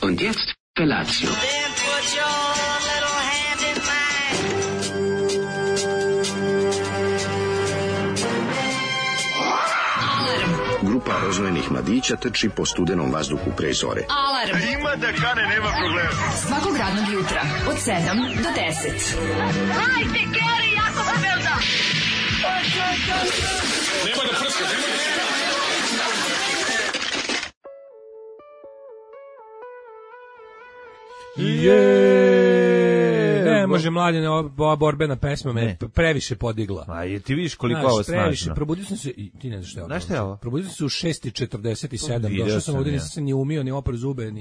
Und jetzt Felatio. Then put your little hand in mine. Grupa rozvojenih mladića trči po studenom vazduhu pre zore. Alarm. Ima da kane, nema problema. Svakog radnog jutra od 7 do 10. Hajde, Geri, jako se velda. Nema da prska, nema da prska. Ne može mladine, ova borbena pesma me previše podigla. A je ti vidiš koliko ovo snažno. Probudio sam se, i ti ne znaš šta je ovo. Znaš šta je ovo? Probudio sam se u 6:47, došao sam ovdje, nisam se ni umio, ni opro zube,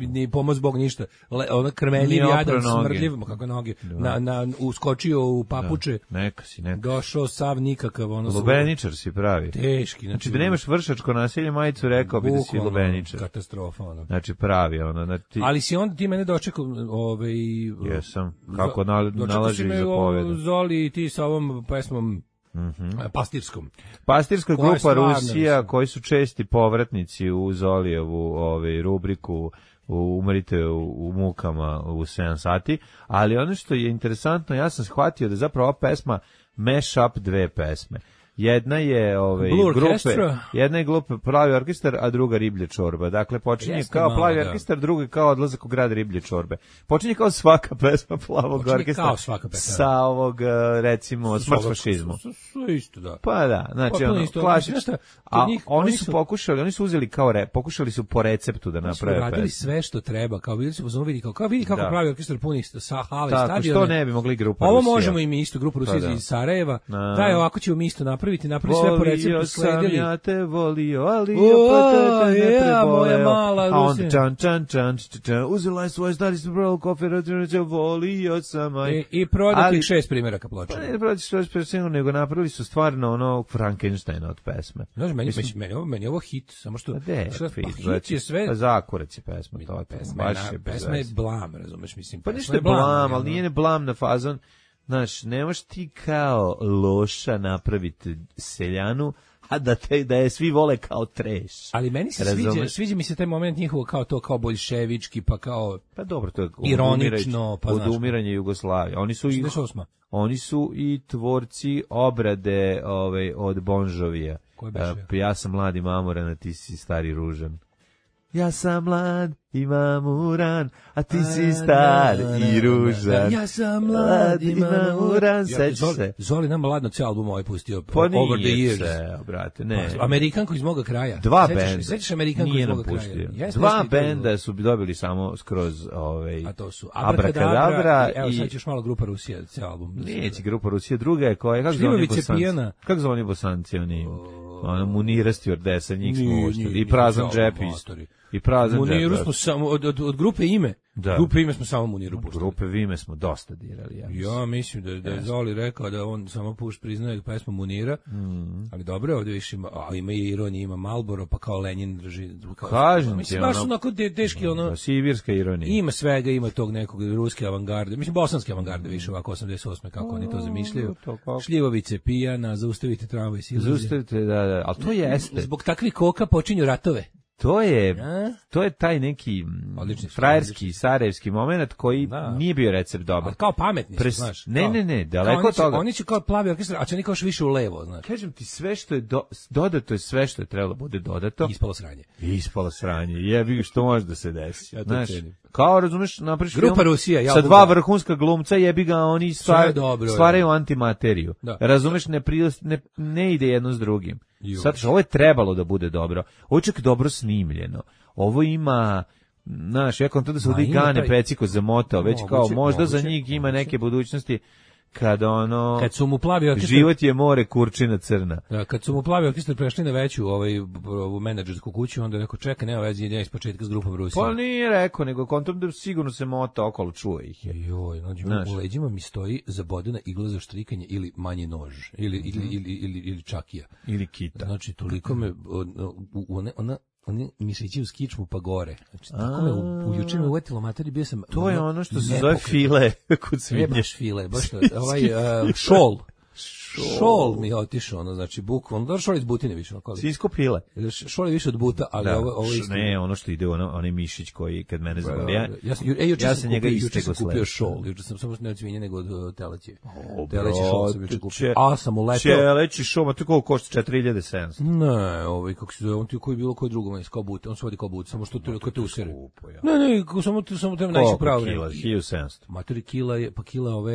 ni pomoz Bog ništa. Ona krmenjiv jadan, smrdljiv, kako noge, uskočio u papuče. Neka si. Došao sav nikakav. Lubeničar si pravi. Teški. Znači da nemaš vršačko nasilje, majicu rekao bi da si lubeničar. Katastrofa. Znači pravi. Ali si onda ti mene dočekao, jesam, kako nalaži zapovjeda. Zoli i ti sa ovom pesmom pastirskom. Pastirska grupa Rusija, koji su česti povratnici u Zolijevu rubriku Umrite u mukama u 7 sati, ali ono što je interesantno, ja sam shvatio da zapravo ova pesma mash up dve pesme. Jedna je grupe Plavi orkestar, a druga Riblje čorba. Dakle, počinje kao Plavi orkestar, druga kao Odlazak u grad Riblje čorbe. Počinje kao svaka pesma Plavog orkestra sa ovog, recimo, Smrt fašizmu. Isto, da. Pa da, znači, klasično. A oni su uzeli pokušali su po receptu da naprave pesmu. Radili sve što treba, kao bili su vidi kako Plavi orkestar puni sa hale stadiona. Tako, što ne bi mogli grupa Ovo Rusija. Možemo i mi isto, grupa Rusija iz Sarajeva. Daj, ovako ćemo mi isto napravi sve po receptu, sledili. Volio sam ja te volio, ali opet te ne preboleo. A onda čan, uzela je svoje stari se bralo kofer, volio sam. I prodati 6 primjeraka ploča. Pa ne prodati 6 primjeraka, nego napravili su stvarno ono Frankensteina od pesme. Znaš, meni je ovo hit, samo što hit je sve. Pa Zakurac je pesma. Pesma je blam, razumeš, mislim. Pa ništa je blam, ali nije ne blam na fazon. Znaš, nemaš ti kao loša napraviti seljanu, a da je svi vole kao treš. Ali meni se sviđa mi se taj moment njihovo kao boljševički, pa kao dobro, to je ironično, pa odumiranje Jugoslavije. Oni su i tvorci obrade od Bon Jovija. Ja sam mlad i mamoran, a ti si stari ružan. Ja sam mlad i mamuran, a ti si star i ružan. Ja sam mlad i mamuran, sećaš se. Zoli nam mladno cijel album ovaj pustio, Over the Years. Se, brate, ne. Amerikanko iz moga kraja. Dva benda. Sećaš Amerikanko iz moga kraja? Dva benda su dobili samo skroz a to su Abrakadabra i... Evo sad ćeš malo grupa Rusija, cijel album. Neće grupa Rusija, druga je koja, kako zove oni Bosanci, oni... Munira Stjordesa, njih smo uštili. I Prazan džep i Prazan džep. Muniru smo samo, od grupe Ime. Da. Grupe Ime smo samo Muniru puštili. Grupe Ime smo dosta dirali. Ja mislim da je Zoli rekao da on samo priznaje pesmu Munira, ali dobro je ovdje više ima i ironija, ima Marlboro, pa kao Lenin drži. Kažem ti, baš onako teški, sibirska ironija. Ima svega, ima tog nekog ruske avangarde, mislim bosanske avangarde više ovako 88. kako oni to zamišljaju. Šljivovice pijana, zaustavite tramvaj silaze. Zaustavite, da, ali to jeste. Zbog takvih koka počinju ratove. To je taj neki frajerski, sarajevski moment koji nije bio recept dobar. Ali kao pametni su, znaš. Ne, daleko od toga. Oni će kao Plavi orkestar, a će oni kao više u levo, znaš. Kažem ti, sve što je dodato je sve što je trebalo bude dodato. Ispalo sranje. Jebi, što može da se desi. Znaš, kao, razumeš, napraviš Grupa Rusija, sa dva vrhunska glumca, jebi ga, oni stvaraju antimateriju. Razumeš, ne ide jedno s drugim. Sad, ovo je trebalo da bude dobro. Ovo je čak dobro snimljeno. Ovo ima, znaš, ja kontam da se ovdje Gane peciko zamotao, već kao možda za njih ima neke budućnosti kad su mu Plavi orkestar, život je more, kurčina crna. Da, kad su mu Plavi orkestar prešli na veću ovu menadžersku kuću, onda je rekao, čekaj, nema veze, idem iz početka s grupom Rusija. Pa nije rekao, nego kontam da sigurno se mota okolo, čuje ih je. Joj, u leđima mi stoji zabodena igla za štrikanje ili manji nož, ili čakija. Ili kita. Znači, toliko me, oni mišići u skičmu pa gore. Znači, tako me juče me uvetilo materi, bio sam... To je ono što se zove file kod svinje. Ne baš file, baš šol. Šol mi je otišao, ono, znači, bukvalno, da šol iz butine više. Sinjsko pile. Šol je više od buta, ali ovo je isto. Ne, ono što ide, onaj mišić koji, kad mene zavoli, ja sam njega istego kupio šol, juče sam samo ne od svinje, nego od teleće. Teleći šol sam juče kupio. A, sam uletao. Teleći šol, ma to koliko košta, 4700? Ne, kako se zove, on ti koji bilo koji drugo, kao bute, on se vodi kao bute, samo što te usere. Ne, samo treba naći pravo vreme. 1700. Materi kila je, pa kila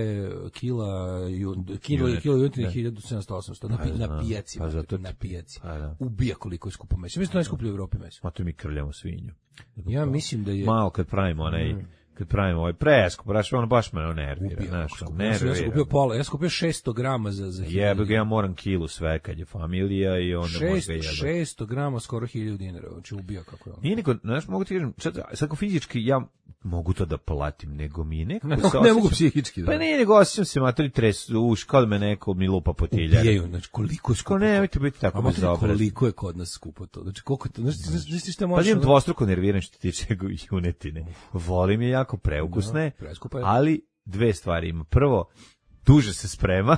juntine 1700-800 na pijaci. Na pijaci. Ubija koliko je skupo meso. Mislim da je najskuplje u Evropi meso. Ma to mi krljamo svinju. Ja mislim da je... Malo kad pravimo ovaj preskup, baš me nervira. Ja sam kupio pola, ja sam kupio 600 grama za 1000. Jebe ga, ja moram kilu sve kad je familija i onda možda jebe. 600 grama, skoro 1000 dinara, znači ubija kako je ono. Nije niko, znaš, mogu ti kažem, sad ko fizički ja mogu to da platim, nego mi nekako ne mogu psihički. Pa ne, nego osjećam se materi uš, kao da me neko mi lupa po tiljari. Ubijaju, znači koliko je skupo. Nemojte biti tako bezobrazni. Koliko je kod nas skupo to, znači koliko to, znači šta možeš... Pa imam dvostruko nerviran što tiče junetine. Volim je jako preukusne, ali dve stvari ima. Prvo, duže se sprema.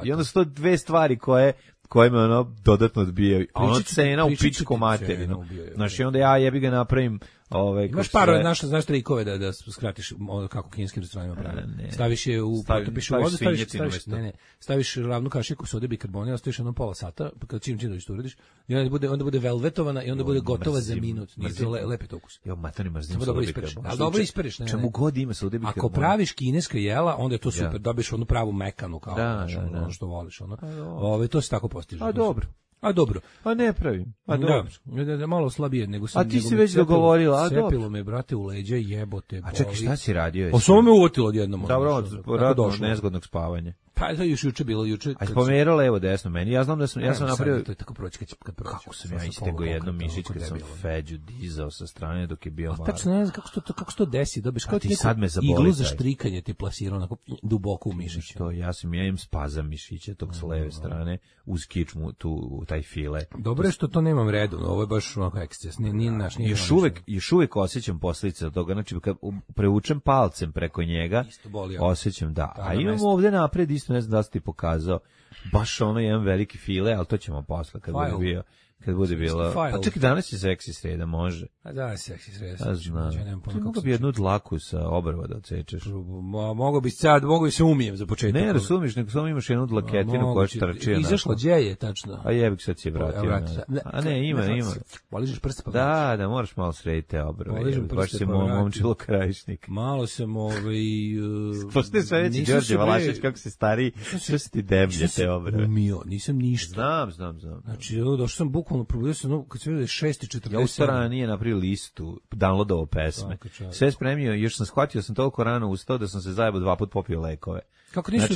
I onda su to dve stvari koje me ono dodatno odbijaju. A ono cena u pičku materinu. Znači onda ja jebi ga napravim imaš par znaš trikove da skratiš kako kineskim restoranima prave. Staviš je u potopiš u vodu, staviš ravnu kašiku sode bikarbonata, ostaviš jedno pola sata, kad čim dođeš to uradiš, i onda bude velvetovana i onda bude gotova za minut. Nije to lepi ukus. Jo, mater, mrzim sode bikarbonata. Ali dobro ispereš, ne. Čemu god ima sode bikarbonata. Ako praviš kineska jela, onda je to super. Dobiješ onu pravu mekanu kao ono što voliš, ono. To se tako postiže. A dobro. A ne pravim. A dobro. Da, malo slabije nego sam. A ti si već dogovorila, a dobro. Sepilo me, brate, u leđa, jebote. A čekaj, šta si radio? O, samo me uvotilo odjednom. Dobro, radno nezgodnog spavanja. Pa to još juče bilo, juče. A spomerao levo desno meni. Ja znam da ja sam napravio. To je tako proći kad proći. Kako sam ja istegao jedno mišić kad sam Feđu dizao sa strane dok je bio mlad. Tačno ne znam kako se to desi. Dobiješ kao ti sad me zaboli. Iglu za štrikanje ti plasirao onako duboko u mišić. Što ja imam spazam mišića tog sa leve strane uz kičmu tu taj file. Dobro je što to nemam redovno. Ovo je baš onako eksces. Nije naš, nije. Još uvek osjećam posljedice od toga. Znači kad preučem palcem preko njega, osjećam da. A imamo ovde napred isto, ne znam da si ti pokazao, baš ono jedan veliki file, ali to ćemo posle kad bude bilo. Pa čekaj, danas je seksi sreda, može. A da, seksi sreda. Ti mogu bi jednu dlaku sa obrva da odsečeš. Mogu bi se umijem za početak. Ne razumiš, nego samo imaš jednu dlaketinu koja trči. Izašlo, gdje je tačno? A jebik sad si je vratio. A ne, ima. Poližeš prste pa. Da, moraš malo srediti te obrve. Baš si momčilo krajišnik. Malo sam Postoje sve veći Đorđe Valašević, kako se stari, što si ti deblje te obrve. Nisam ništa. Znam. Znači, došao sam bukvalno probudio se, kad se vidio 6:40. Ja u stvarno nije napravio listu, downloadovao pesme. Sve spremio, još sam shvatio, sam toliko rano ustao da sam se zajebo 2 puta popio lekove. Kako nisu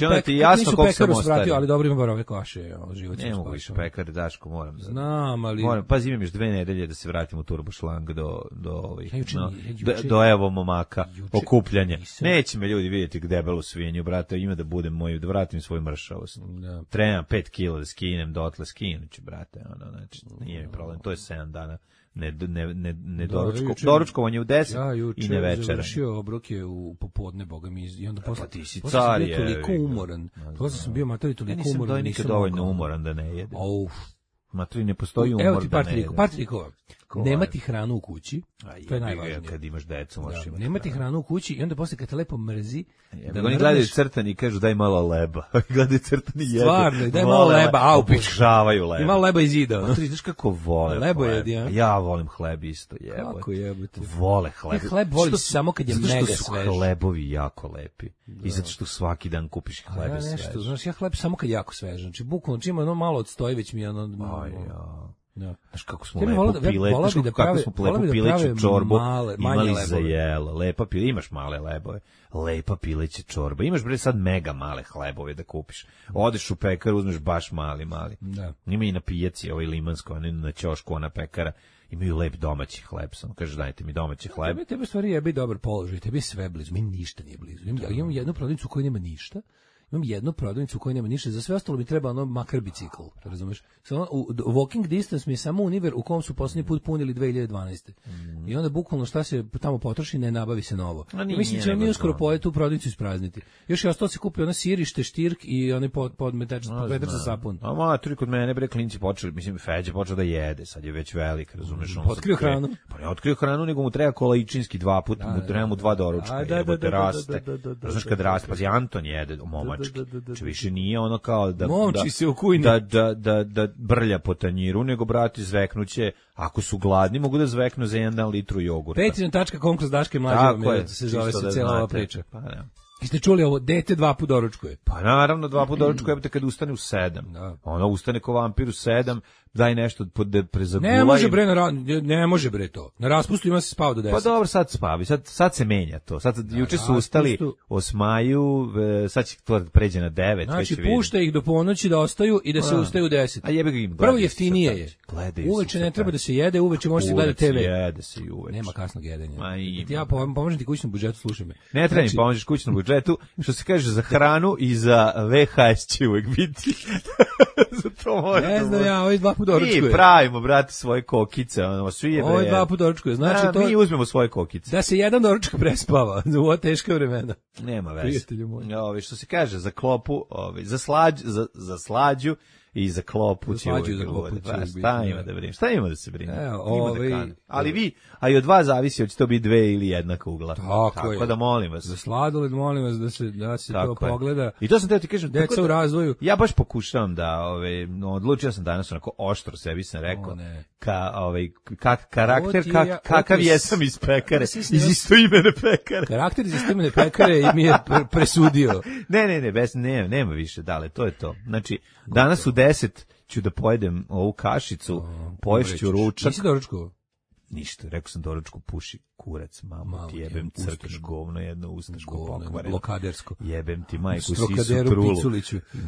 pekaru svratio, ali dobro ima bar ove kaše. Ne mogu više pekar, Daško, moram. Znam, ali... Pazi, imam još 2 nedelje da se vratim u turbošlang do evo momaka, okupljanja. Neće me ljudi vidjeti debelu svinju, brate, ima da budem da vratim svoju mršavost. Trebam 5 kila da skinem, dotle skinuću, brate, znači, nije mi problem, to je 7 dana. Doručkovanje u 10 i ne večera. Ja završio obroke u popodne, boga mi, i onda posle ti si car je. Toliko umoran. Posle sam bio materi toliko umoran. Ja nisam dovoljno umoran da ne jedem. Materi ne postoji umor da ne jedem. Par trikova. Nemati hranu u kući, to je najvažnije. Kad imaš decu, možeš imati. Nemati hranu u kući i onda posle kad te lepo mrzi, oni gledaju crtani i kažu daj malo leba. Gledaju crtani i jedu. Stvarno, daj malo leba, obožavaju leba. I malo leba iz zida. Ti vidiš kako vole lebo jedi, ja? Ja volim hleb isto, jebote. Kako jebote? Vole hleb. Hleb voliš samo kad je mega svež. Zato što su hlebovi jako lepi. I zato što svaki dan kupiš hleb i svež. Znaš, ja hleb samo kad je jako svež. Znači, bukvalno čim ono malo odstoji, već mi je Znaš kako smo lepo pileću čorbu imali za jelo. Lepa pile, imaš male lebove. Lepa pileća čorba. Imaš bre sad mega male hlebove da kupiš. Odeš u pekaru, uzmeš baš mali. Ima i na pijaci, limansko, na ćošku, ona pekara. Imaju lep domaći hleb, samo kaže dajte mi domaći hleb. Tebe stvari jebi dobar položaj, tebi je sve blizu, meni ništa nije blizu. Imam jednu prodavnicu u kojoj nema ništa. Imam jednu prodavnicu u kojoj nema ništa, za sve ostalo mi treba makar bicikl, razumeš? U walking distance mi je samo Univer u kom su posljednji put punili 2012. I onda bukvalno šta se tamo potroši, ne nabavi se novo. Mislim ćemo mi uskoro pojeti tu prodavnicu isprazniti. Još je ostalo se kupi ona sirište, štirk i onaj podmetač za sapun. A maturi kod mene bre klinci počeli, mislim Feđa počeo da jede, sad je već velik, razumeš, on otkrio hranu. Pa ne otkrio hranu, nego mu treba kolaičinski 2 puta, mu treba mu 2 doručka, jebote raste. Znaš kad raste, pa Anton jede, momački. Či više nije ono kao da momči se u kujni. Da brlja po tanjiru, nego brati zveknuće, ako su gladni mogu da zveknu za 1 litru jogurta. Patreon.com kroz Daške mlađe, se zove se cijela ova priča. Pa da. Jeste čuli ovo, dete 2 puta doručkuje? Pa naravno 2 puta doručkuje, kad ustane u 7. Da. Ono ustane ko vampir u 7, daj nešto da prezagulaj. Ne može bre to. Na raspustu ima se spava do 10. Pa dobro, sad spavi, sad se menja to. Sad juče su ustali 8, sad će to pređe na 9. Znači pušta ih do ponoći da ostaju i da se ustaju u 10. A jebi ga im. Prvo jeftinije je. Uveče ne treba da se jede, uveče može se gledati TV. Jede se i uveče. Nema kasnog jedenja. Ja pomožem ti kućnom budžetu, slušaj me. Ne treba mi pomožeš kućnom budžetu, što se kaže za hranu i za VHS će uvek biti. Za to može. Ne znam ja, ovaj 2 puta doručkuje. Mi pravimo, brate, svoje kokice, ono, svi je bre. Ovaj 2 puta doručkuje, znači to. Mi uzmemo svoje kokice. Da se jedan doručak prespava za ova teška vremena. Nema veze. Prijatelju moj. Što se kaže, za klopu, za slađu i za klopu će uvek govoriti. Šta ima da se brine? Ali a i od vas zavisi hoće to biti 2 ili 1 kugla. Tako da molim vas. Za sladoled molim vas da se to pogleda. I to sam teo ti kažem, deca u razvoju. Ja baš pokušavam da odlučio sam danas onako oštro sebi sam rekao karakter kakav jesam iz pekare, iz istoimene pekare. Karakter iz istoimene pekare mi je presudio. Ne, nema više, dale, to je to. Znači, danas u 10 ću da pojedem ovu kašicu, poješću ručak. Nisi doručkovao? Ništa, rekao sam doručku, puši kurac, mamu ti jebem crtaš govno jedno ustaško pokvareno. Blokadersko. Jebem ti majku sisu trulu.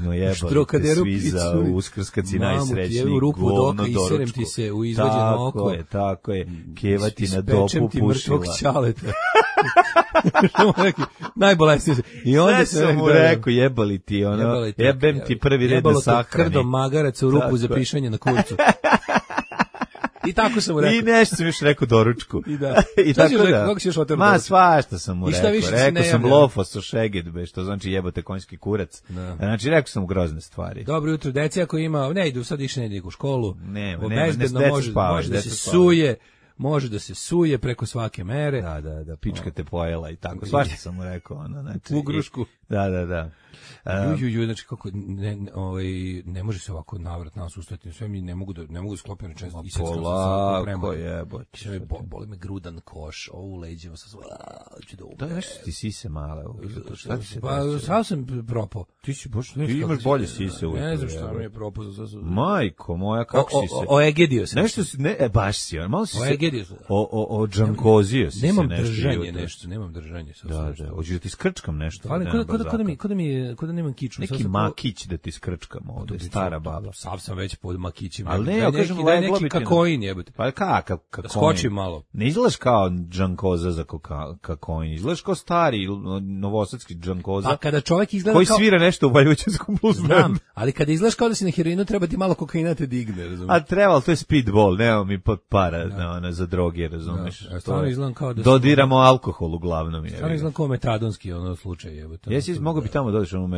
No jebali te svi za Uskrs kad si najsrećniji, govno doručku. Ti se u izvađeno oko. Tako je, kevati na dopu pušila. Ispečem ti mrtvog ćaleta. Najbolesnije se. I onda sam mu rekao, jebali ti, jebem ti prvi red na sahrani. Jebalo to krdom magaraca u ruku za pišanje na kurcu. I tako sam mu rekao. I nešto sam još rekao doručku. I tako da. Kako si još otero doručku? Svašta sam mu rekao. Rekao sam lofos o šeged, što znači jebote konjski kurac. Znači rekao sam mu grozne stvari. Dobro jutro, deci ako ima, ne idu, sad više ne idu u školu. Ne može da se suje. Može da se suje preko svake mere. Da, pička te pojela i tako. Svašta sam mu rekao. Znači, u grušku. Da. Znači kako ne može se ovako navrat nas ustati, sve mi ne mogu sklopiti rečenicu i sad polako jebote. Sve boli me grudan koš, u leđima sa hoću da umrem. Da, nešto ti sise male. Šta ti se pa sad sam propao. Ti imaš bolje sise uvijek. Ne znam šta mi je propao. Majko moja, kako si se? Oegedio sam. Nešto si, baš si, malo si se o džankozio si se nešto. Nemam držanje. Da, hoćeš da ti skrčkam nešto. Kod da nemam kiču. Neki makić da ti skrčkam ovde, stara baba. Sav sam već pod makićima. Ali ne, ja kažem neki kakoin jebote. Pa kakav kakoin? Da skočim malo. Ne izgledaš kao džankoza za kakoin, izgledaš kao stari novosadski džankoza. Pa kada čovjek izgleda koji svira nešto u Valjućanskom blues bandu. Ali kada izgledaš kao da si na heroinu, treba ti malo kokaina te digne, razumiješ? A treba, to je speedball, nema mi para za droge, razumiješ? Stvarno izgledam kao da dodiramo alkohol uglavnom. Stvarno izgledam kao metadonski slučaj, jebote. Jesi mogu bi tamo doći u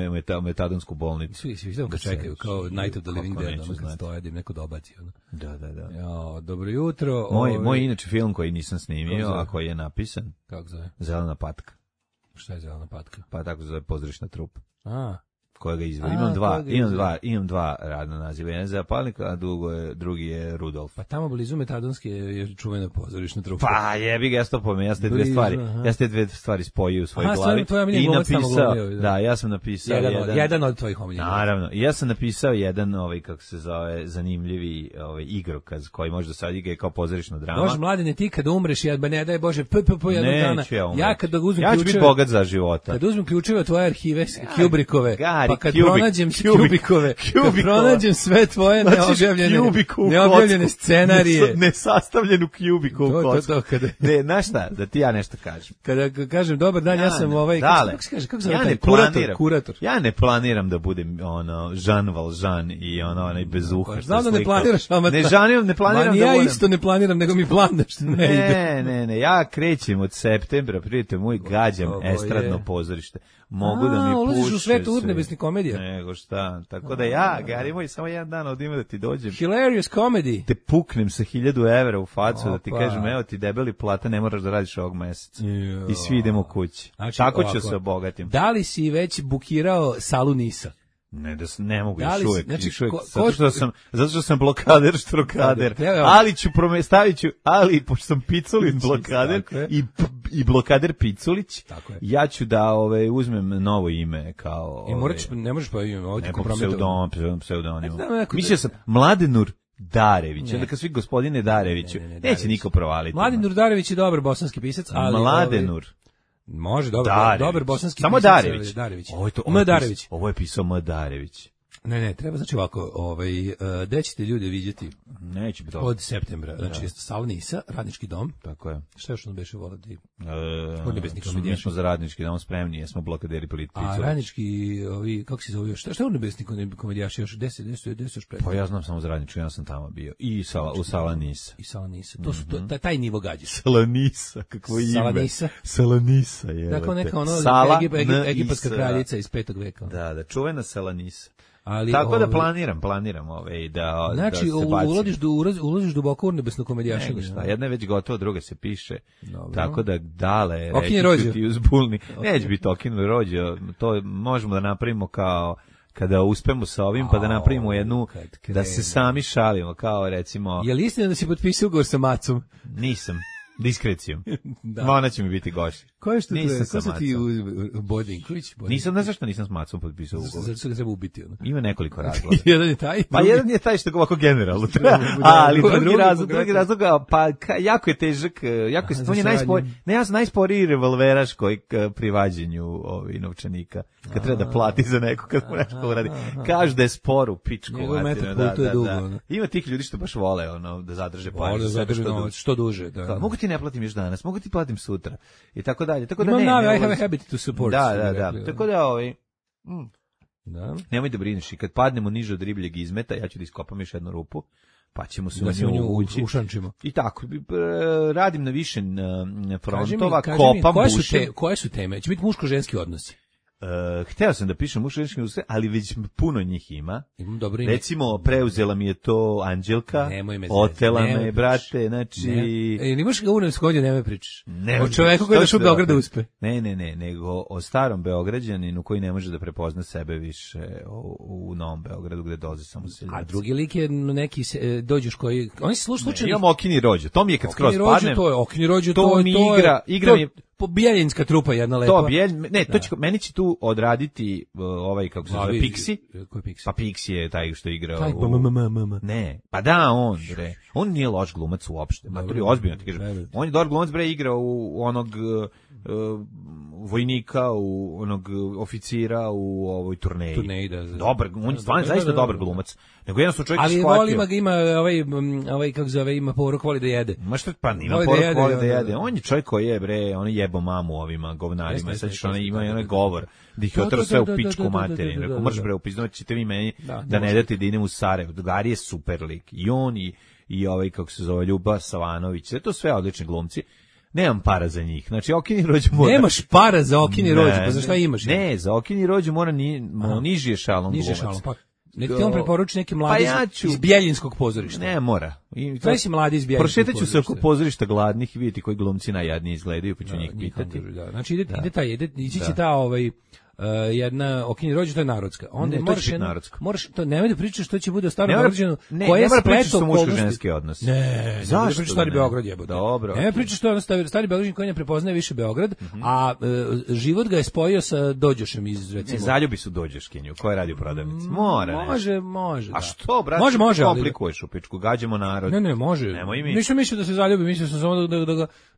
metadonsku bolnicu. Svi ga čekaju, kao Night of the Living Dead, kad stoje da im neko dobaci. Da. Ja, dobro jutro. Moj inače film koji nisam snimio, a koji je napisan. Kako zove? Zelena patka. Šta je Zelena patka? Pa tako zove Pozdraviš na trup. Kojega izvodi. Imam dva radna naziva. Jedan je Zapalnik, a drugi je Rudolf. Pa tamo blizu metadonske je čuvena Pozdraviš na trup. Pa jebi ga, ja ste dve stvari spojio u svojoj glavi. I napisao, ja sam napisao jedan od tvojih omiljenih. Naravno, ja sam napisao jedan kako se zove zanimljivi igrokaz koji može da sad igra kao pozorišna drama. Bože mladene, ti kad umreš, ne daj Bože, jednog dana. Ja kad uzmem ključeve, ja ću biti bogat za života. Kad uzmem ključeve od tvoje arhive Kubrickove, Pa kad pronađem Kubikove, kad pronađem sve tvoje neobjavljene scenarije, nesastavljenu Kubiku u kocku. Ne, znaš šta, da ti ja nešto kažem. Kada kažem dobar dan, ja sam kako se kaže, kako se zove, kurator. Ja ne planiram da budem Jean Valjean i onaj bez uha. Znam da ne planiraš, ama ne planiram da ja isto ne planiram, nego mi plan da što ne ide. Ne, ja krećem od septembra, prijete moj, gađam estradno pozorište. Mogu da mi puše. Ulaziš u svet urnebesnih komedija. Nego šta, tako da ja, Gari moj, samo jedan dan odimo da ti dođem. Hilarious comedy. Te puknem sa 1000 evra u facu, da ti kažem, evo ti debeli plata, ne moraš da radiš ovog meseca. I svi idemo kući. Znači, tako ću se obogatim. Da li si već bukirao salu Nisa? Ne mogu još uvijek. Znači, zato što sam blokader, štrokader. Ali ali pošto sam Piculin blokader i blokader Piculić, ja ću da uzmem novo ime kao... I ne možeš pa ime, ovo ti kompromitovano. Pseudonim. Mislio sam Mladenur Darević, onda kad svi gospodine Dareviću, neće niko provaliti. Mladenur Darević je dobar bosanski pisac, ali... Mladenur. Može, dobar bosanski samo pisac. Darević. Ovo je pisao M. Darević. Ne, treba znači ovako, gde ćete ljude vidjeti? Neće biti od septembra. Znači, sala Nisa, Radnički dom. Tako je. Šta još ono beše volati? Mi smo za Radnički dom spremni, jesmo blokaderi politici. A Radnički, kako se zove još? Šta je urnebesni komedijaši još? Gde se još spremni? Pa ja znam samo za Radnički, ja sam tamo bio. I u Sala Nisa. I Sala Nisa. To su taj nivo gađa. Sala Nisa, kakvo ime. Sala Nisa. Sala Nisa, je. Dakle, neka egipatska kraljica iz 5. veka. Da, čuvena Sala Nisa. Tako da planiram da znači, da se bacim. ulaziš duboko u nebesno komedijašenje. Jedna je već gotova, druga se piše. Dobro. Tako da dale, Okinje rođo. Ti uzbulni. Neće biti Okinje rođo, to možemo da napravimo kao kada uspemo sa ovim, pa da napravimo jednu, da se sami šalimo, kao recimo... Je li istina da si potpisao ugovor sa Macom? Nisam. Diskrecijom. Ona će mi biti gošća. Ko je što to je? Ko su ti Bodinković? Nisam, ne zašto nisam s Macom potpisao ugovor. Zato što ga treba ubiti. Ima nekoliko razloga. Jedan je taj. Pa jedan je taj što ga ovako generalno treba. Ali drugi razlog, pa jako je težak, on je najsporiji revolveraš koji pri vađenju novčanika. Kad treba da plati za neko, kad mu nešto uradi. Kažu da je spor u pičku. Ima tih ljudi što baš vole da zadrže pare. Što duže. Mogu ti ne platim još danas, mogu ti platim sutra. I tako dalje. Tako da I have a habit to support. Da. Tako da nemoj da brineš. I kad padnemo niže od ribljeg izmeta, ja ću da iskopam još jednu rupu, pa ćemo se u nju ući. I tako, radim na više frontova, kopam, bušem. Koje su teme? Će biti muško-ženski odnosi? Hteo sam da pišem muško-ženski odnosi, ali već puno njih ima. Imam dobro ime. Recimo, preuzela mi je to Anđelka, otela me, brate, znači... Nimaš ga unem skondio, nemoj pričaš. O čoveku koji je došao u Beograd da uspe. Ne, nego o starom Beograđaninu koji ne može da prepozna sebe više u Novom Beogradu gde dolaze samo seljaci. A drugi lik je neki dođeš koji... Oni se slučajno... Imam Okinji rođo, to mi je kad skroz padnem. Okinji rođo, to mi igra mi... Bijeljinska trupa jedna lepa. Meni će tu odraditi kako se zove, Pixi. Koji Pixi? Pa Pixi je taj što igra Ne. Pa da, on nije loš glumac uopšte. Ma to je ozbiljno ti kažem. On je dobar glumac, igra u onog vojnika, u onog oficira u ovoj turneji. Dobar, on je stvarno zaista dobar glumac. Nego jednostavno čovjek shvatio. Ali ima kako zove, ima poruk, voli da jede. Ma što pa nima poruk, voli da jede. On je čovjek koji je on je jebo mamu ovima govnarima. Sad što ona ima i onaj govor da ih je otrao sve u pičku materinu. Rekao, mrš bre, upiznovat ćete vi meni da ne date da idem u Sarajevo. Gari je super lik. I on i ovaj, kako se zove, Ljuba Savanović. To sve odlični glumci. Nemam para za njih. Znači, Okinji rođu mora... Nemaš para za Okinji rođu, pa za šta imaš? Ne, za Okinji rođu mora niži ešalon glumac. Pa nek ti on preporuči neki mladi iz Bijeljinskog pozorišta. Ne, mora. Kaj si mladi iz Bijeljinskog pozorišta? Prošetat ću se oko pozorišta gladnih i vidjeti koji glumci najjadniji izgledaju, pa ću njih pitati. Znači, ići će ta jedna Okinji rođu, to je narodska. Onda moraš to nemoj da pričaš što će bude o starom Beograđanu, koje je spleto muško-ženski odnos. Ne, zašto stari Beograd jebote. Dobro. Nemoj pričaš što je stari Beograđanin koji ne prepoznaje više Beograd, a život ga je spojio sa Dođošem iz recimo. Zaljubi su Dođoškinju, koja radi u prodavnici. Može. A što, brate? Može, komplikuješ u pičku, gađamo narod. Ne, može. Nisam mislio da se zaljubi, mislio sam samo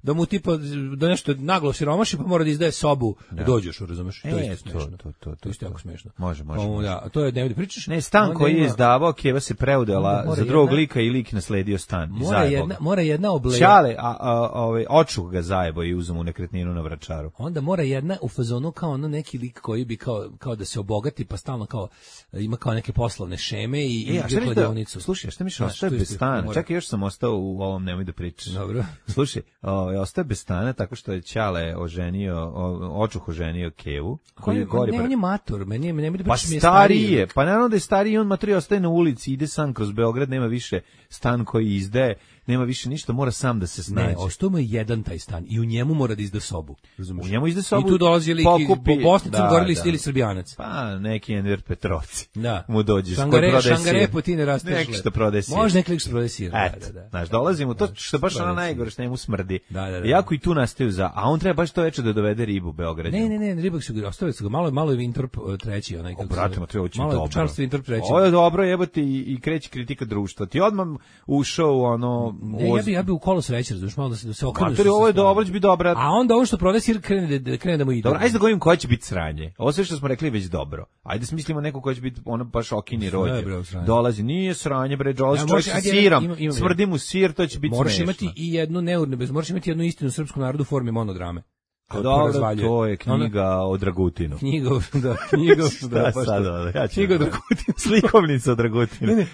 da mu tipa da nešto naglo siromaši, pa mora da izdaje sobu Dođošu, razumeš? smešno. To isto jako smešno. Može. Da, to je ne pričaš. Ne, stan koji je izdavao, Keva se preudela za drugog lika i lik nasledio stan. Mora jedna obleja. Čale, očuh ga zajebo i uzmu nekretninu na Vračaru. Onda mora jedna u fazonu kao ono neki lik koji bi kao da se obogati, pa stalno kao ima kao neke poslovne šeme i kladionicu. Slušaj, šta misliš, ostaje bez stana? Čekaj, još sam ostao u ovom, nemoj da pričaš. Dobro. Slušaj, ostaje bez stana tako što je Čale očuh oženio Kevu, koji je gori. Ne, on je mator, meni da pričaš. Pa stariji je, pa naravno da je stariji, on matori ostaje na ulici, ide sam kroz Beograd, nema više stan koji izdaje, nema više ništa, mora sam da se snađe. Ne, ostao mu je jedan taj stan i u njemu mora da izda sobu. Razumeš? U njemu izda sobu. I tu dolazi lik Bosnici, gorili ili Srbijanac. Pa neki Enver Petrovci. Da. Mu dođeš. Šangare potine rasteš. Neki što prodaje sir. Može neki što prodaje sir. Da. Znaš, dolazimo, to što baš ona najgore, što njemu smrdi. Jako i tu nastaju a on treba baš to veče da dovede ribu u Beograd. Ne, ribak su ga ostavili su ga, malo je Winthorpe treći, onaj kako se zove. Brate, treba ući dobro. Malo Charles Winthorpe treći. Ovo je dobro, jebote i kreće kritika društva. Ti odmah ušao u ono... Ne, ja bi u kolo sreće, razumiješ, malo da se okrenu. Matori, ovo je dobro, će biti dobra. A onda on što prodaje sir krene da mu ide. Dobro, ajde da govorim koja će biti sranje. Ovo sve što smo rekli već dobro. Ajde smislimo neko koja će biti ono baš okini rođe. Dolazi, nije sranje, bre, dolazi čovjek sa sirom, smrdi mu sir, to će biti smešno. Moraš imati i jednu moraš imati jednu istinu srpskom narodu u formi monodrame. Dobro, to je knjiga o Dragutinu. Knjiga o Dragutinu. Slikovnica o Dragutinu.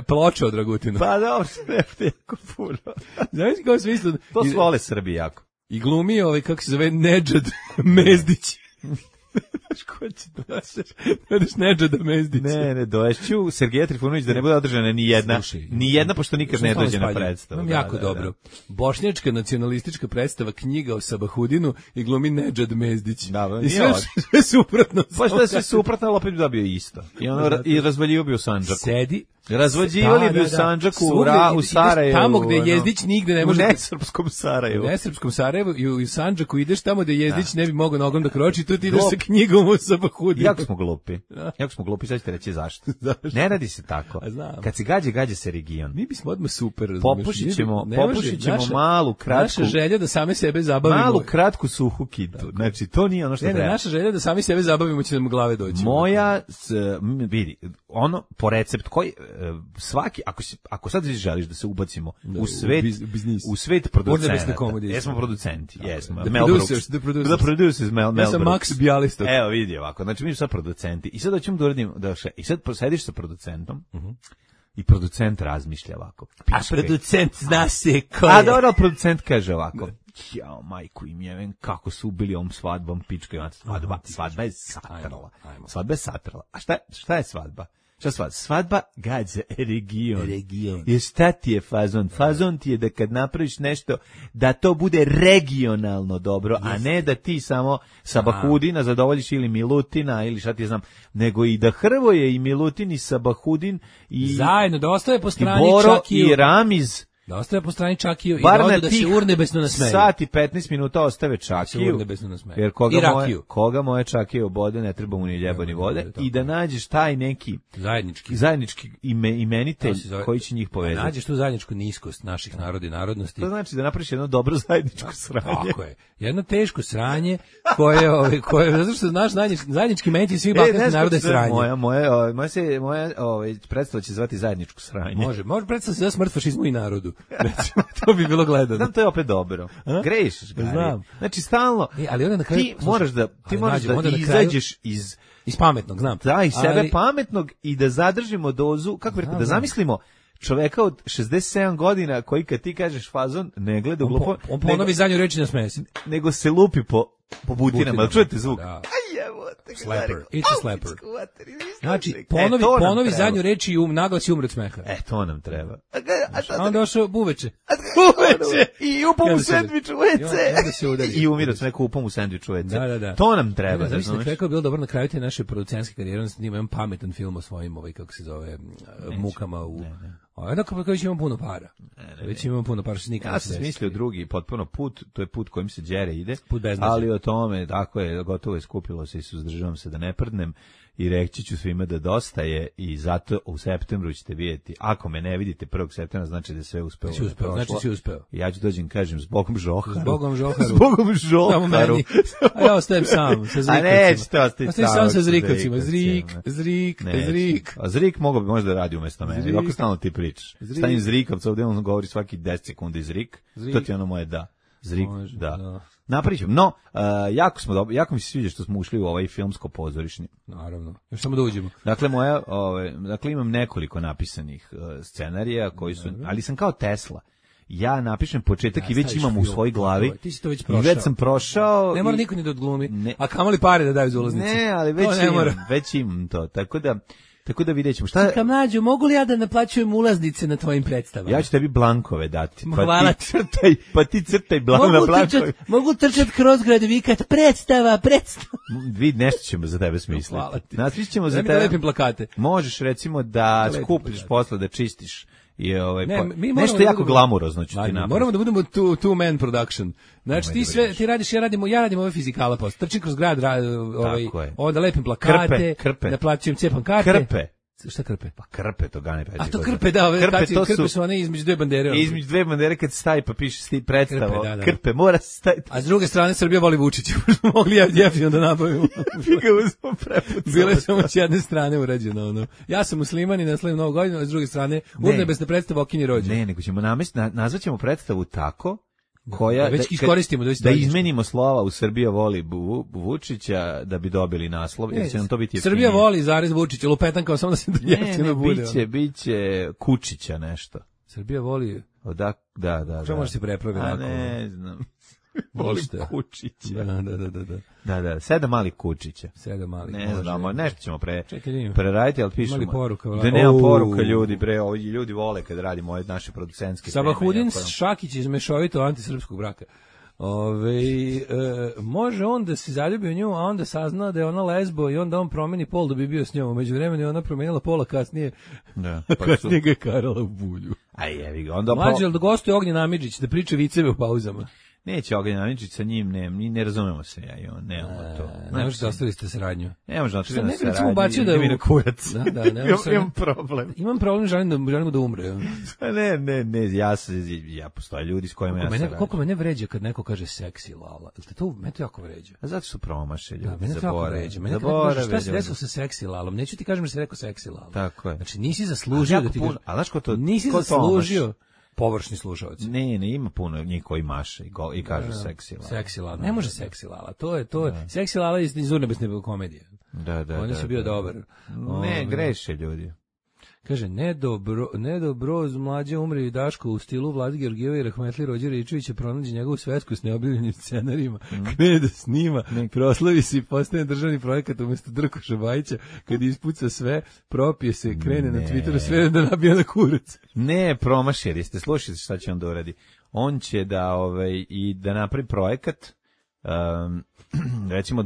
Ploča o Dragutinu. Pa dobro, ne jako puno. Znaš kao smislu? To su vole Srbi jako. I glumi kako se zove Nedžad Mezdić. Znaš ko će dođeš Nedžada Mezdića? Ne, dođeću Sergeja Trifunović da ne bude održana ni jedna, pošto nikad ne dođe na predstavu. Imam jako dobro. Bošnjačka nacionalistička predstava, knjiga o Sabahudinu i glumi Nedžad Mezdić. I sve suprotno. Pa što je sve suprotno, ali opet bi dobio isto. I razvaljio bi u Sandžaku. Sedi. Razvođivali bi u Sandžaku, u Sarajevu. Tamo gde Jezdić nigde ne može... U nesrpskom Sarajevu. U nesrpskom Sarajevu i u Sandžaku ideš tamo gde Jezdić ne bi mogao nogom da kroči, tu ti ideš sa knjigom u Sabahudinu. Jako smo glupi, sad ćete reći zašto. Ne radi se tako. Kad se gađa se region. Mi bismo odmah super. Popušit ćemo malu, kratku... Naša želja da same sebe zabavimo. Malu, kratku, suhu kitu. Znači, to nije ono što treba. Naša želja da sami sebe zabavimo će nam u glave doći. Moja, vidi, ono, po recept koji... svaki, ako sad želiš da se ubacimo u svet producenata. Jesmo producenti, jesmo. The producers, Mel ja sam Max Bjalistok. Evo vidi ovako, znači mi smo sad producenti i sad hoćemo da uradimo, i sad sediš sa producentom i producent razmišlja ovako. A producent zna se ko je. A dobro, producent kaže ovako. Jao, majku im jeven, kako su ubili ovom svadbom, pička, svadba je satrala. Svadba je satrala. A šta je svadba? Svadba gađa region. I šta ti je fazon? Fazon ti je da kad napraviš nešto, da to bude regionalno dobro, a ne da ti samo Sabahudina zadovoljiš ili Milutina ili šta ti znam, nego i da Hrvoje i Milutin i Sabahudin i zajedno, da ostave po strani Boro Čakiju. I Ramiz. Da ostave po strani Čakiju i da odu da se urnebesno nasmeju. Sat i 15 minuta ostave Čakiju. Jer koga moje Čakije obode, ne treba mu ni ljeba ni vode. I da nađeš taj neki zajednički imenitelj koji će njih povezati. Nađeš tu zajedničku niskost naših naroda i narodnosti. To znači da napraviš jedno dobro zajedničko sranje. Tako je. Jedno teško sranje koje zato što naš zajednički imenitelj svih balkanskih naroda je sranje. Moja predstava će zvati zajedničko sranje. Može predstava se za smrt fašizmu i narodu. Recimo, to bi bilo gledano. Znam, to je opet dobro. Grešiš, Gari. Znam. Znači, stalno, ali onda na kraju, ti moraš da izađeš iz pametnog, znam. Da, iz sebe pametnog i da zadržimo dozu, kako da zamislimo čoveka od 67 godina koji kad ti kažeš fazon ne gleda u glupo. On ponovi zadnju reči na smesi. Nego se lupi po butinama. Čujete zvuk? Da. Slapper. It's a slapper. Znači, ponovi zadnju reč i naglasi umre od smeha. To nam treba. A onda došao buveče. I upom u sendviču u WC. I umire od smeha upom u sendviču u WC. Da. To nam treba. Znači, na kraju bilo dobro na kraju te naše producentske karijere, on snima jedan pametan film o svojim, kako se zove, mukama Dakle, već imamo puno para. Već imamo puno para, što nikada ja sam smislio drugi potpuno put, to je put kojim se đere ide, ali o tome, tako je, gotovo je skupilo se i suzdržavam se da ne prdnem i reći ću svima da dosta je i zato u septembru ćete vidjeti. Ako me ne vidite 1. septembra, znači da je sve uspeo. Znači si uspeo. Ja ću dođem, kažem, zbogom Žoharu. Zbogom Žoharu. Zbogom Žoharu. A ja ostajem sam, sa zrikavcima. A nećete ostati sam sa zrikavcima. Zrik. A zrik mogo bi možda radi umjesto mene. Ako stalno ti pričaš. Stavim zrikavca, ovdje on govori svaki 10 sekundi zrik. To ti ono moje da. Zrik, da. Napričam. No, jako mi se sviđa što smo ušli u ovaj filmsko pozorišni. Naravno. Još samo da uđemo. Dakle, dakle imam nekoliko napisanih scenarija koji su, ali sam kao Tesla. Ja napišem početak i već imam u svojoj glavi. Ti si to već prošao. I već sam prošao. Ne mora niko ni da odglumi. A kamoli pare da daju za ulaznice. Ne, ali već imam to. Tako da vidjet ćemo. Čekaj, mlađo, mogu li ja da naplaćujem ulaznice na tvojim predstavama? Ja ću tebi blankove dati. Hvala ti. Pa ti crtaj na blankove. Mogu trčati kroz grad i vikat predstava. Nešto ćemo za tebe smisliti. Hvala ti. Nasmišlit ćemo za tebe. Da lepim plakate. Možeš recimo da skupiš posle, da čistiš. Nešto jako glamurozno ću ti napraviti. Moramo da budemo two man production. Znači ti radiš, ja radim ove fizikala posle. Trčim kroz grad, onda lepim plakate, da plaćujem, cepam karte. Krpe. Šta krpe? Pa krpe, to Gane Peđe. A to krpe, da, krpe su one između dve bandere. Između dve bandere kad staje pa piše predstavo. Krpe, mora se staviti. A s druge strane Srbija voli Vučića. Mogli jeftino da nabavimo. Bile samo s jedne strane urađeno. Ja sam musliman i ne slavim Novu godinu, a s druge strane urnebesna predstava Okinji rođen. Ne, nego ćemo nazvaćemo predstavu tako koja već iskoristimo da izmenimo slova u Srbija voli Vučića da bi dobili naslov, jer će nam to biti jeftinije. Srbija voli zarez Vučića, lupetan kao samo da se jeftino bude. Biće Kučića nešto. Srbija voli. Da. Što može se prepravi onako? Ne znam. Volim Kučića. Da. 7 malih Kučića. 7 malih. Ne znamo, nešto ćemo preraditi, ali pišemo. Mali poruka. Da nema poruka ljudi, ovi ljudi vole kad radimo ove naše producentske teme. Sabahudin Šakić iz mešovito antisrpskog braka. Može on da se zaljubi u nju, a onda sazna da je ona lezbo i onda on promeni pol da bi bio s njom. Među vremenu je ona promenila pola, kasnije kasnije ga je karala u bulju. Mlađe, da gostuje Ognjen Amidžić da priča viceve u pauzama. Neće Ognjen Amidžić sa njim, ne razumemo se ja i on, nemamo to. Ne možete da ostavite saradnju. Ne možete da ostavite saradnju, da mi na kurac. Imam problem. Imam problem, želimo da umre. Ja postoje ljudi s kojima ja saradim. Koliko mene vređa kad neko kaže seksi lala. Mene to jako vređa. A zato su promaše ljudi. Mene to jako vređa. Mene kad kaže šta se desilo sa seksi lalom, neću ti kažem da se rekao seksi lala. Tako je. Znači nisi zaslužio da ti kažem. A znaš ko to? Nisi zaslužio. Površni slušalac. Ne, ima puno njih koji maše i kažu seksi lala. Seksi lala. Ne može seksi lala. To je. Seksi lala iz urnebesne komedije. Da. Oni su bio dobar. Ne, greše ljudi. Kaže, Nedobroz mlađe umre i Daško u stilu Vlade Georgijeva i Rahmetli Rođe Ričevića pronađe njegovu svetsku s neobjavljenim scenarijima, krene da snima, proslavi se i postane državni projekat umjesto Drkoša Bajića, kad ispuca sve, propije se, krene na Twitteru, sve da nabija na kurac. Ne, promašili ste, slušajte šta će on da uradi. On će da napravi projekat, recimo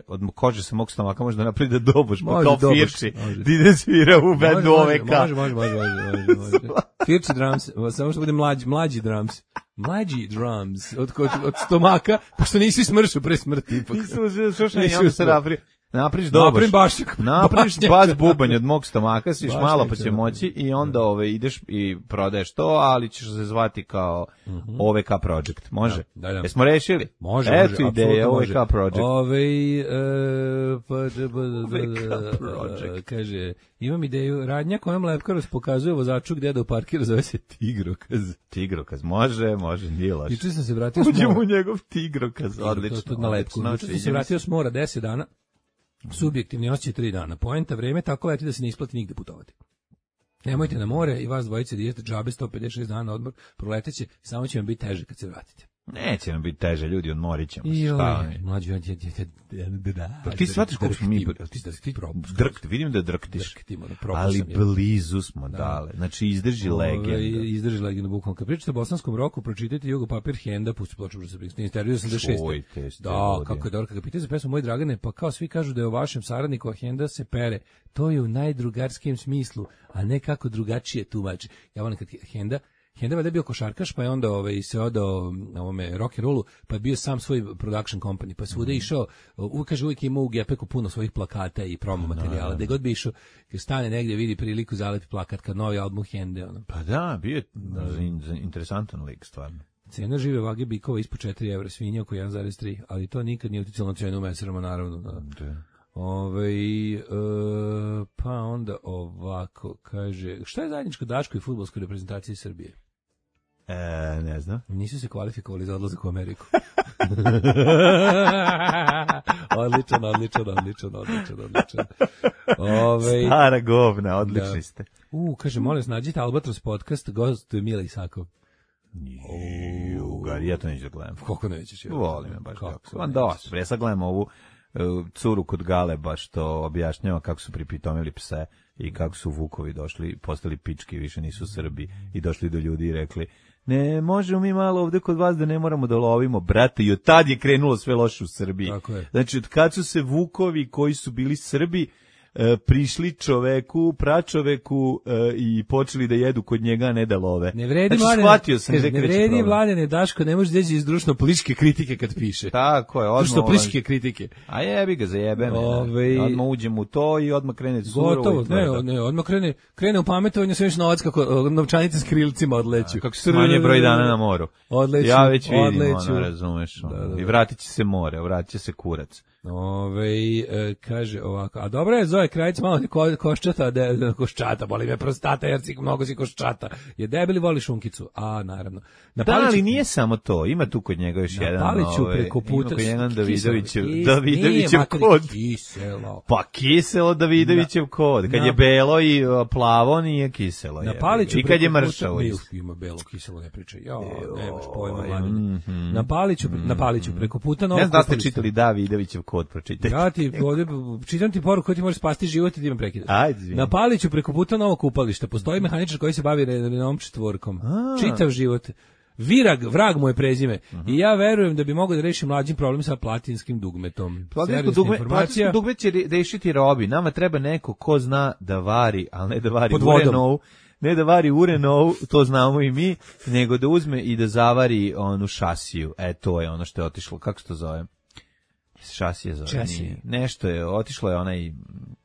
od kože sa mog stomaka može da napravi da doboš, pa kao Firči, da ide svira u bendu OVK. Može. Firči drums, samo što bude mlađi drums. Mlađi drums, od stomaka, pošto nisi smršao pre smrti ipak. Nisam se napravio. Napriš doboš. Napriš bas bubanj od mog stomaka, sviš malo pa će moći i onda ideš i prodaješ to, ali ćeš se zvati kao OVK Project. Može? Da. Jesmo rešili? Može. Eto ideja OVK Project. OVK Project. Kaže, imam ideju, radnja kojom Lepkaros pokazuje vozaču gdje da uparkira, zove se Tigrokaz. Tigrokaz, može, nije loš. Juče sam se vratio Uđemo u njegov Tigrokaz, odlično. Na Lepku. Juče sam se vratio s mora 10 dana. Subjektivni osjećaj 3 dana. Poenta vreme tako leti da se ne isplati nigde putovati. Nemojte na more i vas dvojice da idete džabe 156 dana odmor, proleteće, samo će vam biti teže kad se vratite. Neće nam biti teže, ljudi, odmorit ćemo se. Mlađi, ti shvatiš koliko smo mi... Vidim da drktiš, ali blizu smo dale. Znači, izdrži legenda. Izdrži legenda, bukvalno. Kad pričate o bosanskom roku, pročitajte Jugo Papir Henda, pusti ploču za intervju 86. Da, kako je dobro. Kad ga pitaju za pesmu Moj Dragane, pa kao svi kažu da je o vašem saradniku, a Henda se pere. To je u najdrugarskijem smislu, a ne kako drugačije tumači. Ja volim kad Henda valjda je bio košarkaš, pa je onda se odao ovome rock and rollu, pa je bio sam svoj production company, pa svuda išao, uvijek imao u Gepeku puno svojih plakata i promo materijala, gde god bi išao, kad stane negdje, vidi priliku, zalepi plakat, kad novi album Hende. Pa da, bio je interesantan lik, stvarno. Cena žive vage bikova ispod 4 evra, svinja oko 1,3, ali to nikad nije uticalo na cenu u meserama, naravno. Da. Pa onda ovako, kaže, šta je zajedničko Daško i fudbalskoj reprezentaciji Srbije? Ne znam. Nisu se kvalifikovali za odlazak u Ameriku. Odličan. Stara govna, odlični ste. Kaže, molim vas, nađite Albatros podcast, gost Mila Isakov. Ja to neću da gledam. Koliko nećeš? Volim me baš kako. Ja sad gledam ovu curu kod Galeba što objašnjava kako su pripitomili pse i kako su vukovi došli, postali pički, više nisu Srbi i došli do ljudi i rekli ne, možemo mi malo ovde kod vas da ne moramo da lovimo, brate, i od tad je krenulo sve loše u Srbiji. Znači, od kad su se vukovi koji su bili Srbi prišli čoveku, pračoveku i počeli da jedu kod njega, a ne da love. Ne vredi, znači, Mladene, Daško, ne može deći iz društveno-političke kritike kad piše. Tako je, društveno-političke kritike. A jebi ga, zajebe me. Odmah uđem u to i odmah krene surovo. Gotovo, ne, odmah krene u pametovanje, sve još novac kako novčanice s krilcima odleću. Kako se manje broj dana na moru. Odleću. Ja već vidim, razumeš. I vratit će se more, vratit će se kurac. Kaže ovako, a dobro je Zoe Krajić malo koščata, boli me prostata jer mnogo si koščata, je debeli, voli šunkicu, a naravno. Ali nije samo to, ima tu kod njega još jedan, Paliću preko puta, ima kod jedan Davidovićev kod. Kiselo. Pa kiselo Davidovićev kod, kad je belo i plavo nije kiselo. I kad je mršavo. Ima belo, kiselo ne pričaj, nemaš pojma. Na Paliću preko puta novog. Ne znam da ste čitali Davidovićev kod, pročitajte. Ja ti čitam ti poruku koja ti može spasti život i ti me prekida. Na Paliću preko puta novog kupališta postoji mehaničar koji se bavi redovnom četvorkom. Čitav život. Vrag mu je prezime. I ja verujem da bi mogao da reši mlađim problem sa platinskim dugmetom. Platinsko dugme će rešiti Robi. Nama treba neko ko zna da vari, ali ne da vari u Renault. Ne da vari u Renault, to znamo i mi, nego da uzme i da zavari onu šasiju. To je ono što je otišlo. Kako se to zove? Šasije zove. Nešto je, otišlo je onaj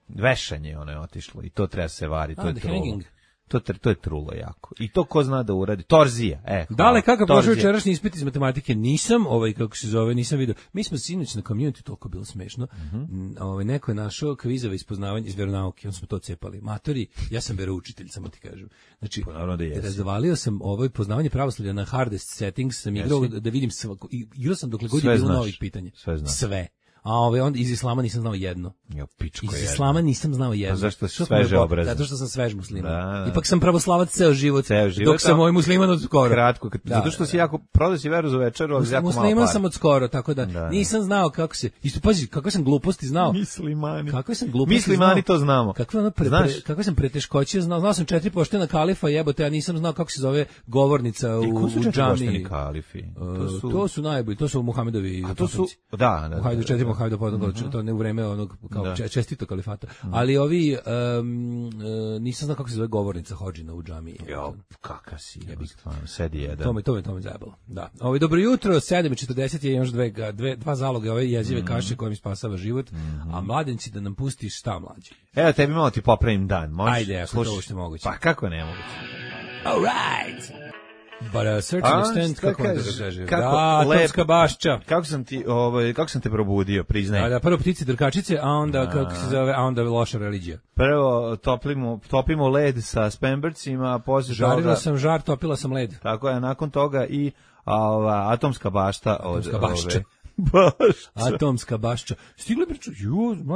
vešanje, ono je otišlo i to treba se variti, to je trulo. To je trulo jako. I to ko zna da uradi? Torzija. Dale, kakav prošao jučerašnji ispit iz matematike? Nisam, kako se zove, nisam vidio. Mi smo sinoć na community, toliko bilo smešno. Neko je našao kvizove iz poznavanja iz veronauke, on smo to cepali. Matori, ja sam veroučitelj, samo ti kažem. Znači, razvalio sam poznavanje pravoslavlja na hardest settings, sam igrao da vidim igrao sam dokle god je bilo novih pitanja. Sve. A onda iz islama nisam znao jedno. Iz islama nisam znao jedno. A zašto si sveže obrazan? Zato što sam svež musliman. Ipak sam pravoslavac ceo život. Dok sam moj musliman od skoro. Kratko, zato što si jako prodao si veru za večeru, ali jako malo para. Musliman sam od skoro, tako da nisam znao kako se. Isto pazi, kakve sam gluposti znao. Muslimani. Kakve sam gluposti. Muslimani to znamo. Kakve sam preteškoće znao sam 4 poštena kalifa, jebote, ja nisam znao kako se zove govornica u džamiji. To su najbolji, to su Muhamedovi. A to su Hajde to ne u vreme onog kao čestito kalifata. Ali ovi nisam znao kako se zove govornica hodžina u džamiji. Kakav si, sedi jedan. To me zajebalo. Da. Dobro jutro, 7:40 je još dva zaloga ove jezive kaše koja mi spasava život, a mladenci da nam pustiš šta mlađe. Evo tebi malo ti popravim dan, možeš? Ajde, ako to ušte moguće. Pa kako ne moguće? All right. But a certain extent, kako da kaže. Atomska bašća. Kako sam te probudio, priznaj. Da, prvo ptice drkačice, a onda kako se zove, a onda loša religija. Prvo topimo led sa spembercima, posle žarila sam žar, topila sam led. Tako je, nakon toga i atomska bašta od Atomska bašća. Stigli priču,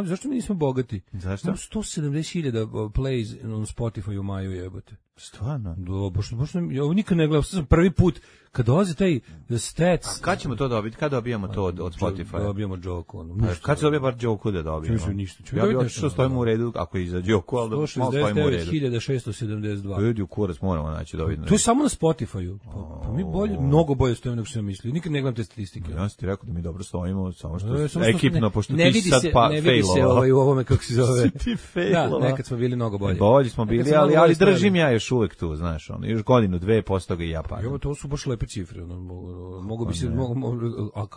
zašto mi nismo bogati? Zašto? 170.000 plays on Spotify u maju, jebote. Stvarno? Da, baš ja nikad ne gledam, sam prvi put kad dolazi taj Stats. Kad ćemo to dobiti? Kad dobijamo to od Spotify? Dobijemo Joku. Kad se dobije bar Joku da dobijemo? Ništa. Ja bih otišao stojimo u redu, ako je iza Joku, ali da malo stojimo u redu. 169.672. Ljudi u kurac moramo naći da vidimo. To je samo na Spotify-u. Pa mi mnogo bolje stojimo nego što sam mislio. Nikad ne gledam te statistike. Ja sam ti rekao da mi dobro stojimo, samo što ekipno, pošto ti sad ne vidi se u ovome kako se zove. Ti failova. Da, nekad smo bili mnogo bolje. Bolji smo bili, ali držim ja još uvek tu, znaš, još godinu, dve, posle toga i ja padam. Evo, to su baš lepe cifre. Mogu bi se... A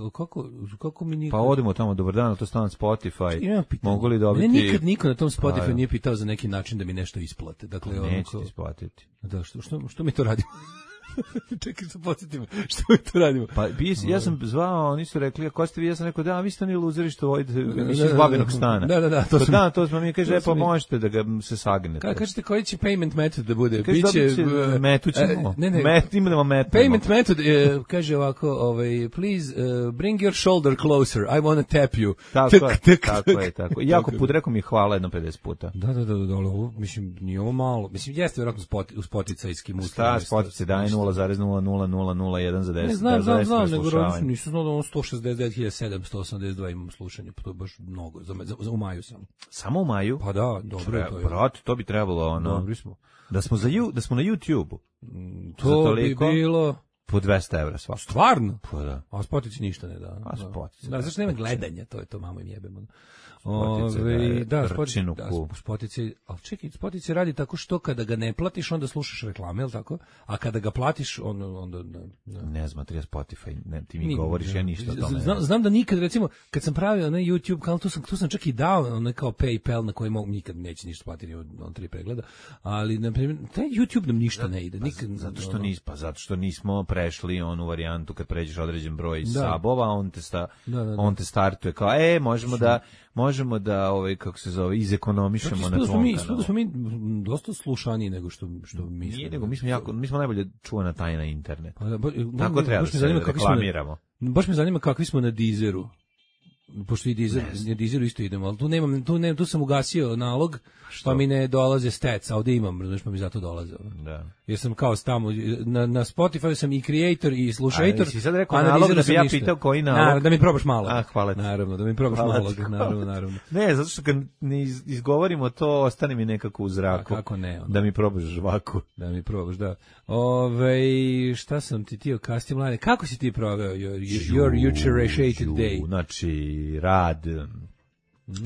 kako mi nikad... Pa odemo tamo, dobar dan, to stan Spotify. Mogu li dobiti... Mene nikad niko na tom Spotify nije pitao za neki način da mi nešto isplate. Dakle, neće ti isplatiti. Da, što mi to radimo? Čekaj se podsjetimo, što mi to radimo? Pa ja sam zvao, oni su rekli, ako ste vi, ja sam rekao, da, vi ste oni luzeri što vodite iz babinog stana. Da, to smo mi, kaže, pa možete da ga se sagnete. Kažete, koji će payment method da bude? Biće, metu ćemo. Imamo metu. Payment method, kaže ovako, please, bring your shoulder closer, I want to tap you. Tako je. Jako put, rekao mi hvala jedno 50 puta. Da, mislim, nije ovo malo. Mislim, jeste vjerojatno u spoticajskim uslovima. Šta, spotice daje 0,00001 za 10. Ne, znam, nego nisu znao da 169.782 imam slušanje, pa to je baš mnogo, u maju sam. Samo u maju? Pa da, dobro je to. Brate, to bi trebalo, Dobri smo. Da smo na YouTube-u. To bi bilo... Po 200 evra svako. Stvarno? Pa da. A Spotici ništa ne da. A Spotici. Da, zašto nema gledanja, to je to, mamo im jebemo. Spotici radi tako što kada ga ne platiš, onda slušaš reklame, jel tako? A kada ga platiš, onda ne znam, ti Spotify, ti mi govoriš, ja ništa o tome. Znam da nikad, recimo, kad sam pravio na YouTube kanal, tu sam čak i dao kao PayPal na koji mogu nikad neće ništa platiti od 3 pregleda, ali na primjer, taj YouTube nam ništa ne ide. Zato što nismo prešli onu varijantu kad pređeš određen broj sabova, on te startuje kao, možemo da kako se zove, izekonomišemo na tvom kanalu. Da smo mi dosta slušaniji nego što mislimo. Nije, nego mi smo najbolje čuvana tajna internet. Tako treba da se reklamiramo. Baš me zanima kakvi smo na Deezeru. Pošto i Deezeru isto idemo, ali tu sam ugasio nalog, pa mi ne dolaze stats, a ovdje imam, znaš, pa mi zato dolaze. Da. Jer sam kao tamo, na Spotify sam i creator i slušator, si sad rekao nalog da bi ja pitao koji nalog? Da mi probaš malo. Hvala ti. Naravno, da mi probaš malo. Naravno. Ne, zato što kad ne izgovorimo to, ostane mi nekako u zraku. Kako ne? Da mi probaš žvaku. Da mi probaš, da. Šta sam ti tio kasnije, mlade? Kako si ti proveo your appreciated day? Znači, rad,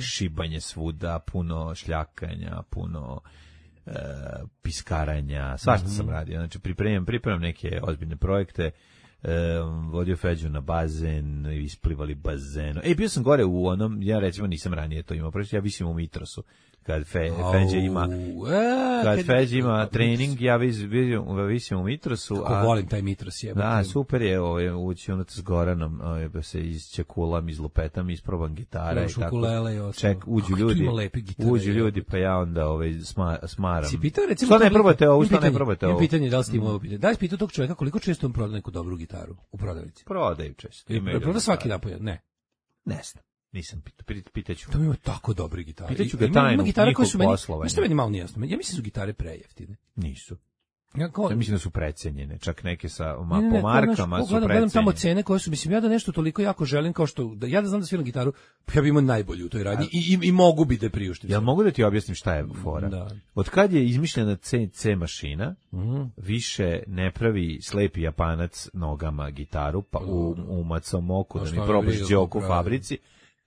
šibanje svuda, puno šljakanja, puno piskaranja, svašta sam radio. Znači, pripremam neke ozbiljne projekte, vodio Feđu na bazen, isplivali bazenu. Bio sam gore u onom, ja recimo nisam ranije to imao, ja visim u Mitrosu. Kad Feđa ima trening, ja visim u Mitrosu. Kako volim taj Mitros, jebate. Da, super je, ući s Goranom, se izčekulam, izlupetam, isprobam gitara i tako. Uđu ljudi, pa ja onda smaram. Si pitao, recimo, što ne probate ovo? Imam pitanje, da li ste imao ovo pitanje? Da li si pitao tog čovjeka koliko često on proda neku dobru gitaru u prodavnici? Prodaju često. Proda svaki dan po jedan? Ne. Ne znam. Nisam pitaću. To ima tako dobre gitare. Pitaću ga tajnu njihov poslovanja. Što meni malo nijasno. Ja mislim su gitare prejeftine. Nisu. Ja mislim da su precenjene. Čak neke po markama su precenjene. Gledam tamo cene koje su, mislim, ja da nešto toliko jako želim kao što, ja da znam da sviram gitaru, ja bi imao najbolju u toj radnji i mogu bi da priuštim. Jel mogu da ti objasnim šta je fora? Da. Od kad je izmišljena C više ne pravi slepi Japanac nogama gitaru, pa u Matsumoku da mi probaš Joku u fabrici,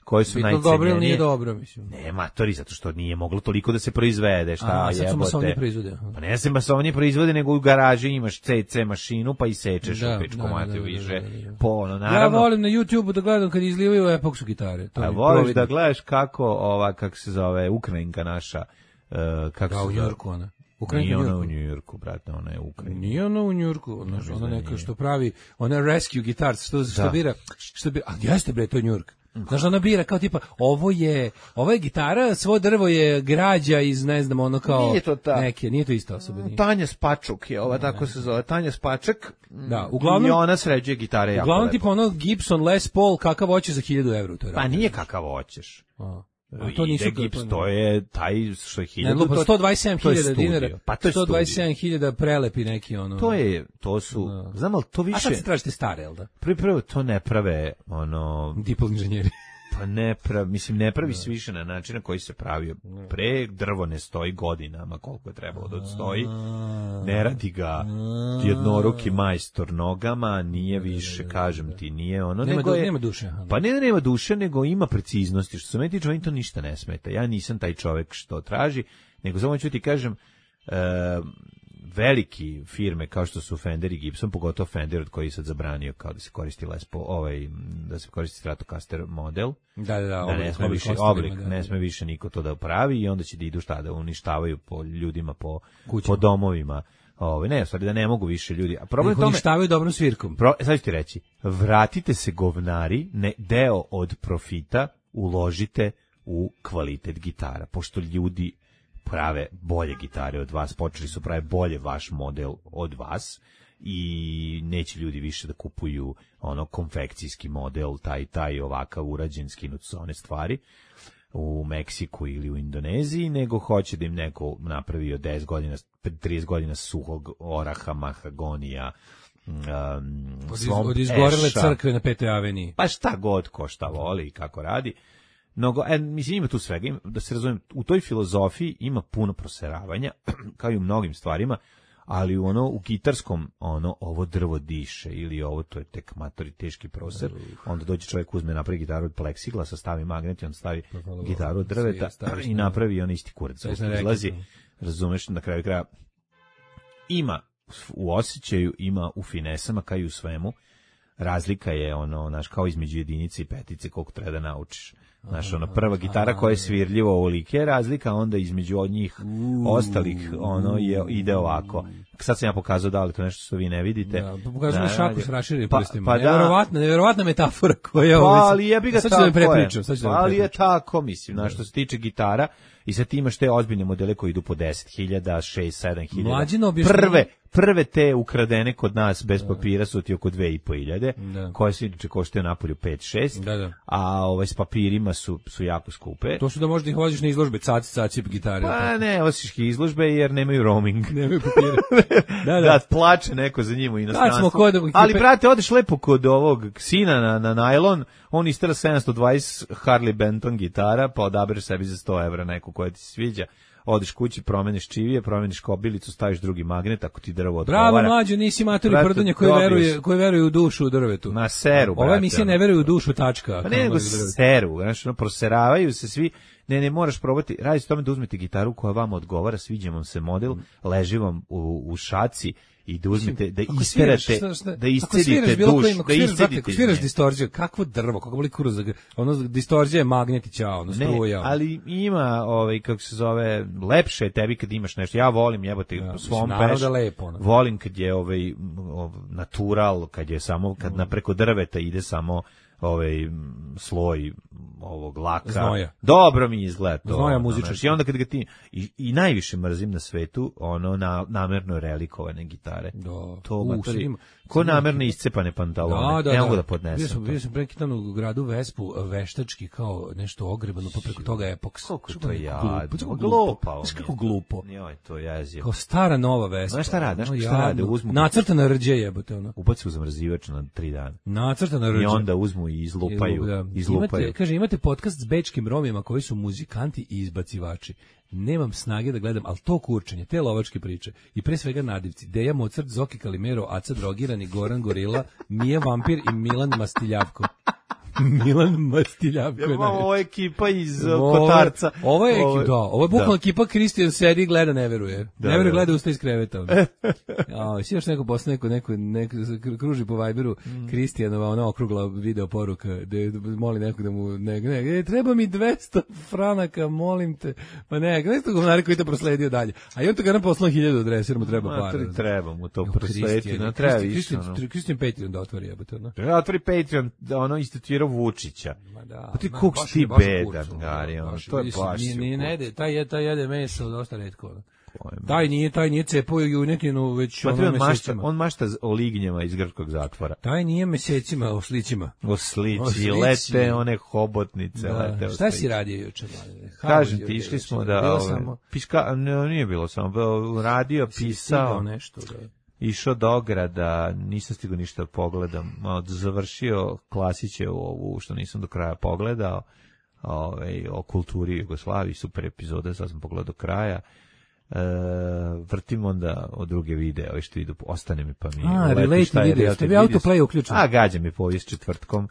koji su najcenjenije. Bitno dobro ili nije dobro, mislim? Ne, matori, zato što nije moglo toliko da se proizvede, šta jebote. Sad su masovnije proizvode. Pa ne se masovnije proizvode, nego u garaži imaš CC mašinu, pa i sečeš u pičku materiju više. Naravno. Ja volim na YouTube da gledam kad izlivaju epoksu gitare. A voliš da gledaš kako se zove, Ukrajinka naša, kako se zove? U Njujorku ona. Nije ona u Njujorku, brate, ona je u Ukrajini. Nije ona u Njujorku, ona neka što pravi, ona rescue guitars, što bira, a jeste bre, to je Njujork. Znaš, ona bira kao tipa, ovo je gitara, svo drvo je građa iz, ne znam, ono kao nije to ista osoba. Tanja Spačuk je ova, tako se zove, Tanja Spačak. Da, uglavnom, i ona sređuje gitare jako lepo. Uglavnom tipa ono Gibson Les Paul, kakav hoćeš za 1000 evra. Pa nije kakav hoćeš. to nisu gips, to je taj što je 1000. Ne, 127.000 dinara. Pa to je 127.000 prelepi neki ono. To su, znam ali to više. A sad se tražite stare, jel da? Prvo to ne prave ono diplom inženjeri. Pa ne pravi se više na način na koji se pravio. Pre drvo ne stoji godinama koliko je trebalo da stoji. Ne radi ga jednoruki majstor nogama, nije više, kažem ti, nije ono. Nema duše. Pa nema duše, nego ima preciznosti. Što se meni tiče, to ništa ne smeta. Ja nisam taj čovek što traži, nego samo ću ti kažem, veliki firme kao što su Fender i Gibson, pogotovo Fender od koji je sad zabranio kao da se koristi da se koristi Stratocaster model. Da, ne sme više niko to da pravi i onda će da idu da uništavaju po ljudima po domovima. Ne, stvari da ne mogu više ljudi. A problem tome uništavaju dobrom svirkom. Sad ću ti reći, vratite se govnari, deo od profita uložite u kvalitet gitara, pošto ljudi prave bolje gitare od vas, počeli su prave bolje vaš model od vas i neće ljudi više da kupuju konfekcijski model, taj ovakav urađen, skinut su one stvari u Meksiku ili u Indoneziji, nego hoće da im neko napravi od 10 godina, 30 godina suhog oraha, mahagonija, od izgorele crkve na 5. aveniji. Pa šta god ko šta voli i kako radi. Mislim, ima tu svega, da se razumem, u toj filozofiji ima puno proseravanja, kao i u mnogim stvarima, ali u gitarskom, ovo drvo diše, ili ovo, to je tek matori teški proser, onda dođe čovjek, uzme, napravi gitaru od pleksiglasa, stavi magnet i on stavi gitaru od drveta i napravi on isti kurac. Izlazi, razumeš, na kraju kraja, ima u osjećaju, ima u finesama, kao i u svemu, razlika je, kao između jedinice i petice, koliko treba da naučiš. Znaš, prva gitara koja je svirljiva ovolike razlika, onda između od njih ostalih ide ovako. Sad sam ja pokazao da li to nešto što vi ne vidite. Da, pokazujemo šaku s raširenim prstima. Nevjerovatna metafora koja je ovo. Ali je bi ga tako. Ali je tako, mislim, što se tiče gitara i sad ti imaš te ozbiljne modele koji idu po 10.000, 6-7.000. Prve te ukradene kod nas bez papira su ti oko 2.500, koje se inače koštaju napolju 5-6, a s papirima su jako skupe. To su da možda ih voziš na izložbe, caci gitare. Pa ne, voziš ih izložbe jer nemaju roaming. Nemaju papira. Da, plače neko za njim u inostranstvu. Ali, brate, odeš lepo kod ovog sina na najlon, on istera 720 Harley Benton gitara, pa odabereš sebi za 100 evra neku koja ti se sviđa. Odeš kući, promeniš čivije, promeniš kobilicu, staviš drugi magnet, ako ti drvo odgovara. Bravo, mlađo, nisi matori prdonje koji veruju u dušu u drvetu. Ma seru, brate. Ova emisija ne veruje u dušu, tačka. Pa ne, nego seru, proseravaju se svi. Ne, moraš probati, radi se tome da uzmete gitaru koja vam odgovara, sviđa vam se model, leži vam u šaci i da uzmete, da isterate, da iscedite duš, da iscedite. Ako sviraš distorziju, kakvo drvo, kako boli kuruz, distorzija je magnetića, struja. Ne, ali ima, kako se zove, lepše je tebi kad imaš nešto. Ja volim jebati svom peš, volim kad je natural, kad je samo, kad preko drveta ide samo sloj ovog laka. Znoja. Dobro mi izgleda to. Znoja muzičar. I onda kad ga ti i najviše mrzim na svetu namerno relikovane gitare. To ko namerno iscepane pantalone. Ne mogu da podnesem. Bio sam preki dan u gradu Vespu, veštački kao nešto ogrebano, pa preko toga epoks. Kako to je glupo. Kako glupo. Joj, to jezivo. Kao stara nova Vespa. Znaš šta rade? Nacrtana rđe jebote ono. Ubaci u zamrzivač na 3 dana. Nacrtana rđe. I onda uzmu i izlupaju. Imate podcast s bečkim Romima koji su muzikanti i izbacivači. Nemam snage da gledam, ali to kurčenje, te lovačke priče i pre svega nadivci, Deja Mozart, Zoki Kalimero, Aca Drogirani, Goran Gorila, Mija Vampir i Milan Mastiljavko. Milan Mastiljavko. Ovo je ekipa iz Kotarca. Ovo je bukvalno ekipa Kristijan sedi i gleda, ne veruje. Ne veruje, gleda usta iz kreveta. Si još neko posle, neko kruži po Viberu, Kristijanova, ona okrugla video poruka, gde moli nekog da mu, treba mi 200 franaka, molim te. Pa nešto govnari koji to prosledio dalje. A i on to ga nam poslao 1000 adresa, jer mu treba para. Treba mu to proslediti, no treba više. Kristijan Patreon da otvori, jebote. Da otvori Patreon, istituirao Vučića. Pa ti koliko si ti bedan, Gari, to je baš. Taj jede meso dosta retko. Taj nije cepao junetinu već mesecima. On mašta o lignjama iz grčkog zatvora. Taj nije mesecima o slićima. O slići, lete one hobotnice. Da. Šta si radio juče? Kažem ti, išli smo da... Nije bilo samo. Radio, pisao. Nešto, da. Išao do ograda, nisam stigao ništa da pogledam. Završio Klasiće ovu, što nisam do kraja pogledao. O kulturi Jugoslaviji, super epizoda, sad sam pogledao do kraja. Vrtim onda od druge videa, što idu, ostane mi pa mi relate video, ste vi autoplay uključeni? Gađa mi povijest četvrtkom.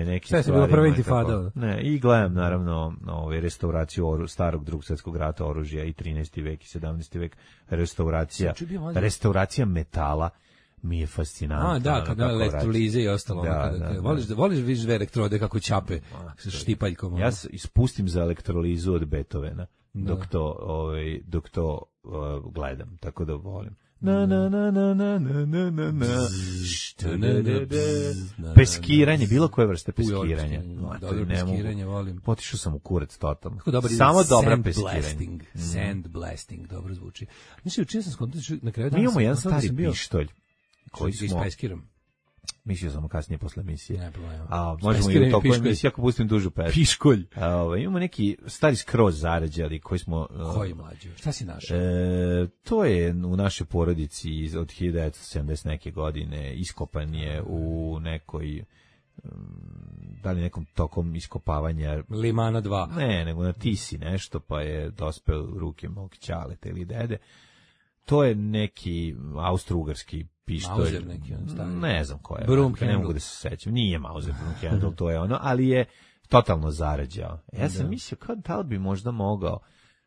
Neki sve se bilo prva intifada. Ne, i gledam naravno restauraciju starog Drugog svjetskog rata oružja i 13. vek i 17. vek, restauracija metala mi je fascinantno. Kada elektrolize i ostalo. Voliš viš dve elektrode kako ćape štipaljkom. Ja ispustim za elektrolizu od Beethovena dok to gledam, tako da volim. Peskiranje, bilo koje vrste peskiranja. Dobro peskiranje volim. Potišao sam u kurac totalno. Samo dobra peskiranje. Sand blasting, dobro zvuči. Mislim, učio sam skontati na kraju dana. Mi imamo jedan stari pištolj koji smo ispajskiram. Mislio sam kasnije posle emisije. Ne problema. Možemo i u toku emisije ako pustim dužu pesmu. Piškolj. Imamo neki stari skroz zarađali koji smo... Koji mlađi? Šta si našao? To je u našoj porodici od 1970 neke godine. Iskopan je u nekoj... da li nekom tokom iskopavanja... Limana 2. Ne, nego na Tisi nešto, pa je dospeo u ruke mog ćaleta ili dede. To je neki austro-ugarski pištolj. Mauser neki, ne znam ko je. Broomhandle. Ne mogu da se sećam. Nije Mauser Broomhandle, to je ono, ali je totalno zarađao. Ja sam mislio, da li bi možda mogao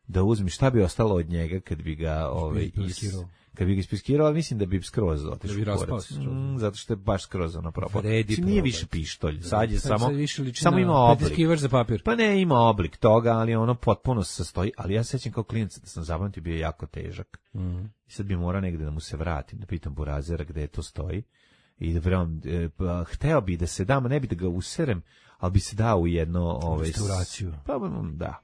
da uzmi, šta bi ostalo od njega kad bi ga kad bi ga ispiskirao, ali mislim da bi skroz otišao u kurac. Zato što je baš skroz ono propao. Nije više pištolj, sad je samo ima oblik. Za papir. Pa ne, ima oblik toga, ali ono potpuno se sastoji, ali ja sećam kao klinac da sam zapamtio bio jako težak. I sad bi morao negde da mu se vratim, da pitam burazera gde to stoji. I da hteo bi da se dam, ne bi da ga userem, ali bi se dao u jedno... restauraciju. Pa da.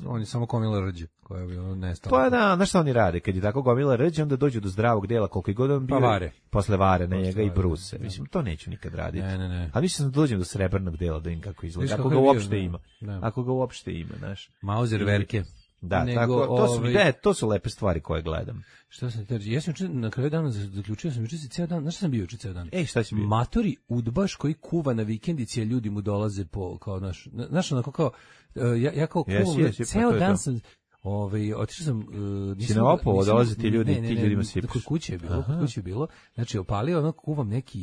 On je samo gomila rđe, koja bi nestala. Pa da, znaš šta oni rade? Kad je tako gomila rđe, onda dođu do zdravog dela, koliko god on bio. Pa vare. Posle vare na njega i bruse. Mislim, to neću nikad raditi. Ne. A mislim da dođem do srebrnog dela, da im kako izgleda. Ako ga uopšte ima. Ako ga uopšte ima, znaš. Mauser verke. Da, tako, to su lepe stvari koje gledam. Šta sam teži? Ja sam na kraju dana zaključio sam juče ceo dan. Znaš šta sam bio juče ceo dan? Šta si bio? Matori udbaš koji kuva na vikendici, a ljudi mu dolaze po kao naš onako kao ja kao kuvam. Ceo dan sam otišao sam si na Opovo, dolaze ti ljudi, ti ljudima sipaš. Kod kuće je bilo. Znači opalio ono, kuvam neki,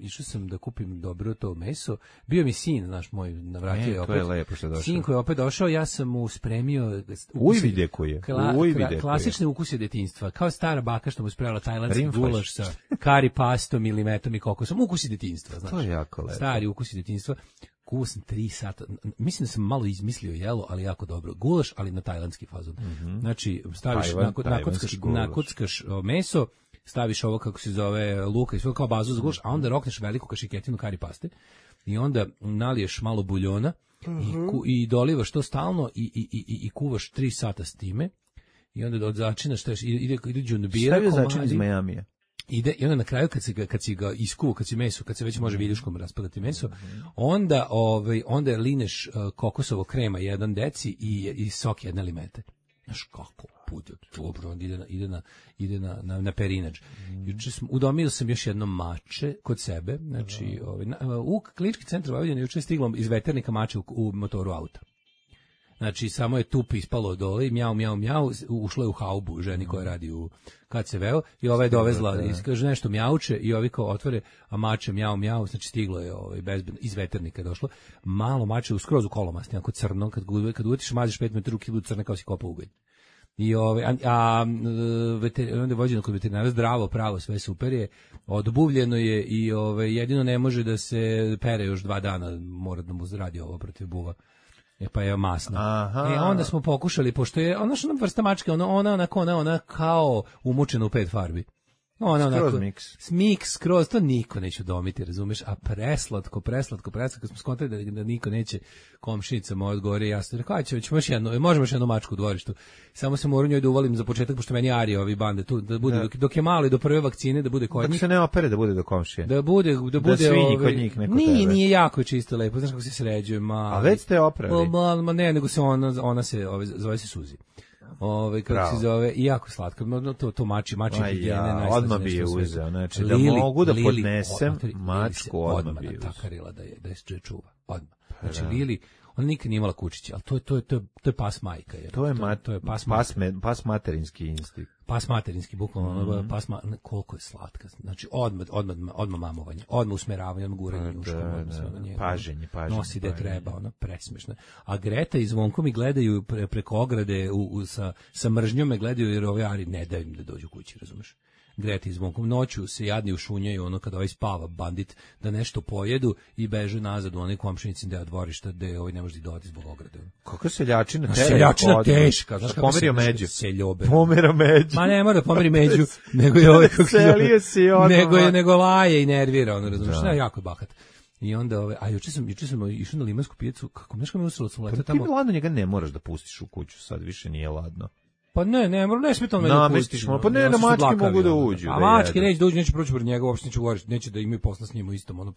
išao sam da kupim dobro to meso. Bio mi sin, naš moj, navratio je opet. To je lepo što je došao. Sin koji je opet došao, ja sam mu spremio klasične ukuse detinjstva. Kao stara baka što mu spremila tajlandski gulaš sa kari pastom ili metom i kokosom. Ukusi detinjstva, znaš. To je jako lepo. Stari ukusi detinjstva. Kuvao sam 3 sata, mislim da sam malo izmislio jelo, ali jako dobro. Gulaš, ali na tajlandski fazon. Znači, staviš, nakockaš meso, staviš ovo kako se zove luka i sve kao bazu za gulaš, a onda rokneš veliku kašiketinu kari paste i onda naliješ malo buljona i dolivaš to stalno i kuvaš 3 sata s time i onda začinaš, ide džunbira komadi. Stavio začin iz Majamija. I onda na kraju kad si ga iskuo, kad se već može viljuškom raspadati meso, onda lineš kokosovo krema 1 deci i sok 1 limete. Znaš kako bude dobro, ide na perinač. Juče udomio sam još jedno mače kod sebe, znači u Klinički centar Vojvodine juče stiglo iz veternika mače u motoru auta. Znači, samo je tup ispalo dole i mjau, ušlo je u haubu ženi koja radi u KCV-u i ova je dovezla, kaže nešto mjauče i ovi kao otvore, a mače mjau, znači stiglo je iz veternika došlo. Malo mače skroz u kolomasti, onako crno, kad uvetiš maziš 5 metara u kilu crne kao si kopa ugalj. I onda je vođeno kod veterinara, zdravo, pravo, sve super je, odbuvljeno je i jedino ne može da se pere još 2 dana, mora da mu radi ovo protiv buva. Pa je masno. Onda smo pokušali, pošto je ona vrsta mačke, ona kao umučena u 5 farbi. Skroz miks, skroz, to niko neće udomiti, razumeš, a preslatko, smo skontali da niko neće komšinicama odgovori, ja sam rekao, možemo još jednu mačku u dvorištu, samo se moram njoj da uvalim za početak, pošto meni Arija ovi bande tu, da bude, dok je malo i do prve vakcine, da bude kod njih. Dok se ne opere da bude do komšije. Da bude svinji kod njih neko tebe. Nije jako čisto lepo, znaš kako se sređuje, a već ste oprali? Ne, nego se ona se, zove se Suzi. Kako se zove, i jako slatko, to mači higijene, odmah bi je uzeo, znači da mogu da podnesem mačku, odmah bi je uzeo. Takarila da je čuva, odmah. Znači Lili, ona nikad nije imala kučića, ali to je pas majka. To je pas materinski instinkt. Pas materinski, bukvalno, koliko je slatka. Znači, odmah mamovanje, odmah usmeravanje, odmah guranje njuškom. Paženje. Nosi da treba, ona presmešna. A Greta i Zvonko mi gledaju preko ograde sa mržnjom, me gledaju jer ove Ari ne daju im da dođu kući, razumeš? Greta i Zvonkom noću se jadni ušunjaju kada ovaj spava bandit da nešto pojedu i beže nazad u onaj komšinicin deo dvorišta gde ovaj ne može da ode zbog ograde. Kako seljačina teška, znaš kako pomerio među. Pomera među. Ma ne mora da pomeri među, nego je ovaj nego laje i nervira, ono razumiješ, jako je bahat. I onda juče sam išao na Limansku pijacu, kako nešto me usralo sam letao tamo. Ti ladno njega ne moraš da pustiš u kuću, sad više nije ladno. Pa ne smije me da pustiš. Pa ne, da mačke mogu da uđu. A mačke neće da uđu, neće proći pred njega, uopšte neće govoriti, neće da imaju posla s njim u istom,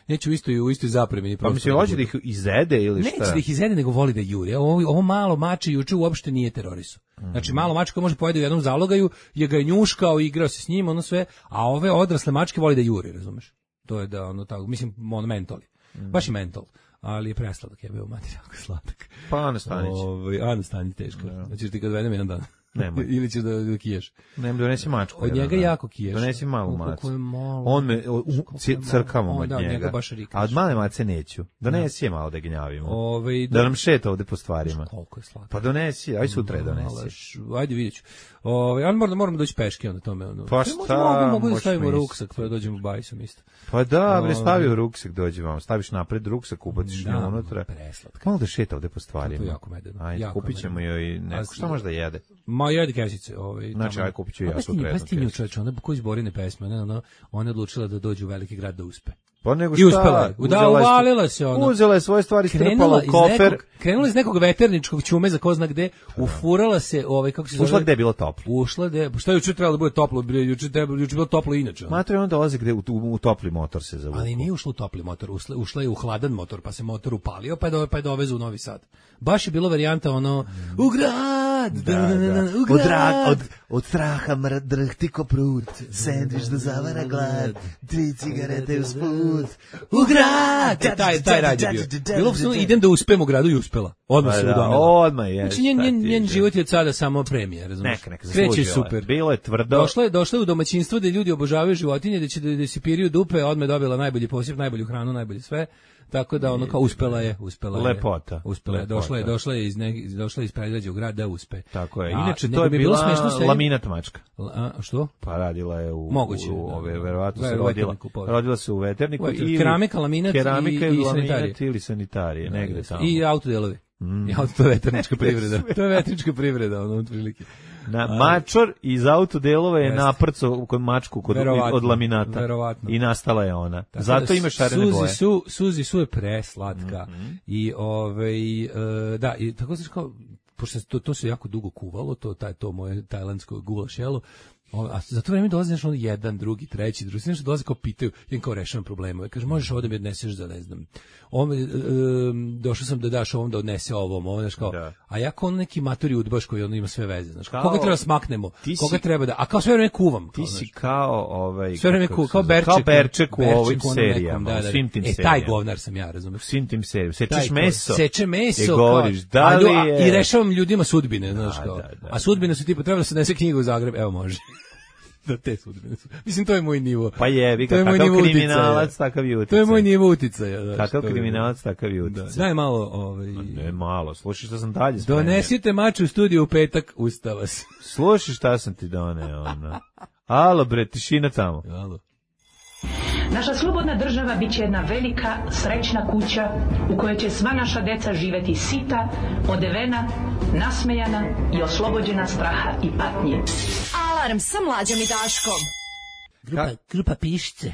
neće u istoj zapremini. Pa mislim, hoće da ih izede ili šta? Neće da ih izede, nego voli da juri. Ovo malo mače juče uopšte nije terorisu. Znači, malo mačka može pojede u jednom zalogaju, je ga njuškao, igrao se s njim, ono sve, a ove odrasle mačke voli da juri, razumeš? To je da, tako, mislim, mentoli. Baš i mentol. Ali je presladak, je bio mati jako sladak. Pa Ana Stanić. Ana Stanić teško. Znači ti kad vedem jedan dan. Nemoj. Ili ćeš da kiješ. Nem, donesi mačku. Od njega jako kiješ. Donesi malu macu. On me crkamo od njega. A od male mace neću. Donesi je malo da gnjavimo. Da nam šeta ovde po stvarima. Koliko je slatko. Pa donesi, aj sutra je donesi. Ajde vidjet ću. Ali moramo doći peške onda tome. Pa šta? Mogu da stavimo ruksak, pa dođemo bajsom isto. Pa da, bre, stavi u ruksak, dođi vam. Staviš napred ruksak, ubaciš nju unutra. Malo da šeta ovde po stvarima. To je jako medeno. Ajde, kupit ćemo joj neko. Šta može da jede? Ma jede kesice. Znači, aj kupit ću ja sutra jednu kesicu. Čovječe, ona ko izborine pesme, ona je odlučila da dođe u veliki grad da uspe. Pa nego šta? I uspela je. Uvalila se ona. Uzela je svoje stvari, strpala u kofer. Krenula iz nekog veterničkog ćume za ko zna gde, ufurala se, kako se zove. Ušla gde je bilo toplo. Ušla gde, šta je juče trebalo da bude toplo, juče bilo toplo inače. Matre on dolazi gde u topli motor se zavuku. Ali nije ušla u topli motor, ušla je u hladan motor, pa se motor upalio, pa je dovezu u Novi Sad. Baš je bilo varijanta u grad, u grad. Od straha drhti ko prut, sendvič da zavara glad, 3 cigarete usput, u grad! Taj rad je bio. Bilo idem da uspem u gradu i uspela. Odmah se udomila. Odmah je. Znači njen život je od sada samo premija, razumiješ? Kreće super. Bilo je tvrdo. Došla je u domaćinstvo gde ljudi obožavaju životinje, da si piriju dupe, odmah dobila najbolji posjeb, najbolju hranu, najbolje sve. Tako da kao uspela je. Lepota. Uspela je. Došla je iz predgrađa u grad da uspe. Tako je. Inače to je bila laminat mačka. Što? Pa radila je u verovatno se rodila se u veterniku i keramika, laminat ili sanitarije, negde tamo. I autodelovi. To je veternička privreda. To je veternička privreda, otprilike. Mačor iz autodelova je naprcao kod mačku od laminata. I nastala je ona. Zato ima šarene boje. Suzi su je preslatka. I da, i tako se kao, pošto to se jako dugo kuvalo, to moje tajlandsko gulaš jelo, a za to vreme dolazi nešto jedan, drugi, treći, nešto dolazi kao pitaju, jedan kao rešavam problema. Kaže, možeš ovdje mi odneseš za, ne znam, došao sam da daš ovom da odnese ovom, znaš kao, a ja kao neki maturi udbaš koji ima sve veze, znaš, koga treba smaknemo, koga treba da, a kao sve vreme kuvam. Ti si kao, sve vreme kao Berček u ovim serijama, u svim tim serijama. Taj govnar sam ja, razumiješ. U svim tim serijama, seče meso, i govoriš, da li je... I rešavam ljudima sudbine, znaš kao, a sudbine su tipa, treba da se nese knjiga u Zagreb, evo može. Da te sudbine su. Mislim, to je moj nivo. Pa jebi ga, kakav kriminalac, takav i uticaj. To je moj nivo uticaja. Kakav kriminalac, takav i uticaj. Daj malo... Ne, malo. Slušaj šta sam dalje spremio. Donesite mač u studiju u petak, usta vas. Slušaj šta sam ti doneo, ona. Alo, bre, tišina tamo. Alo. Naša slobodna država bit će jedna velika, srećna kuća u kojoj će sva naša deca živeti sita, odevena, nasmejana i oslobođena straha i patnje. Alarm sa Mlađom i Daškom. Grupa Pišce.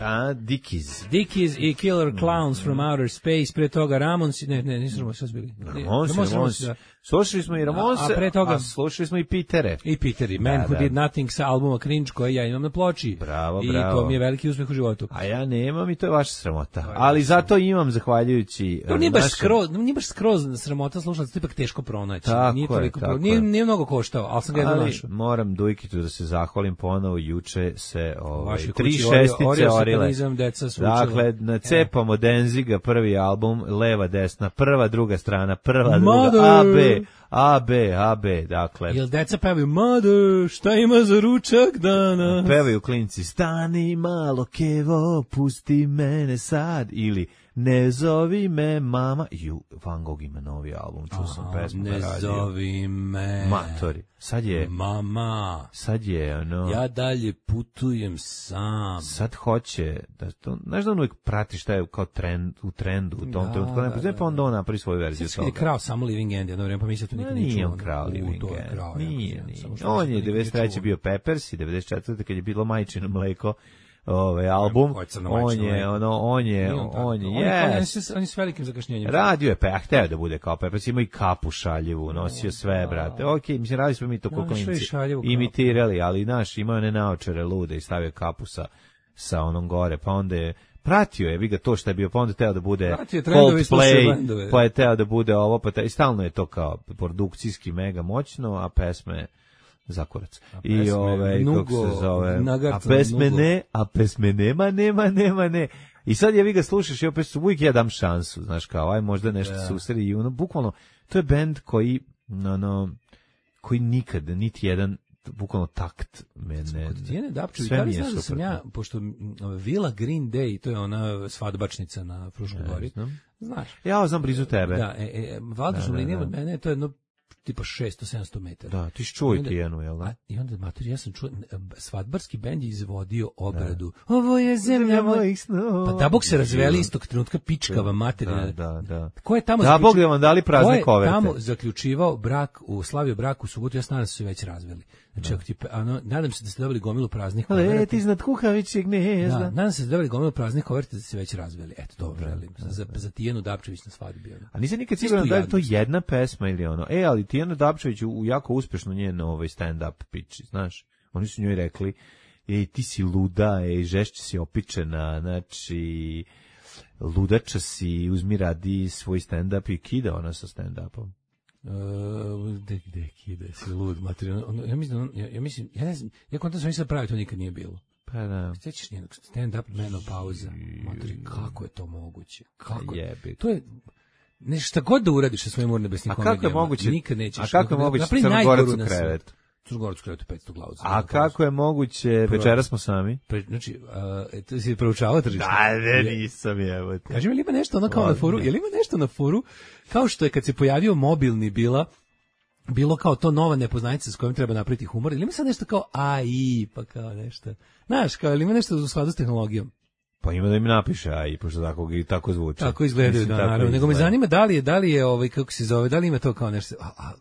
Dickies i Killer Clowns from Outer Space, pre toga Ramones, nisu Ramones, šta su bili? Ramones. Slušali smo i Ramonese, a slušali smo i Pitere. I Piteri, Man Who Did Nothing sa albuma Cringe, koje ja imam na ploči. Bravo. I to mi je veliki uspeh u životu. A ja nemam i to je vaša sramota. Ali zato imam, zahvaljujući... To nije baš skroz sramota slušati, to je ipak teško pronaći. Nije mnogo koštao, ali sam ga jedno našao. Moram Dujkitu da se zahvalim ponovo, juče se 3 šestice orile. Dakle, nacepamo Denziga, prvi album, leva, desna, prva, druga strana, prva, druga, AB, dakle. Jel deca pevaju, Mother, šta ima za ručak danas? Pevaju klinci, stani malo kevo, pusti mene sad, ili ne zovi me mama. Van Gogh ima novi album, čuo sam pesmu na radio. Ne zovi me. Matori. Sad je... Mama. Sad je, ono... Ja dalje putujem sam. Sad hoće, da to, znaš da on uvijek prati šta je kao u trendu, u tom trenutku, pa onda on napravi svoju verziju toga. Sad je krao samo Living End, jedno vreme, pa mislim to nikad nije čuo. Nije on krao Living End. Nije. On je 93. bio Peppers i 94. kad je bilo Majčino mleko, album, on je s velikim zakašnjenjem. Radio je, pa hteo da bude kao Peppers, ima i kapu šaljivu, nosio sve, brate. Okej, mislim, radili smo mi to koliko imitirali, ali naš, imao one naočare lude i stavio kapu sa onom gore, pa onda je pratio je, vi ga to što je bio, pa onda teo da bude Coldplay, pa je teo da bude ovo, i stalno je to kao produkcijski mega moćno, a pesme zakurac. I kako se zove, a pesme nema. I sad je vi ga slušaš i opet uvijek ja dam šansu, znaš kao, aj možda nešto susredi i bukvalno, to je bend koji nikad, niti jedan bukvalno takt mene. Tijene Dapčević, da li znaš da sam ja, pošto Vila Green Day, to je ona svadbačnica na Fruškoj gori, znaš? Ja znam blizu tebe. Da, vazdušnom linijom od mene, to je jedno tipa 600-700 metara. Da, ti čuj Tijenu, jel da? I onda, mater, ja sam čuo, svadbarski bend je izvodio obradu. Ovo je zemlja mojih snova. Pa da Bog se razveli istog trenutka pičkava materina. Da. Ko je tamo da Bog da vam dali prazne koverte. Ko je tamo zaključivao slavio brak u subotu, ja se nadam da su se već razveli. Znači, nadam se da ste dobili gomilu praznih koverti. Leti iznad kukavićeg gnezda. Da, nadam se da ste dobili gomilu praznih koverti da ste se već razveli. Eto, dobro želim. Za Tijenu Dapčević na svadbi. A nisam nikad siguran da je to jedna pesma ili ono. Ali Tijena Dapčević u jako uspešno njen stand-up piči, znaš. Oni su njoj rekli, ti si luda, žešće si opičena, znači, ludača si, uzmi radi svoj stand-up i kida ona sa stand-upom. Gde kide si lud materijan. Ja ne znam, ja kontam sam sad pravi, to nikad nije bilo. Pa da. Sjećaš njenog stand-up menopauza. Materi, kako je to moguće? Kako jebi. To je nešto god da uradiš sa svojim urnebesnim komedijama. A kako je moguće? Nikad nećeš. A kako je moguće Crnogorac u krevetu? Crnogorac u krevetu 500 glavu. A kako je moguće večeras smo sami? Znači, to si proučavao tržište? Da, nisam je. Kaži mi, ili ima nešto ono kao na foru? Je li ima nešto na foru? Kao što je kad se pojavio mobilni bilo kao to nova nepoznanica s kojom treba napraviti humor, ili ima sad nešto kao AI, pa kao nešto. Znaš, kao, ili ima nešto u skladu s tehnologijom? Pa ima da im napiše AI, pošto tako zvuči. Tako izgledaju, da, naravno. Nego me zanima da li je kako se zove, da li ima to kao nešto,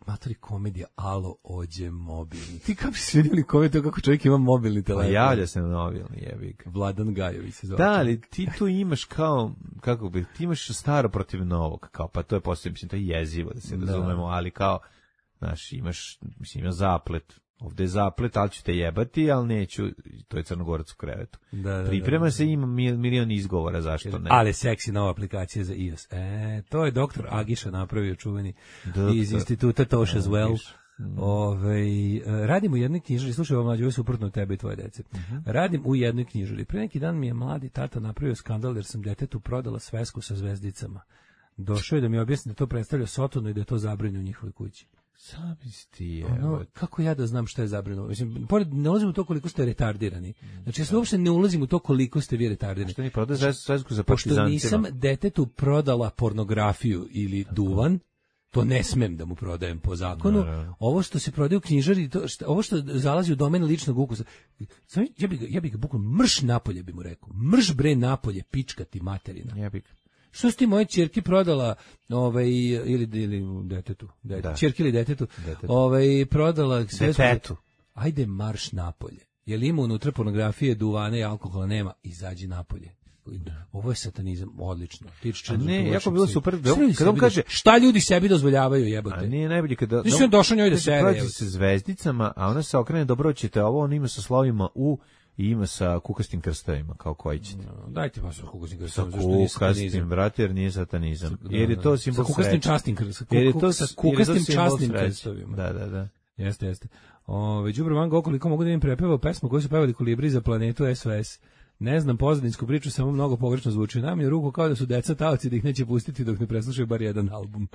matori komedija, alo, ođe mobilni. Ti kako si vidjeli komediju kako čovjek ima mobilni telefon? Pa javlja se na mobilni, jebik. Vladan Gajović se zove. Da, ali ti tu imaš kao, ti imaš staro protiv novog, kao, pa to je poslije, mislim, to je jezivo da se razumemo, ali kao, znaš, imaš zaplet. Ovdje je zaplet, ali ću te jebati, ali neću, to je Crnogorac u krevetu. Priprema se, ima milion izgovora, zašto ne. Ali seksi nova aplikacija za iOS. To je doktor Agiša napravio, čuveni iz instituta Tosh as well. Radim u jednoj knjižari, slušaj ovo mlađe, ovo je suprotno tebe i tvoje dece. Radim u jednoj knjižari. Pre neki dan mi je mladi tata napravio skandal jer sam detetu prodala svesku sa zvezdicama. Došao je da mi objasni da to predstavlja Sotonu i da je to zabranjeno u njihovoj kući. Kako ja da znam šta je zabranjeno? Mislim, ne ulazim u to koliko ste retardirani. Znači, ja se uopšte ne ulazim u to koliko ste vi retardirani. Što mi prodaje svesku za Pošto nisam detetu prodala pornografiju ili duvan, to ne smem da mu prodajem po zakonu. Ovo što se prodaje u knjižari, ovo što zalazi u domen ličnog ukusa, ja bih ga bukvalno mrš napolje, bi mu rekao. Mrš bre napolje, pička ti materina. Ja bih. Što si ti moje ćerki prodala, ili detetu, ćerki ili detetu, prodala sve. Detetu. Ajde marš napolje. Jel ima unutra pornografije, duvane i alkohola? Nema. Izađi napolje. Ovo je satanizam, odlično. Ne, jako bilo super. Kad on kaže šta ljudi sebi dozvoljavaju, jebote. A nije najbolje kada nisam došao njoj da sere sa zvezdicama, a ona se okrene, dobro ćete ovo, on ima sa slovima U i ima sa kukastim krstovima, kao koji ćete. Dajte pa sa kukastim krstovima, zašto nije satanizam? Brate, jer nije satanizam. Jer je to simbol sreće. Sa kukastim častim krstovima. Sa kukastim častim krstovima. Da. Jeste. Đubre Van Gogh, koliko mogu da im prepevao pesmu koju su pevali Kolibri za planetu SOS. Ne znam pozadinsku priču, samo mnogo pogrešno zvuči. Namje ruku kao da su deca taoci da ih neće pustiti dok ne preslušaju bar jedan album.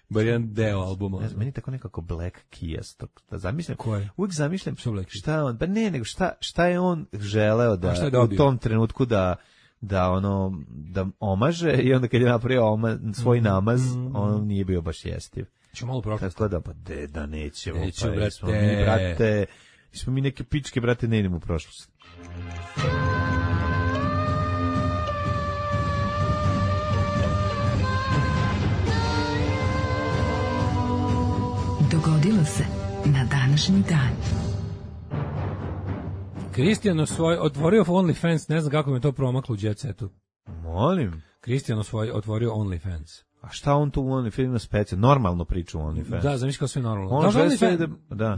Bar jedan deo albuma. Ne znam, meni tako nekako Black Keys. Da zamišljam. Koje? Uvijek zamišljam šta on, pa ne, nego šta je on želeo da u tom trenutku da omaže i onda kad je napravio svoj namaz, on nije bio baš jestiv. Ću malo prošlost. Tako da, pa da nećemo. Brate. Smo mi neke pičke, brate, ne idemo u prošlost. Dogodilo se na današnji dan. Kristijan otvorio OnlyFans, ne znam kako mi je to promaklo u Jet Setu. Molim. Kristijan otvorio OnlyFans. A šta on tu u OnlyFans ima specijalno? Normalno priča u OnlyFans. Da, zamisli kao sve normalno.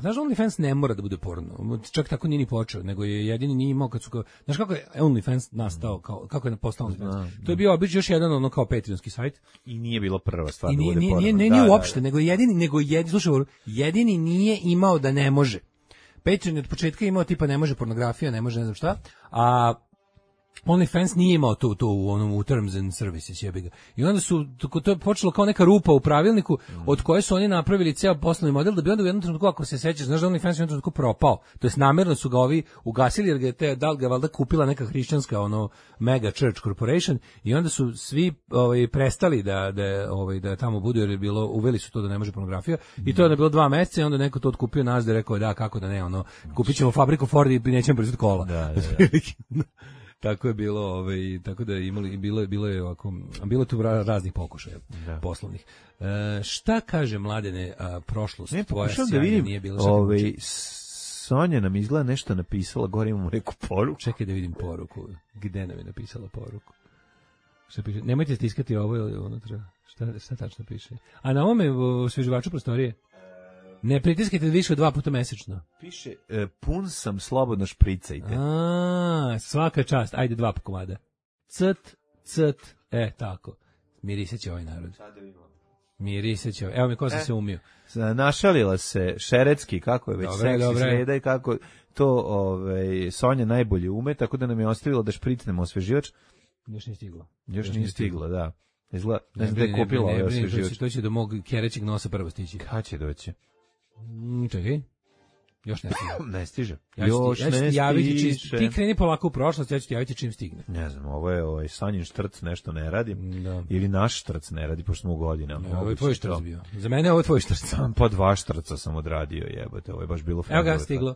Znaš, OnlyFans ne mora da bude porno. Čak tako nije ni počeo, nego je jedini nije imao kad su kao... Znaš kako je OnlyFans nastao, kako je postao OnlyFans? To je bio obično još jedan ono kao Patreonski sajt. I nije bilo prva stvar da bude porno. Nije uopšte, nego jedini, slušaj, jedini nije imao da ne može. Patreon je od početka imao tipa ne može pornografija, ne može ne znam šta, a OnlyFans nije imao to u Terms and Services, jebi ga. I onda to je počelo kao neka rupa u pravilniku od koje su oni napravili ceo poslovni model da bi onda u jednom trenutku, ako se sećaš, znaš da OnlyFans u jednom trenutku propao. To jest namjerno su ga ovi ugasili jer da li ga valjda kupila neka hrišćanska mega church corporation i onda su svi prestali da tamo budu jer je bilo, uveli su to da ne može pornografija i to je onda bilo 2 meseca i onda neko to otkupio nas da je rekao da kako da ne, kupit ćemo fabriku Ford i nećemo proizvoditi kola. Da. Tako je bilo, tako da bilo je ovako, bilo je tu raznih pokušaja poslovnih. Šta kaže Mladene, prošlost tvoja sjajna nije bila? Sonja nam izgleda nešto napisala, gore imamo neku poruku. Čekaj da vidim poruku. Gde nam je napisala poruku? Šta piše? Nemojte stiskati ovo ili unutra. Šta tačno piše? A na ovome osveživaču prostorije? Ne pritiskajte više od 2 puta mesečno. Piše, pun sam, slobodno špricajte. Svaka čast. Ajde 2 komada. Ct. Tako. Mirisat će ovaj narod. Mirisat će ovaj. Evo mi ko sam se umio. Našalila se Šerecki, kako je već seksi sreda i kako to Sonja najbolje ume, tako da nam je ostavilo da špricnemo osveživač. Još nije stiglo, da. Izgleda, ne znam da je kupila ovaj osveživač. To će do mog kerećeg nosa prvo stići. Kad će doći? Čekaj. Još ne stiže. Ne stiže. Ti kreni polako u prošlost, ja ću ti javiti čim stigne. Ne znam, ovo je Sanjin štrc nešto ne radi. Ili naš štrc ne radi, pošto smo u godinama. Ovo je tvoj štrc bio. Za mene ovo je tvoj štrc. Pa 2 štrca sam odradio, jebote, ovo je baš bilo fajno. Evo ga, stiglo.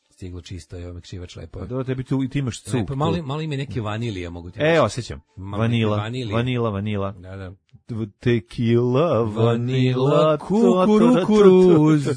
Stiglo čisto, evo me kšivač lepo. Pa dobro, tebi ti imaš cuk. Pa malo ime neke vanilije mogu ti. Osjećam. Vanila. Da. Tequila, vanila, kukuruz.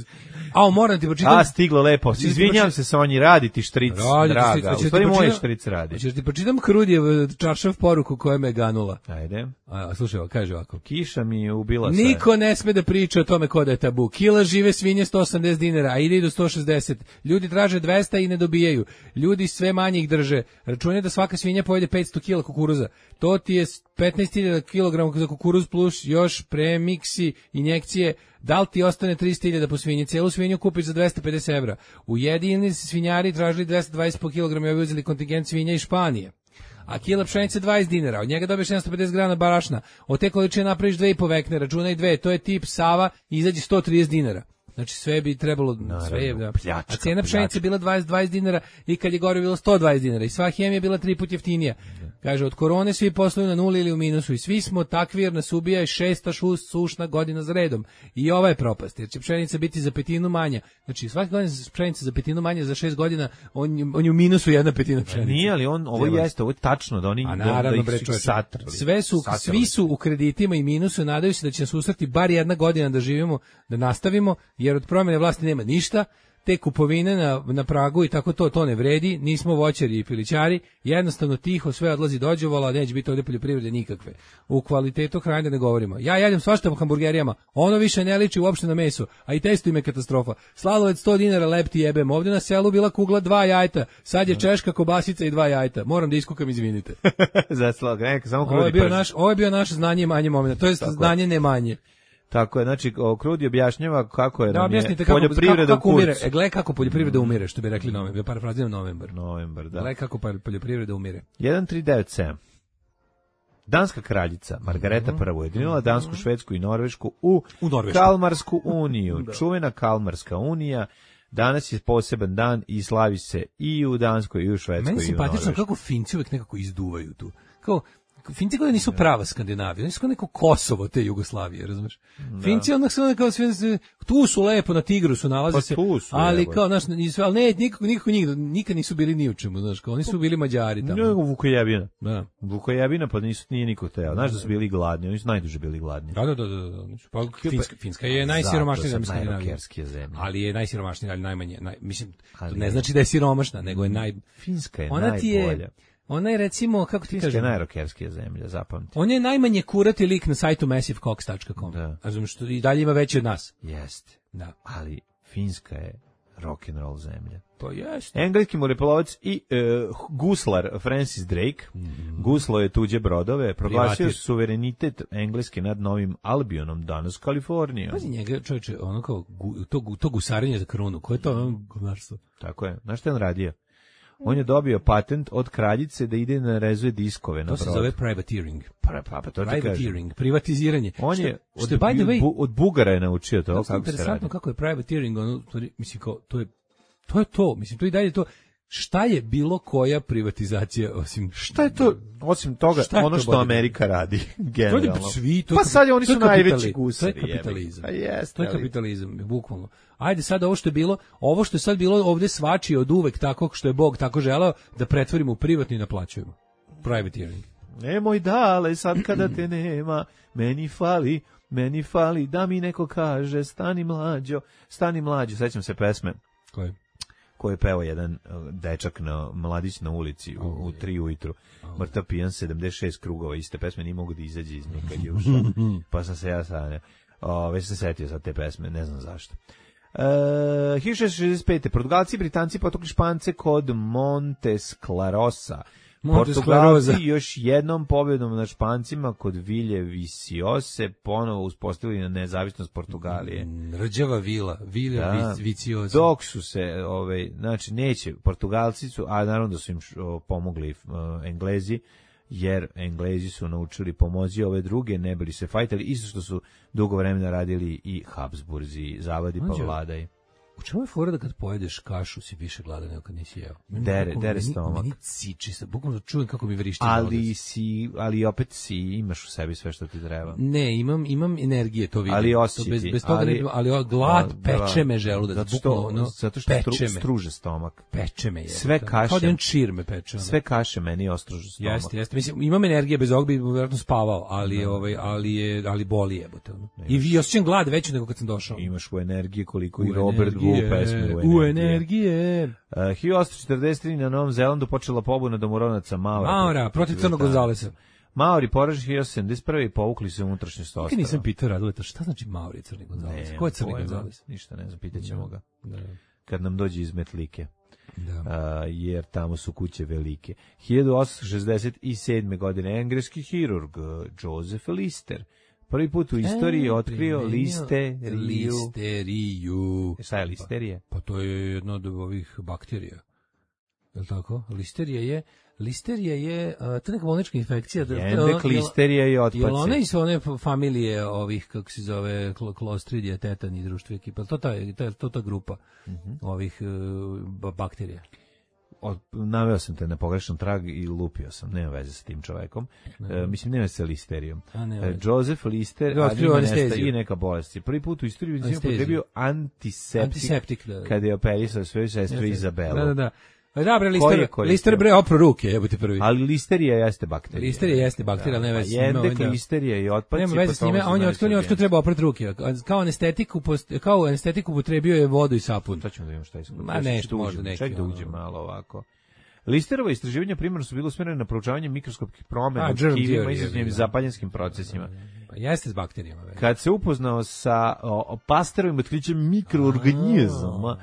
Moram ti pročitam. Stiglo lepo. Izvinjam se, Sonji, radi ti štric, draga. U stvari moj štric radi. Hoćeš ti pročitam Krudijev čaršav poruku koja me ganula. Ajde. Slušaj, kaže ovako. Kiša mi je ubila sve. Niko ne sme da priča o tome ko da je tabu. Kila žive svinje 180 dinara, a ide i do 160. Ljudi traže 200 i ne dobijaju. Ljudi sve manje ih drže. Računaj da svaka svinja pojede 500 kila kukuruza. To ti je 15.000 kg za kukuruz plus još premiksi, injekcije. Da li ti ostane 300.000 po svinji? Cijelu svinju kupiš za 250 evra. Ujedinjeni svinjari tražili 220 po kilogramu i ovi uzeli kontingent svinja iz Španije. A kila pšenice 20 dinara, od njega dobiješ 750 grana barašna. Od te količine napraviš 2,5 vekne, računaj 2, to je tip Sava, izađe 130 dinara. Znači sve bi trebalo, pljačka, a cena pšenice bila 20 dinara i kad je gore bilo 120 dinara i sva hemija bila 3 puta jeftinija. Kaže, od korone svi posluju na nuli ili u minusu i svi smo takvi jer nas ubija i 6. sušna godina za redom. I ova je propast, jer će pšenica biti za 1/5 manja. Znači svaki godina pšenica za 1/5 manja za 6 godina, on je u minusu 1/5 pšenice. Nije, ali ovo je tačno da oni da ih satrali. Svi su u kreditima i minusu, nadaju se da će nas susreti bar 1 godina da živimo, da nastavimo, jer od promjene vlasti nema ništa. te kupovine na pragu i tako to ne vredi, nismo voćari i pilićari, jednostavno tiho sve odlazi dođevola, neće biti ovdje poljoprivrede nikakve. U kvalitetu hrane da ne govorimo. Ja jedem svašta po hamburgerijama, ono više ne liči uopšte na meso, a i testo im je katastrofa. Slalovec 100 dinara lepti jebem, ovdje na selu bila kugla 2 jajeta, sad je češka kobasica i 2 jajeta. Moram da iskukam, izvinite. Ovo je bio naše znanje manje momenta, to je znanje ne manje. Tako je, znači Krudi objašnjava kako je poljoprivreda u kurcu. Gle kako poljoprivreda umire, što bi rekli novembar, parafraziram novembar, da. Gle kako poljoprivreda umire. 1397. Danska kraljica Margareta I ujedinila Dansku, Švedsku i Norvešku u Kalmarsku uniju. Čuvena Kalmarska unija danas je poseban dan i slavi se i u Danskoj i u Švedskoj i u Norveškoj. Meni simpatično kako Finci uvek nekako izduvaju tu. Kao Finci koji nisu prava Skandinavija, oni su kao neko Kosovo te Jugoslavije, razumeš? Finci onak sve kao sve tu su lepo na Tigrusu nalaze se, ali kao znaš, ali ne nikad nisu bili ni u čemu, znaš, kao oni su bili Mađari tamo. Ne, Vukojebina. Da. Vukojebina pa nije niko teo. Znaš da su bili gladni, oni su najduže bili gladni. Da. Pa Finska je najsiromašnija zemlja Skandinavije. Ali je najsiromašnija, ali najmanje, mislim, to ne znači da je siromašna, nego je Finska je najbolja. Ona je recimo, kako ti kažem... Finska je najrokerskija zemlja, zapamti. On je najmanje kurati lik na sajtu massivecox.com. Da. Razumiješ, što i dalje ima veći od nas. Jeste. Da. Ali Finska je rock'n'roll zemlja. Pa jeste. Engleski moreplovac i guslar Francis Drake guslo je tuđe brodove, proglasio suverenitet Engleske nad Novim Albionom, danas Kalifornijom. Pazi njega, čovječe, ono kao to gusarenje za krunu, koje je to govnarstvo? Tako je. Znaš što je on radio? On je dobio patent od kraljice da ide na rezuje diskove na brod. To se zove privateering. Privateering, privatiziranje. On je od Bugara je naučio to. Kako interesantno kako je privateering, mislim kao to je to, mislim to i dalje to. Šta je bilo koja privatizacija osim šta je to osim toga ono što Amerika radi generalno. Pa sad oni su najveći gusari. To je kapitalizam. Jeste, to je kapitalizam, bukvalno. Ajde sad ovo što je sad bilo ovdje svačije od uvek tako što je Bog tako želeo da pretvorimo u privatno i naplaćujemo. Privateering. Nemoj dale sad kada te nema, meni fali da mi neko kaže stani mlađo, sećam se pesme. Koji je peo jedan dečak mladić na ulici u 3 ujutru. Mrtav pijan 76 krugova iste pesme, nije mogu da izađe iz nje kad je ušao. Pa sam se ja sanjao. Već se setio sad te pesme, ne znam zašto. 1665. Portugalci i Britanci potukli Špance kod Montesclarosa. Portugalci još jednom pobjedom nad Špancima kod Vilje Visiose ponovo uspostavili na nezavisnost Portugalije. Rđava Vilja Viciosa. Dok su se, znači neće, Portugalci su, a naravno da su im pomogli Englezi, jer Englezi su naučili pomoći ove druge, ne bili se fajtali, isto što su dugo vremena radili i Habsburzi, zavadi pa vladaj. U čemu je fora da kad pojedeš kašu si više gladan nego kad nisi jeo? Dere stomak. Meni ciči se, bukvalno čujem kako mi vrišti. Ali opet imaš u sebi sve što ti treba. Ne, imam energije, to vidim. Ali osjeti. Bez toga ali glad peče me želudac. Zato što struže stomak. Peče me je. Sve kaše. Kao da on čir me peče. Sve kaše meni ostruže stomak. Jeste. Mislim, imam energije, bez ovog bi vjerojatno spavao, ali boli jebote. I osjećam glad veću nego kad sam došao. Imaš u energije koliko i Robert u energije. 1843 na Novom Zelandu počela pobuna domoronaca Maora protiv Crnog Gonzalesa. Maori poraženi 1871 i povukli se unutrašnjost ostrva. Nikad nisam pitao Raduleta šta znači Maori i Crni Gonzales. Ko je Crni Gonzales? Ništa ne znam, pitaćemo ga. Kad nam dođe iz Metlike. Jer tamo su kuće velike. 1867. godine engleski hirurg Joseph Lister prvi put u istoriji otkrio listeriju. Šta je listerija? Pa to je jedna od ovih bakterija. Je li tako? Listerija je to neka bolnička infekcija. Endek, listerija i otpaci. Je li ona iz one familije ovih, kako se zove, Clostridia, tetan i društvo ekipa? To ta grupa ovih bakterija. Naveo sam te na pogrešan trag i lupio sam, nema veze sa tim čovekom. Mislim, nema se listerijom. Joseph Lister i neka bolest. Prvi put u istoriji je upotrebio antiseptik kada je operisao svoju sestru Izabelu. Da. Da, bre, lister bre opro ruke, jebote prvi. Ali listerija jeste bakterija. Listerija jeste bakterija, ali ne veze s njime. Jendek, listerija i otpaci. Nema veze s njime, on je otkrio treba oprati ruke. Kao anestetiku upotrebio je vodu i sapun. Sad ćemo da vidimo šta je. Ma nešto, možda neki. Čekaj da uđe malo ovako. Listerova istraživanja primarno su bila usmjerena na proučavanje mikroskopskih promjena u tkivima izazvanim zapaljenskim procesima. Pa jeste s bakterijama. Kad se upoznao sa Pasterovim otkrićem mikroorganizama,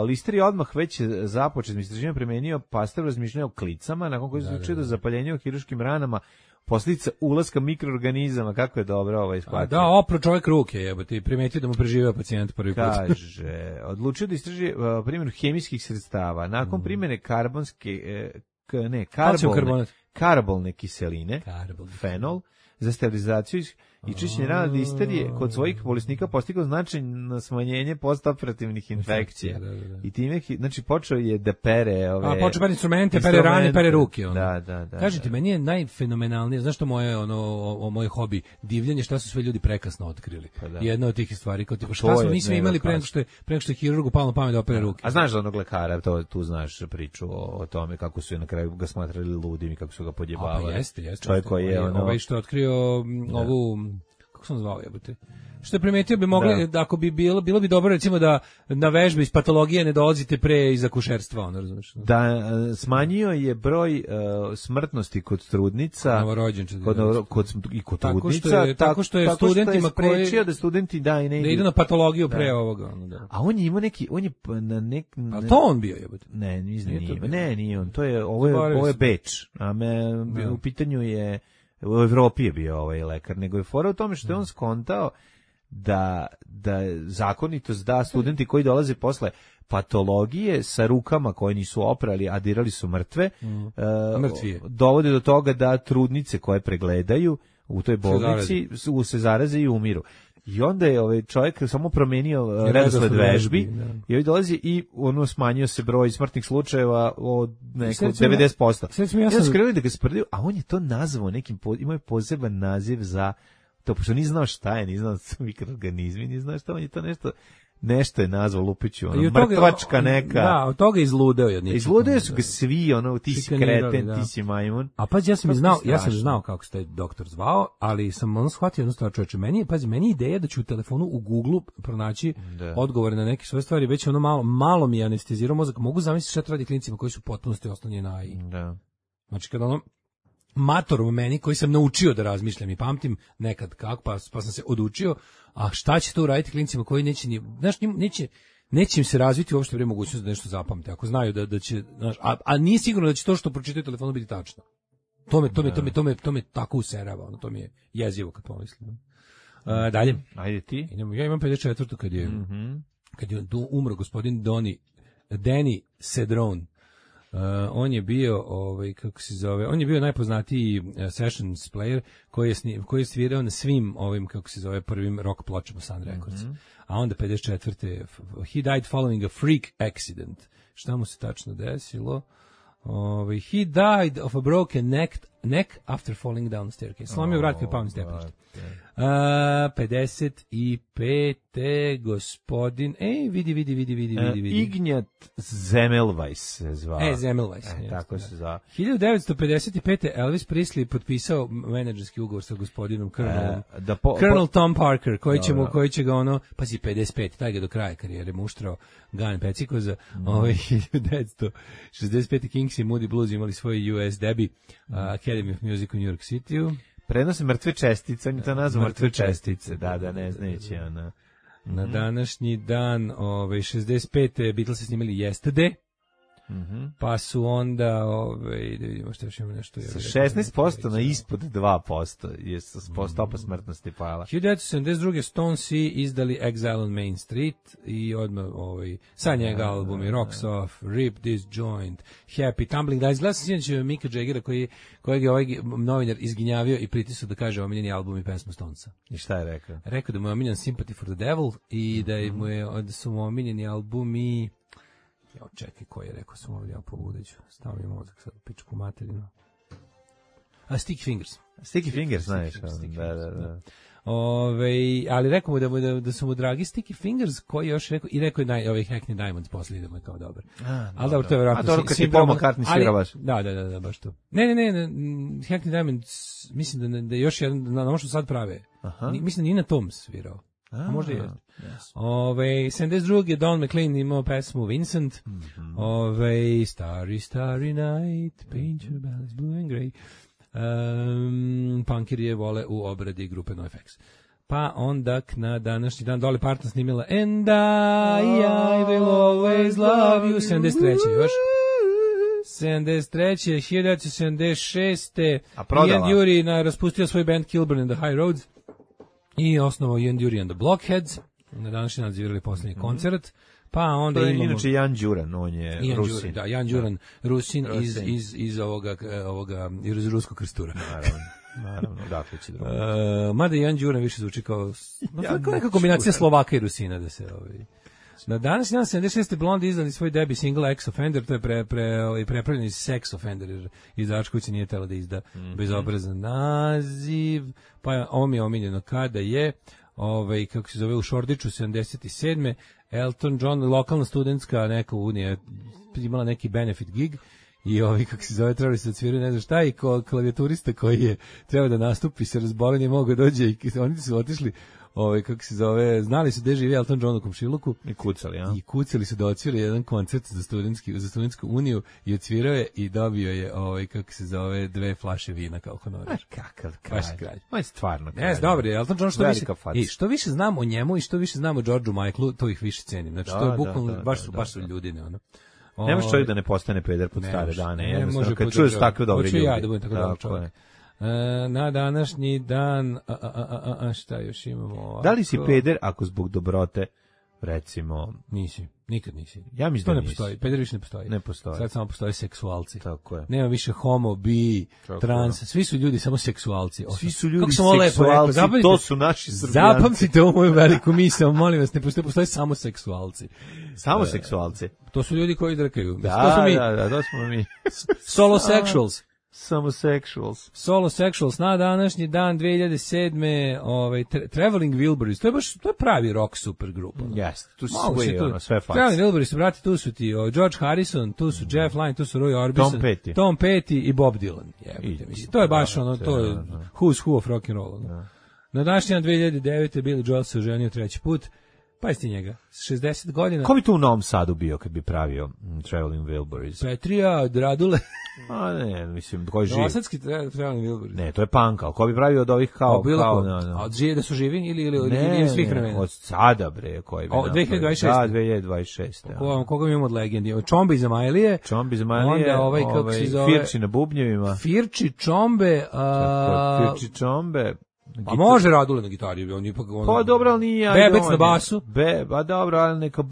Lister je odmah već započet istraživanje primenio Pasterov razmišljanje o klicama, nakon koji se učio da zapaljenje u hiruškim ranama posljedica ulaska mikroorganizama, kako je dobro ovo isplatio. Da, opro čovjek ruke, jebote, primetio da mu preživeo pacijent prvi put. Kaže, odlučio da istraži primjenu hemijskih sredstava. Nakon primjene karbolne kiseline, fenol, za sterilizaciju i čišćenje rana listerije kod svojih bolesnika postigao značajno smanjenje postoperativnih infekcija. Da. I time, znači, počeo je da pere ove... počeo pere instrumente, pere rane, pere ruke. Ono. Da. Kažete, meni je najfenomenalnije, znaš što moj hobi, divljenje, šta su sve ljudi prekasno otkrili. Jedna od tih stvari, kao tipa, šta smo mi sve imali pre nego što je hirurgu palo na pamet da opere ruke. A znaš za onog lekara, tu znaš priču o tome kako su na kraju ga smatrali ludim i kako su ga podjebavali. Pa jeste. Čovjek koji je ovaj što je otkrio ovu, kako sam zvao, jebote, što je primetio bi mogli, da ako bi bilo bi dobro recimo da na vežbe iz patologije ne dolazite pre iz akušerstva, ono, razumiješ? Da, smanjio je broj smrtnosti kod trudnica, kod trudnica, tako što je studentima sprečio da studenti da idu na patologiju pre ovoga. Ono, da. A on je imao on je na A to on bio, jebote? Ne, nije on, ovo je Beč, u pitanju je u Evropi je bio ovaj lekar, nego je fora u tome što je on skontao da zakonitost da studenti koji dolaze posle patologije sa rukama koje nisu oprali, a dirali su mrtve, dovode do toga da trudnice koje pregledaju u toj bolnici se zaraze i umiru. I onda je ovaj čovjek samo promenio redosled vežbi i ovaj dolazi i ono smanjio se broj smrtnih slučajeva od nekog 90%. Ja sam krenuo da ga sprdaju, a on je to nazvao nekim, imao je poseban naziv za to, pošto nije znao šta je, nije znao da su mikroorganizmi, nije znao šta, on je to nešto je nazvao Lupiću, mrtvačka neka. Da, od toga izludeo je. Izludeo su ga svi, ti si kreten, ti si majmun. A pazi, ja sam znao kako se taj doktor zvao, ali sam shvatio jednu stvar, čovječe, meni je ideja da ću u telefonu u Google pronaći odgovore na neke svoje stvari, već malo mi je anestezirao mozak, mogu zamisliti šta to radi klinicima koji su potpunosti oslonjeni na AI. Da. Znači, kada mator u meni koji sam naučio da razmišljam i pamtim nekad kako, pa sam se odučio, a šta će to uraditi klinicima koji neće ni, znaš, neće im se razviti uopšte pre mogućnost da nešto zapamte, ako znaju da će, znaš, a nije sigurno da će to što pročitaju telefonu biti tačno. To me tako userava, ono, to mi je jezivo kad pomislim. Dalje. Ajde ti. Ja imam 54. kad je umro gospodin Danny Cedron. On je bio kako se zove, on je bio najpoznatiji sessions player koji je svirao na svim ovim, kako se zove, prvim rock pločama Sun Records. A onda 54. he died following a freak accident. Šta mu se tačno desilo? He died of a broken neck after falling down the staircase. Slomio vrat kad pao na stepenište. 55. gospodin, vidi. Ignjat Zemmelweis se zvao. Zemmelweis. Tako se zvao. 1955. Elvis Presley potpisao menadžerski ugovor sa gospodinom Colonel Tom Parker, koji će ga pazi, 55, taj ga do kraja karijere muštrao Gun Pecikoza. 1965. Kings i Moody Blues imali svoj US debut, Academy of Music u New York City-u. Prenose mrtve čestice, on je to nazvao mrtve čestice, ne znajući ona. Na današnji dan, 65. Beatlesi snimali Yesterday, pa su onda, da vidimo što još imamo nešto. Sa 16% na ispod 2% je stopa smrtnosti pala. 1972. Stones izdali Exile on Main Street i odmah sa njega albumi Rocks Off, Rip This Joint, Happy, Tumbling Dice. Gledam sam sinoć Mika Jaggera kojeg je ovaj novinar izginjavio i pritisao da kaže omiljeni album i pesma Stonesa. I šta je rekao? Rekao da mu je omiljen Sympathy for the Devil i da su mu omiljeni albumi. Čekaj, koji je rekao sam ovdje, ja pobudeću. Stavio mi mozak sad u pičku materinu. Sticky Fingers. Sticky Fingers, znaš. Da. Ali rekao mu da su mu dragi Sticky Fingers, koji još rekao, i rekao je Hackney Diamonds posle idemo je kao dobar. Ali dobro, to je verovatno. A to kad ti Paul McCartney svira baš. Da, baš to. Ne, Hackney Diamonds, mislim da je još jedan, na ono što sad prave. Mislim da Nina Tom svirao. A možda je. Yes. 72. je Don McLean imao pesmu Vincent. Starry, starry night, paint your bells blue and grey. Punkiri je vole u obradi grupe NoFX. Pa onda na današnji dan Dolly Parton snimila And I will always love you. 73. još. 73. 1976. Ian Dury raspustio svoj band Kilburn and the High Roads i osnovao Ian Dury and the Blockheads. Na današnji dan zvirali posljednji koncert. Pa onda imamo... Inače Jan Đuran, on je Rusin. Da, Jan Đuran, Rusin iz ovoga iz ruskog krstura. Naravno, dakle će drugo. Mada Jan Đuran više zvuči kao neka kombinacija Slovaka i Rusina da se Na danas 76. Blonde izdali svoj debut single Ex Offender, to je prepravljen iz Sex Offender, jer izdavač kuće nije telo da izda bezobrazan naziv, pa ovo mi je omiljeno kada je, kako se zove, u Šordiću 77. Elton John, lokalna studentska neka unija, imala neki benefit gig, i kako se zove, trebali se odsvirati, ne znam šta, i klavijaturista koji je trebao da nastupi se razbolen je mogao dođe i oni su otišli, kako se zove, znali su gde živi Elton John u komšiluku. I kucali, ja? I kucali su da odsvira jedan koncert za studentsku uniju i odsvirao je i dobio je, kako se zove, 2 flaše vina kao honorar. Kakav kralj. On je stvarno kralj. Jes, dobro je, Elton John što više znam o njemu i što više znam o Georgeu Michaelu, to ih više cenim. Znači, to je bukvalno, baš su ljudi, ne ono. Nemaš čovjek da ne postane peder pod stare dane. Ne može kad čuješ takve dobre ljudi. Hoću ja da budem tako dobar čovjek. Na današnji dan, šta još imamo ovako? Da li si peder ako zbog dobrote, recimo... Nisi, nikad nisi. Ja mislim da ne postoji, peder više ne postoji. Ne postoji. Sad samo postoje seksualci. Tako je. Nema više homo, bi, trans, svi su ljudi samo seksualci. Svi su ljudi seksualci, to su naši Srbijanci. Zapamtite ovu moju veliku misao, molim vas, ne postoje samo seksualci. Samo seksualci? To su ljudi koji drkaju. Da, to smo mi. Solo sexuals. Solo Sexuals na današnji dan 2007. Traveling Wilburys, to je pravi rock super grupa. Jeste, tu su sve fans. Traveling Wilburys, brate, tu su ti George Harrison, tu su Jeff Lynne, tu su Roy Orbison, Tom Petty i Bob Dylan. To je baš to je who's who of rock and roll. Na današnji dan 2009. Billy Joel se oženio 3. put. Pa jeste njega, 60 godina. Ko bi tu u Novom Sadu bio kad bi pravio Traveling Wilburys? Petrija, Radule. A ne, mislim, koji živi? Novosadski Traveling Wilburys. Ne, to je punk, ali ko bi pravio od ovih kao... A od da su živi ili svih vremena? Od sada, bre, koji bi... 2026. Da, 2026. Koga mi imamo od legendi? Čombe iz Amajlije. Onda kako se zove... Firči na bubnjevima. Firči, Čombe... Firči, Čombe... A može Radule na gitari, on ipak... Pa dobro, ali nije... Bebec na basu. Pa dobro, ali neka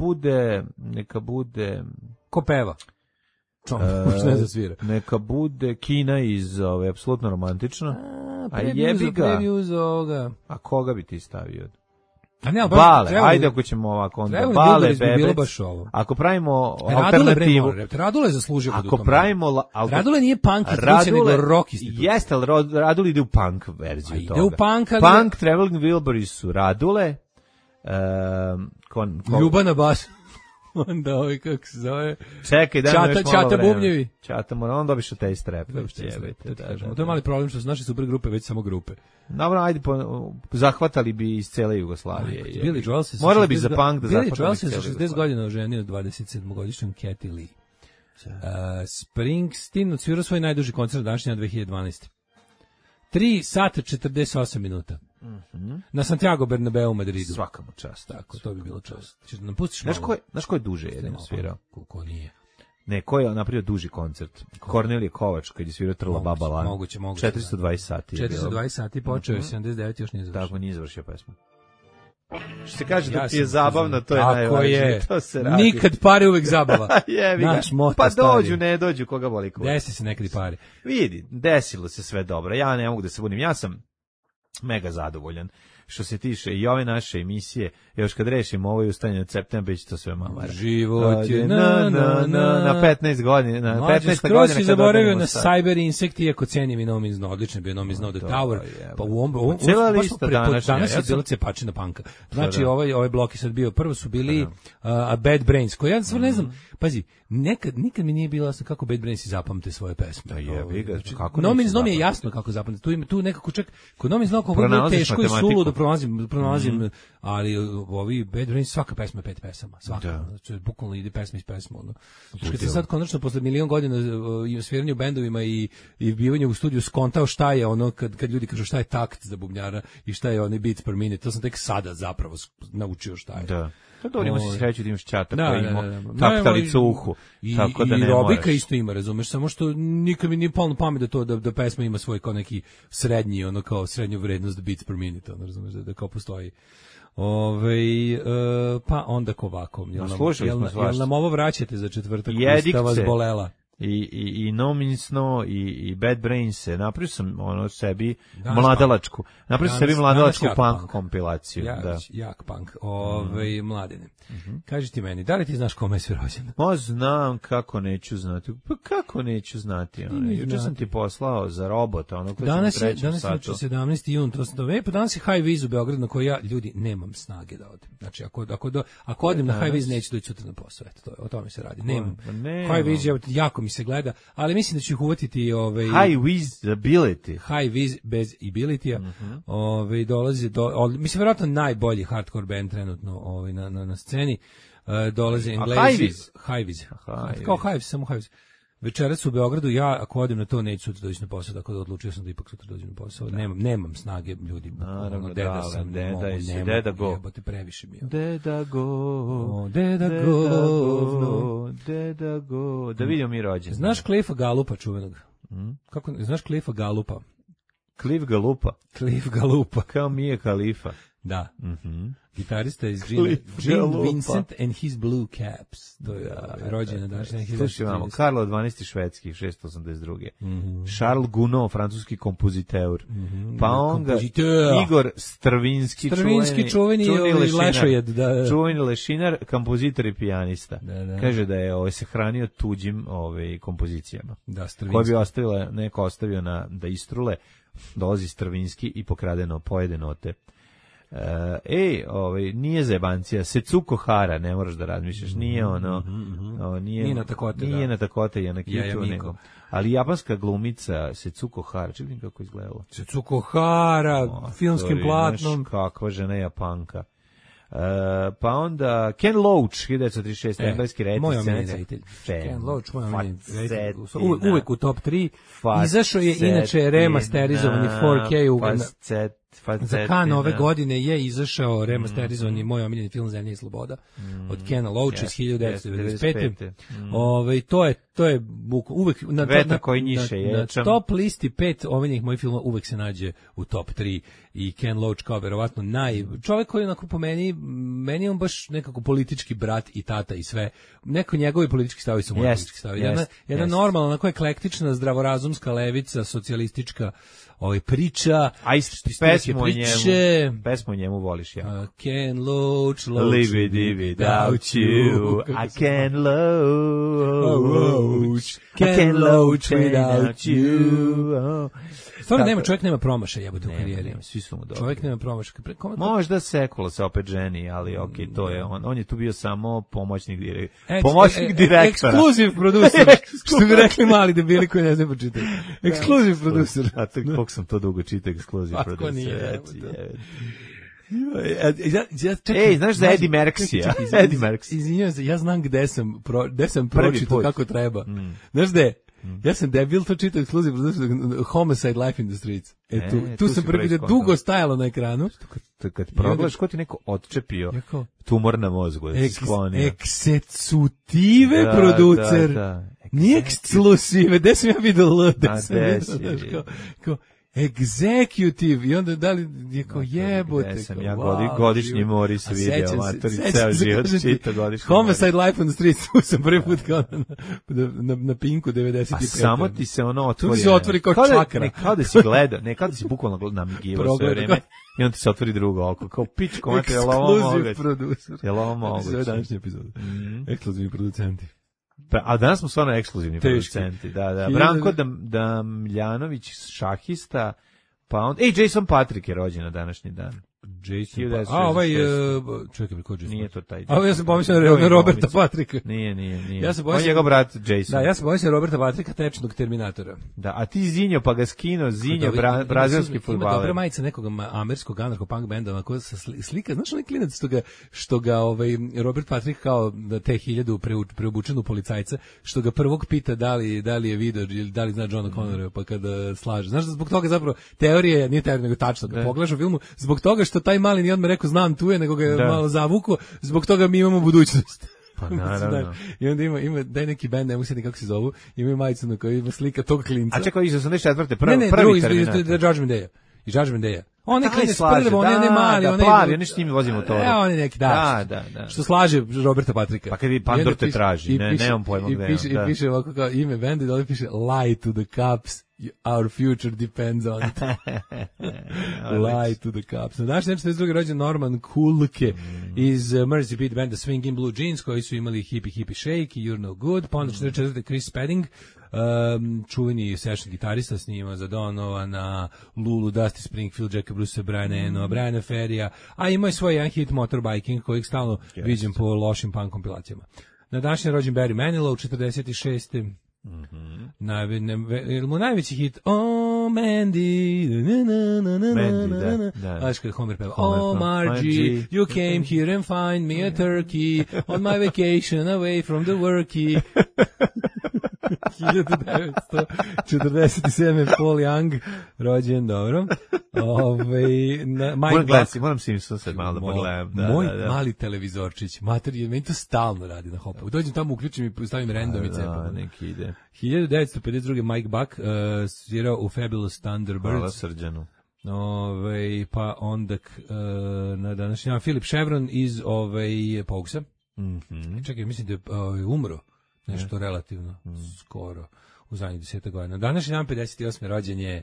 bude... Ko peva? Ne zasvira. Neka bude Kina iz apsolutno romantična. A jebi ga. A koga bi ti stavio? Bale, ajde ako ćemo ovako onda. Bale, Bebec. Ako pravimo alternativu. Radule zaslužio. Ako pravimo... Radule nije punk institucija, nego rock institucija. Jeste, ali Radule ide u punk verziju toga. Ide u punk, ali... Punk Traveling Wilburys su Radule. Ljubana bas. Onda kako se zove... Čekaj, daj mi još malo vremena. Bubnjevi. Čata mora, onda biše taj strep. To je mali problem što su naše super grupe već samo grupe. Dobro, ajde, zahvatali bi iz cele Jugoslavije. Billy Joel se... Morali bi za punk da zahvatali Billy Joel se 60 godina oženio 27-godišnjom Katy Lee. Springsteen odsvirao svoj najduži koncert današnja 2012. 3 sata 48 minuta. Na Santiago Bernabeu u Madridu. Svaka mu čast. Tako, to bi bilo čast. Ćeš da nam pustiš malo? Znaš ko je duže jedan svirao? Ko nije? Ne, ko je napravio duži koncert? Kornelije Kovač, kad je svirao Trla Baba Lan. Moguće. 420 sati. 420 sati, počeo je 79, još nije završio. Tako, nije završio pesmu. Što se kaže da ti je zabavno, to je najvažnije. To se radi. Nikad pare, uvek zabava. Naš moto pa dođu, ne dođu, koga boli ko. Desi se nekad i pare. Vidi, desilo se sve dobro. Ja ne mogu da se budim. Ja sam mega zadovoljan. što se tiče i ove naše emisije, još kad rešimo ovo i ustane od septembra, biće to sve mamara. Život je na 15 godina, na 15 godina. Skroz si zaboravio na Cyber Insect, iako cenim i No Means No, odlično je bio No Means No The Tower, pa u ovom cijela lista danas je bila cepačina panka. Znači, ovaj blok je sad bio, prvo su bili Bad Brains, koji ja stvarno ne znam, pazi, nikad mi nije bilo jasno kako Bad Brains zapamte svoje pesme. Kako No Means No mi je jasno kako zapamte. Tu nekako čak, kod No Means No kako je teško i suludo pronalazim, ali ovi Bad Brains svaka pesma je 5 pesama, svaka. Znači, bukvalno ide pesma iz pesma. Kad se sad konačno posle milion godina sviranja u bendovima i bivanju u studiju skontao šta je ono, kad ljudi kažu šta je takt za bubnjara i šta je onaj beats per minute, to sam tek sada zapravo naučio šta je. Da. To dobro, ima si sreću da imaš ćata koji ima taktalicu u uhu. Tako da ne i Robika isto ima, razumeš, samo što nikad mi nije palo na pamet da pesma ima svoj kao neki srednji, ono kao srednju vrednost beats per minute, ono, razumeš, da kao postoji. Pa onda ovako, jel nam ovo vraćate za četvrtak, šta vas bolela? I No Means No i Bad Brains napravio sam sebi mladalačku. Napravio sam sebi mladalačku punk kompilaciju. Jak punk. Mladine. Kaži ti meni, da li ti znaš kome je sve rođen? Znam kako neću znati. Pa kako neću znati? Juče sam ti poslao za robota, ono koji danas sam u trećem satu. 17. jun, to sam pa danas je High Viz u Beogradu na koji ja, ljudi, nemam snage da odem. Znači, ako odem na High Viz, neću doći sutra na posao. Eto, o tome se radi. Nemam. High Viz jako mi se gleda, ali mislim da ću ih uvatiti High Visibility. High Vis bez ability-a. Dolazi mislim verovatno najbolji hardcore band trenutno na sceni. Dolaze Englezi. High Vis. Kao High Vis, samo High Vis. Večeras u Beogradu, ja ako odem na to neću sutra doći na posao, tako da odlučio sam da ipak sutra dođem na posao. Nemam snage, ljudi. Naravno, deda sam, deda go. Jebote, previše mi je. Deda go. Da vidimo mi rođen. Znaš Cliffa Gallupa čuvenog? Znaš Cliffa Gallupa? Cliff Gallupa. Kao Mia Khalifa. Da. Gitarista iz Gene Vincent and his Blue Caps. To je rođena današnja. Slušaj, imamo Karlo 12. švedski, 682. Charles Gounod, francuski kompoziteur. Pa on ga Igor Stravinski čuveni lešojed. Čuveni lešinar, kompozitor i pijanista. Kaže da je se hranio tuđim kompozicijama. Koje bi neko ostavio da istrule, dolazi Stravinski i pokradeno pojede note. Nije zebancija, Setsuko Hara, ne moraš da razmišljaš, nije nije na takote, je na kiču, nego. Ali japanska glumica Setsuko Hara, čekaj kako izgledalo. Setsuko Hara, filmskim platnom. Kakva žena Japanka. Pa onda Ken Loach, 1936, engleski reditelj. Moj omiljeni reditelj. Ken Loach, moj omiljeni reditelj. Uvek u top 3. Izašao je inače remasterizovani 4K za Cannes ove godine je izašao remasterizovani moj omiljeni film Zemlja i sloboda od Kena Loacha iz 1995. To je uvek na top listi 5 omiljenih mojih filmova uvek se nađe u top 3 i Ken Loach kao verovatno čovjek koji onako po meni je on baš nekako politički brat i tata i sve. Neko njegovi politički stavovi su moji politički stavovi. Jedna normalna, onako eklektična, zdravorazumska levica, socijalistička priča. A pesmu o njemu voliš jako. Ken Loach, Live without you. I can Loach without you. Stvarno čovjek nema promaša jebote u karijeri. Svi su mu dobri. Čovjek nema promaša. Možda Sekula se opet ženi, ali okej, to je on je tu bio samo pomoćnik direktora. Ekskluziv producer. Što bi rekli mali debili koji ne znaju počitati. Ekskluziv producer. A koliko sam to dugo čitao ekskluziv producer. Znaš za Eddie Merksija? Eddie Merks. Izvinjavam se, ja znam gde sam pročitao kako treba. Znaš gde? Ja sam debil, to čitao ekskluziv Homicide Life in the Streets. Tu sam prvi da dugo stajalo na ekranu. Kad progledaš, ko ti neko odčepio tumor na mozgu, da si sklonio. Eksecutive producer. Nije ekskluzive, gde sam ja vidio L? Executive, i onda da li je kao jebote. Gde sam ja godišnji Moris video, matori, ceo život čita godišnji Homicide Life on the Streets, tu sam prvi put kao na Pinku 95. A samo ti se ono otvori. Tu se otvori kao čakra. Kao da si gledao, ne kao da si bukvalno namigivao sve vreme. I on ti se otvori drugo oko, kao pičko, mate, je li ovo moguće? Ekskluziv producer. Je li ovo moguće? Sve današnje epizode. Ekskluzivni producenti. A danas smo stvarno ekskluzivni producenti. Da. Branko Damljanović, šahista, pa on... Jason Patrick je rođen na današnji dan. Jason čekaj, ko Jason? Nije to taj. Ja sam pomislio na Roberta Patricka. Nije. On je njegov brat Jason. Da, ja sam pomislio Roberta Patricka, tečnog Terminatora. Da, a ti Zinjo pa ga skino, brazilski fudbaler. Ima dobra majica nekog američkog anarcho-punk benda, ko sa slika, znaš onaj klinac što ga Robert Patrick kao da te 1000 preobučenu policajca, što ga prvog pita da li je video ili da li zna Johna Connora, pa kada slaže. Znaš da zbog toga zapravo teorija, nije teorija nego tačno, kad pogledaš u filmu, zbog toga što taj mali nije odmah rekao znam tu je, nego ga je malo zavuko, zbog toga mi imamo budućnost. Pa naravno. I onda ima daj neki bend, ne mogu se ni kako se zovu, ima majicu na kojoj ima slika tog klinca. A čekaj, iz 84. prvi Terminator. Ne, Judgment Day. I Judgment Day. On je klinac prvo, on je mali, on je plavi, oni s njim vozimo to. On je neki da. Što slaže Roberta Patricka. Pa kad vi Pandor te traži, nemam pojma gde. I piše ovako kao ime benda, dole piše lie to the cops. Our future depends on it. Lie to the cops. Na današnji 42. rođen Norman Kulke iz Mercy Beat banda Swingin' Blue Jeans, koji su imali Hippie Shake i You're No Good. Pa onda 44. Chris Spedding, čuveni session gitarista, snima za Donovana, Lulu, Dusty Springfield, Jacka Bruce, Briana Eno, Briana Ferrija, a ima je svoj jedan hit Motorbiking, kojeg stalno viđem po lošim punk kompilacijama. Na današnji rođen Barry Manilow, 46. Mu najveći hit Mandy, znaš kada Homer peva Margie, you came here and find me a turkey on my vacation away from the worky. 1947. Paul Young rođen, dobro. Moram Simpson sad malo da pogledam. Moj mali televizorčić, mater, meni to stalno radi na Hopu. Dođem tamo, uključim i stavim randomice. Neki ide. 1952. Mike Buck svirao u Fabulous Thunderbirds. Hvala Srđanu. Pa onda na današnji dan Philip Chevron iz Pogsa. Čekaj, mislim da je umro nešto relativno skoro u zadnjih 10 godina. Današnji dan 58. rođen je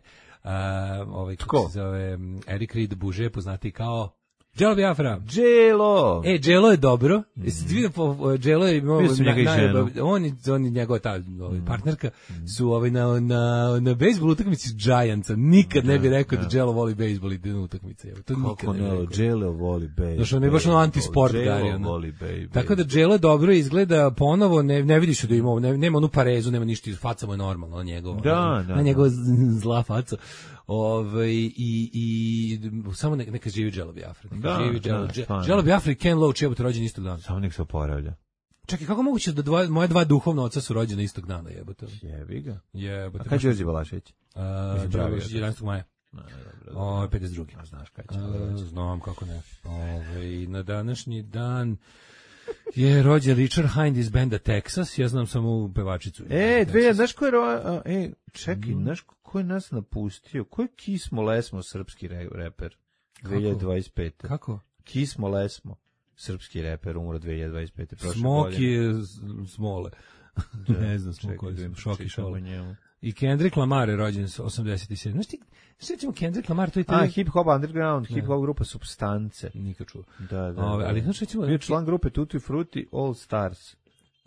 kako se zove Eric Reed Buže, poznati kao Jello Biafra. Jello! Jello je dobro. Jello je imao on i njegova ta partnerka su na bejsbol utakmici s Giantsa. Nikad ne bi rekao da Jello voli bejsbol i da utakmice. To nikad ne bi rekao. Jello voli bejsbol. Znaš, on je baš antisport. Jello voli bejsbol. Tako da Jello dobro izgleda ponovo, ne vidiš da ima, nema onu parezu, nema ništa, faca mu je normalno na njegovo. Na njegova zla faca. I samo neka živi Jello Biafra. Jello Biafra i Ken Loach jebote rođeni istog dana. Samo nek se oporavlja. Čekaj, kako moguće da moje dva duhovna oca su rođeni istog dana, jebote? Jebi ga. Jebote. A kad će Đorđe Balašević? 11. maja. 52. A znaš kad će? Znam kako ne. Na današnji dan je rođen Richard Hind iz benda Texas, ja znam samo pevačicu. Znaš ko je čekaj, znaš ko je nas napustio? Ko je Kismo Lesmo, srpski reper? 2025. Kako? Kismo Lesmo, srpski reper, umro 2025. Smoki je Smole. Ne znam, Šoki Šole. I Kendrick Lamar je rođen 87. Znaš ti, recimo Kendrick Lamar, to je Hip Hop Underground, Hip Hop grupa Substance. Nikad čuo. Da. Ali znaš recimo... Bio član grupe Tutti Frutti All Stars.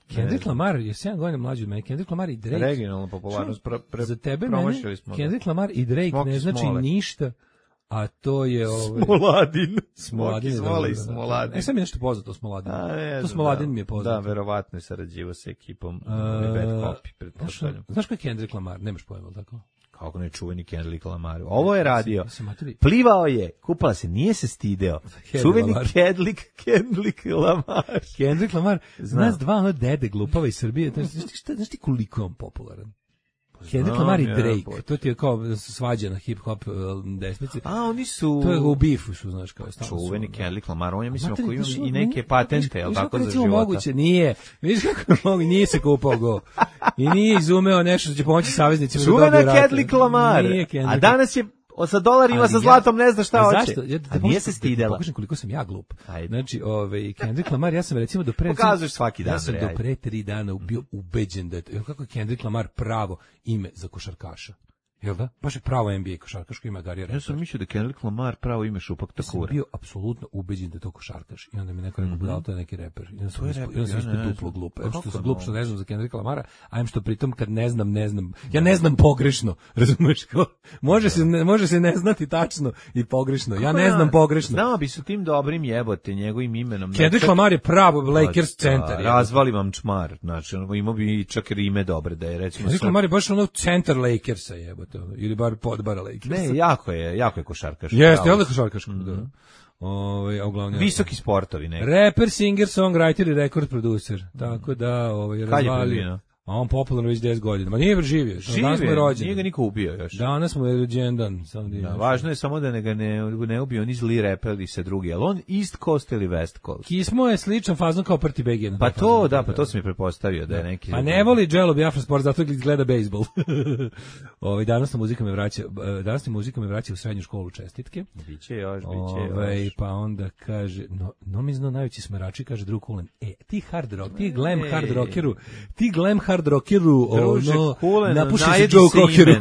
Kendrick Lamar je 7 godina mlađi od mene. Kendrick Lamar i Drake. Regionalna popularnost. Za tebe mene Kendrick Lamar i Drake ne znači ništa. A to je Smoladin. Smoladin. Sam mi nešto poznato o Smoladinu. To Smoladin mi je poznato. Da, verovatno je sarađivao sa ekipom Bad Copy, pretpostavljam. Znaš ko je Kendrick Lamar? Nemaš pojma, tako? Kako ne čuveni Kendrick Lamar. Ovo je radio. Plivao je, kupala se, nije se stideo. Čuveni Kendrick Lamar. Kendrick Lamar, nas dva dede glupava iz Srbije. Znaš ti koliko je on popularan? Kendrick Lamar i Drake, to ti je kao svađa na hip-hop desnici. A, oni su... To je u bifu, što znaš kao. Čuveni Kendrick Lamar, on je mislim ako ima i neke patente, jel tako za života? Moguće, nije. Vidiš kako mogu, nije se kupao go. I nije izumeo nešto što će pomoći saveznicima. Čuvena Kendrick Lamar. A danas je sa dolarima, sa zlatom, ne zna šta hoće. A nije se stidela. Pokažem koliko sam ja glup. Znači, Kendrick Lamar, ja sam recimo do pre... Pokazuješ svaki dan. Ja sam do pre 3 dana bio ubeđen da je... Kako je Kendrick Lamar pravo ime za košarkaša? Jel da? Baš je pravo NBA košarkaš koji ima Gary Reddish. Ja sam mislio da Kendrick Lamar pravo ime Šupak Takura. Ja sam bio apsolutno ubeđen da je to košarkaš. I onda mi neko rekao, budal, to je neki reper. I onda sam ispod duplo glup. Evo što sam glup što ne znam za Kendrick Lamara, a em što pritom kad ne znam. Ja ne znam pogrešno, razumeš? Može se ne znati tačno i pogrešno. Ja ne znam pogrešno. Znao bi su tim dobrim jebote, njegovim imenom. Kendrick Lamar je pravo Lakers centar. Razvali vam čmar. Znači, imao bi čak i ime dobre da je recimo. Kendrick Lamar je baš ono centar Lakersa jebote. Ili bar podbara Lakers. Ne, jako je košarkaš. Jeste, je li košarkaš? Da. Uglavnom visoki sportovi neki. Rapper, singer, songwriter i rekord producer. Tako da, razvalio. A on popularno već 10 godina. Ma nije živio. Danas mu je rođen. Nije ga niko ubio još. Danas mu je rođendan. Važno je samo da ga ne ubio oni zli reperi se drugi. Ali on East Coast ili West Coast? Kismo je sličan fazon kao Prti Begin. Pa to, pa to sam mi pretpostavio da je neki... Pa ne voli Jello Biafra sport, zato gleda bejsbol. Danas muzika me vraća u srednju školu, čestitke. Biće još. Pa onda kaže, no mi zna najveći smerači, kaže drug Kulen. Ti hard rock, ti glam hard rockeru, hard rockeru, napuši se Joe Cockeru.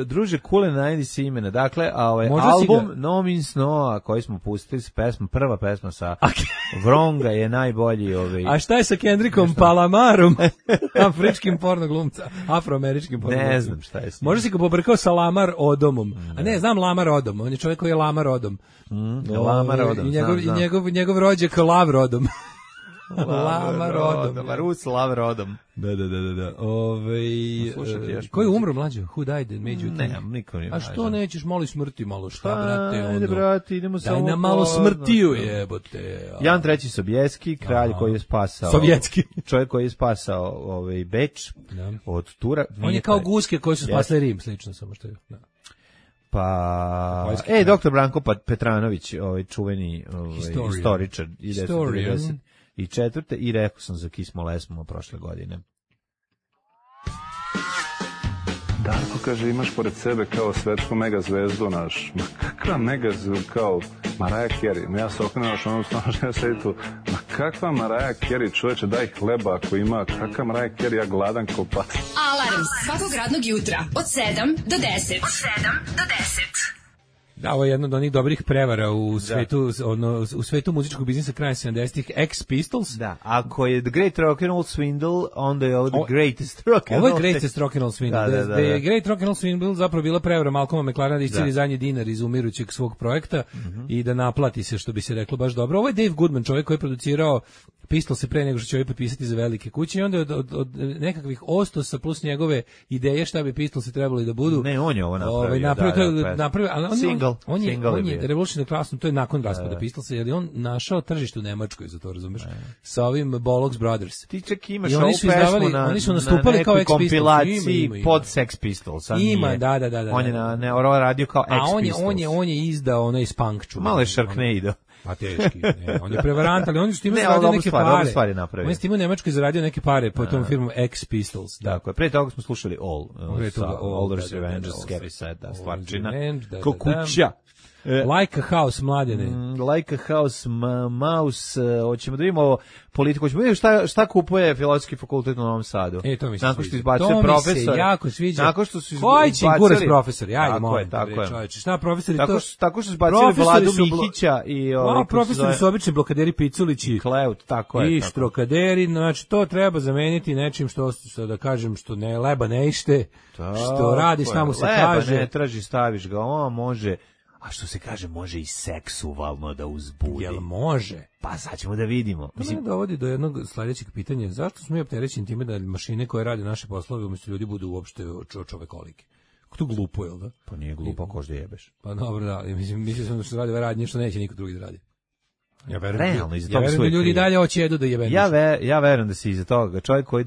Druže Kulen, najdi se imena. Dakle, album No Means No, koji smo pustili, prva pesma sa Vronga je najbolji. A šta je sa Kendrickom Palamarom, afričkim pornoglumca, afroameričkim pornoglumcem? Ne znam šta je s njim. Možda si ga pobrkao sa Lamar Odomom. A ne, znam Lamar Odom, on je čovjek koji je Lamar Odom. Lamar Odom, I njegov rođak Lav Odom. Rus Lav Rodom. Da. Ko je umro mlađo? Who died and made you think? Ne, niko nije. A što nećeš moli smrti malo? Šta, brate? Ajde, brate, idemo samo... Daj nam malo smrtiju, jebote. Jan III. Sobieski, kralj koji je spasao... Sovjetski. Čovjek koji je spasao Beč od Tura. On je kao guske koji su spasli Rim, slično samo što je... Pa, doktor Branko Petranović, čuveni historičar, i četvrte, i rekao sam za Kismo Lesmo prošle godine. Darko kaže, imaš pored sebe kao svetsku megazvezdu naš. Ma kakva megazvezdu kao Mariah Carey? Ja se okrenuo što ono stano što ja sedi tu. Ma kakva Mariah Carey, čoveče, daj hleba ako ima. Kakva Mariah Carey, ja gladan ko pas. Alarm svakog radnog jutra od 7 do 10. Da, ovo je jedna od onih dobrih prevara u svetu muzičkog biznisa kraja 70-ih, Ex Pistols. Da, ako je The Great Rock'n'Roll Swindle, onda je ovo The Greatest Rock'n'Roll. Ovo je Greatest Rock'n'Roll Swindle. Da je Great Rock'n'Roll Swindle zapravo bila prevara Malcolma McLarena da isceli zadnji dinar iz umirućeg svog projekta i da naplati se, što bi se reklo baš dobro. Ovo je Dave Goodman, čovjek koji je producirao Pistol se pre nego što će ovaj potpisati za velike kuće i onda od nekakvih ostosa plus njegove ideje šta bi Pistol se trebali da budu. Ne, on je ovo napravio. Ali single. On je Revolution Class, to je nakon raspada Pistolsa, jer je on našao tržište u Nemačkoj, za to razumeš, sa ovim Bollocks Brothers. Ti čak imaš ovu pesmu oni su nastupali kao Ex Pistols. Kompilaciji pod Sex Pistols. Ima, da. On je radio kao Ex Pistols. On je izdao onaj Spunk. Malo je Sharknado. Pa teški, ne, on je prevarant, ali on je time zaradio neke pare. On je time u Nemačkoj zaradio neke pare po tom firmom Ex Pistols. Dakle, pre toga smo slušali All's Revenge, Scary Sad, stvarčina. Ko kuća. Like a House, mladene. Like a House, Mouse, hoćemo da vidimo politiku, hoćemo da vidimo šta kupuje Filozofski fakultet u Novom Sadu. To mi se nakon što izbacuje profesor. To mi se jako sviđa. Nakon što su koji će kurac profesori? Ajde, molim. Čovječe, šta profesori to? Tako što su izbacili Vladu Mihića i... profesori su obični blokaderi Piculići. Kleut, tako je. I štrokaderi, znači to treba zameniti nečim što, da kažem, što ne leba ne ište, što radi, šta mu se kaže. Leba ne traži, staviš ga, on može... A što se kaže, može i seksualno da uzbudi. Jel može? Pa sad ćemo da vidimo. To me dovodi do jednog sljedećeg pitanja. Zašto smo mi opterećeni time da mašine koje rade naše poslove umjesto ljudi budu uopšte čovekolike? To glupo, jel da? Pa nije glupo, ko što jebeš. Pa dobro, da. Mislim sam da što radi radnje što neće niko drugi da radi. Ja verujem, realno, iza toga su ljudi dalje hoće jedu da jebe. Ja verujem da se iza toga čovjek koji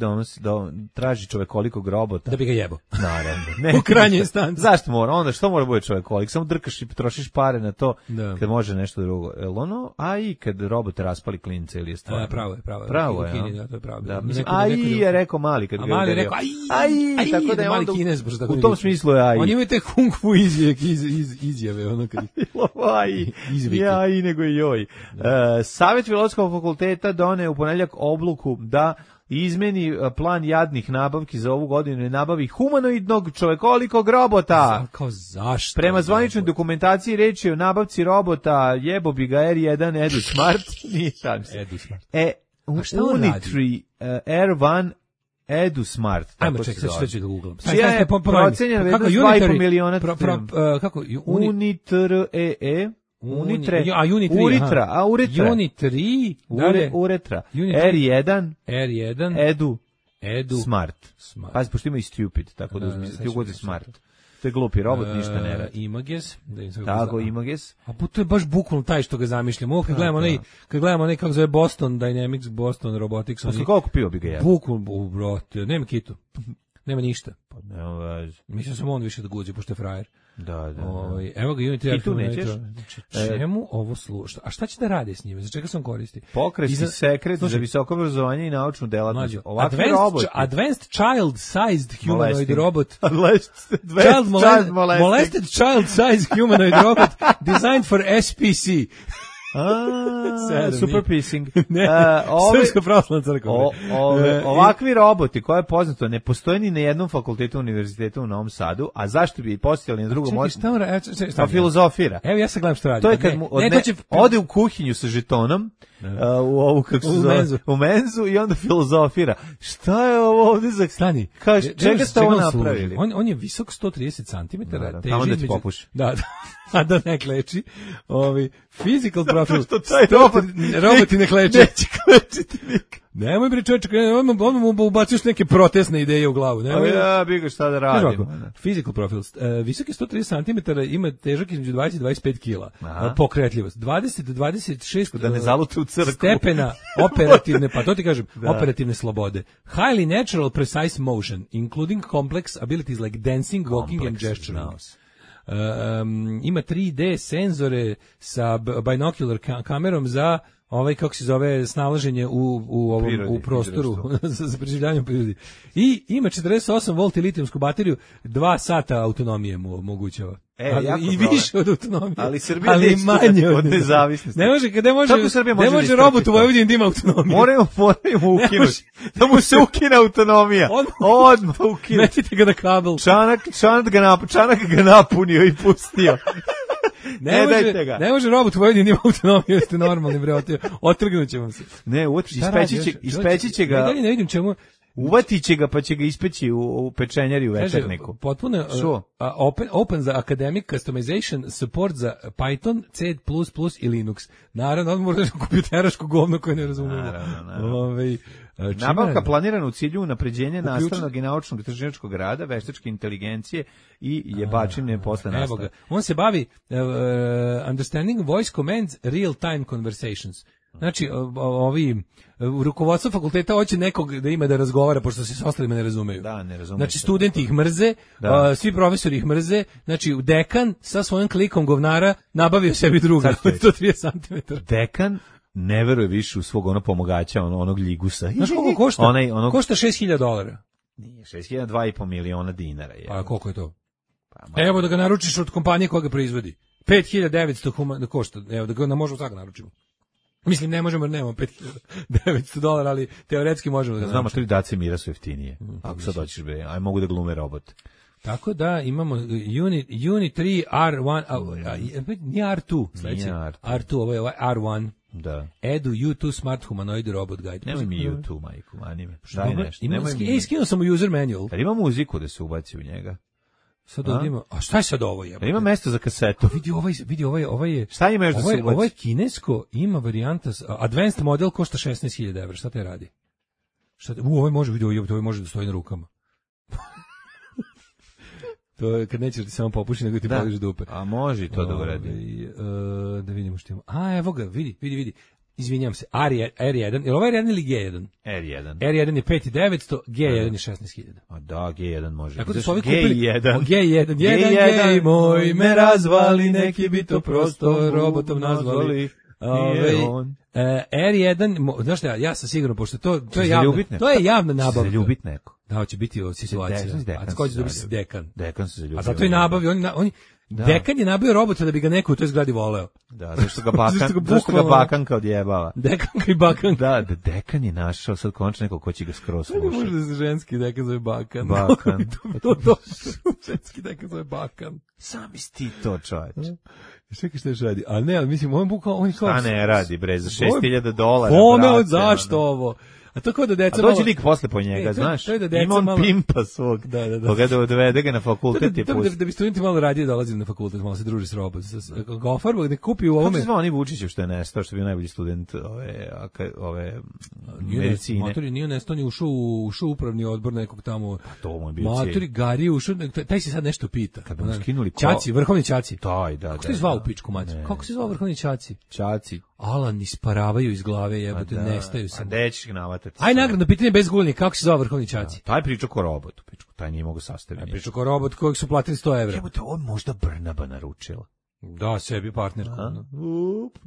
traži čovekolikog robota da bi ga jebo. Naravno. U krajnjoj instanci. Zašto mora? Onda što mora bude čovekolik? Samo drkaš i trošiš pare na to kad može nešto drugo. I kad robot raspali klince ili je stvarno. Pravo je. Pravo je. To je pravo. Da, je rekao mali kad ga mali rekao aj, tako da je mali Kinez, u tom smislu je aj. On ima te kung fu izjave ono kad aj nego i joj. Savjet Filozofskog fakulteta doneo u ponedeljak odluku da izmeni plan jadnih nabavki za ovu godinu i nabavi humanoidnog čovekolikog robota. Kao zašto? Prema zvaničnoj dokumentaciji reč je o nabavci robota, jebo bi ga R1 Edu Smart. Nije tam se. Edu Smart. Unitree R1 Edu Smart. Ajmo ček, sad ću da googlam. Čija je procenjena vrednost 2,5 miliona. Kako? Unitree Uretra. R1 Edu Smart. Pazi, pošto ima i stupid, tako da ti ugodi smart. To je glupi robot, ništa ne radi. Images. Tako, Images. A to je baš bukvalno taj što ga zamišljam. Ovo kad gledamo onaj kako zove Boston Dynamics, Boston Robotics. Posle koliko piva bi ga jeo? Bukvalno, brate, nema kitu. Nema ništa. Pa nema veze. Mislim sam on više da guđe, pošto je frajer. Da. Evo ga Unity. I tu nećeš? Čemu ovo sluša? A šta će da radi s njime? Za čega sam koristi? Pokretni sekret za visoko obrazovanje i naučnu delatnost. Ovakvi roboti. Advanced child-sized humanoid robot. Molested child-sized humanoid robot designed for SPC. Super pissing. Srpska pravoslavna crkva. Ovakvi roboti, koje je poznato, ne postoje ni na jednom fakultetu univerziteta u Novom Sadu, a zašto bi postojali na drugom mjestu? Pa filozofira. Evo ja se gledam što radi. To je kad ode u kuhinju sa žetonom, u ovu, kako se zove, u menzu i onda filozofira. Šta je ovo ovdje za... Stani. Čega ste ovo napravili? On je visok 130 cm. Tamo da ti popuši. Da, a da ne kleči. Physical profil. Roboti ne kleče. Neće klečiti nikad. Nemoj bre čovječe, on mu ubaciš neke protestne ideje u glavu. Ja bih ga šta da radim. Physical profil. Visok je 130 cm, ima težak između 20 i 25 kila. Pokretljivost. 20 do 26 da ne zalute u crkvu. Stepena operativne, pa to ti kažem, operativne slobode. Highly natural precise motion, including complex abilities like dancing, walking and gesturing. Ima 3D senzore sa binocular kamerom za kako se zove, snalaženje u prostoru za preživljavanje u prirodi. I ima 48 volti litijumsku bateriju, 2 sata autonomije mu omogućava. I više od autonomije. Ali Srbija neće od nezavisnosti. Ne može robot u Vojvodini da ima autonomiju. Moramo ukinuti. Da mu se ukine autonomija. Odmah ukinuti. Metite ga na kabel. Čanak ga napunio i pustio. Ne može robot u Vojvodini ima autonomiju, jeste normalni, bre, otrgnut će vam se. Ne, ispeći će ga. Ne vidim čemu. Uvatit će ga pa će ga ispeći u pečenjari u večerniku. Potpuno open za academic customization, support za Python, C++ i Linux. Naravno, on može kompjuteraško govno koje ne razumemo. Nabavka planirana u cilju unapređenja nastavnog i naučnog istraživačkog rada, veštačke inteligencije i jebačine posle nastave. On se bavi understanding voice commands real-time conversations. Znači, rukovodstvo fakulteta hoće nekog da ima da razgovara, pošto se s ostalima ne razumeju. Da, ne razumeju. Znači, studenti ih mrze, svi profesori ih mrze, znači, dekan sa svojim klikom govnara nabavio sebi druga, 130 cm. Dekan ne veruje više u svog pomogača, onog ljigusa. Znaš koliko košta? Košta $6.000. Nije, 6.000, 2,5 miliona dinara. A koliko je to? Evo da ga naručiš od kompanije koja ga proizvodi. 5.900 košta, evo da ga možemo sad naručimo. Mislim, ne možemo jer nemamo $5.900, ali teoretski možemo da ga znamo. 3 dace mira su jeftinije. Ako sad doćeš, aj mogu da glume robot. Tako da imamo Unit 3 R1, nije R2, sledeći. R2, ovo je R1. Da. Edu U2 Smart Humanoid Robot Guide. Nemoj mi U2, majku, anime. Daj nešto. Skinuo sam u user manual. Ima muziku da se ubaci u njega. Sad ovdje ima, a šta je sad ovo je? Ima mesto za kasetu. Vidi ovaj je. Šta ima još da se ubaci? Ovo je kinesko, ima varijanta, advanced model košta $16.000, šta te radi? Ovo može da stoji na rukama. To je kad nećeš ti samo popuši, nego ti poliš dupe. A može i to da uradi. Da vidimo što ima. Evo ga, vidi. Izvinjam se, R1, je li ovo R1 ili G1? R1. R1 je 5.900, G1 je 16.000. A da, G1 može. Tako da su ovi kupili G1 moj me razvali, neki bi to prosto robotom nazvali. R1, znaš šta, ja sam sigurno, pošto to je javna nabavka. Se ljubit neko. Da, će biti situacija. A ko će dobiti se dekan? Dekan se zaljubio. A zato i nabavi, oni dekan je nabavio robota da bi ga neko u toj zgradi voleo. Da, zašto ga bakanka odjebava. Dekanka i bakanka. Da, dekan je našao sad končno neko ko će ga skroz slušati. Može da se ženski dekan zove bakan. To ženski dekan zove bakan. Sami ti to, čovječe. Čekaj što još radi. A ne, ali mislim, on kao... Šta ne radi, bre, za $6.000. Kome, zašto ovo? A to kao da deca... A dođe lik posle po njega, znaš? Ima on pimpa svog. Koga da odvede ga na fakultet i pusti. Da bi studenti malo radije dolazili na fakultet, malo se druži s robotom. Gofarbo, da kupi u ovome... Kako se zvao oni Vučićev što je nestao, što je bio najbolji student ove medicine? Matori nije nestao, ni ušao u upravni odbor nekog tamo... To mu je bio Matori, Gari ušao, taj se sad nešto pita. Kad mu skinuli... Ćaci, vrhovni Ćaci. Da. Kako se zvao u pičku mati? Kako se zvao vrhovni Ćaci? Ćaci. Alan isparavaju iz glave, jebote, nestaju se. A dećeš navatati. Aj nagradno pitanje bez gulnje, kako se zove vrhovni Ćaci? Taj priča ko robotu, taj nije mogu sastaviti. Priča ko robot kojeg su platili $100. Jebote, on možda Brnaba naručila. Da, sebi partner. Sam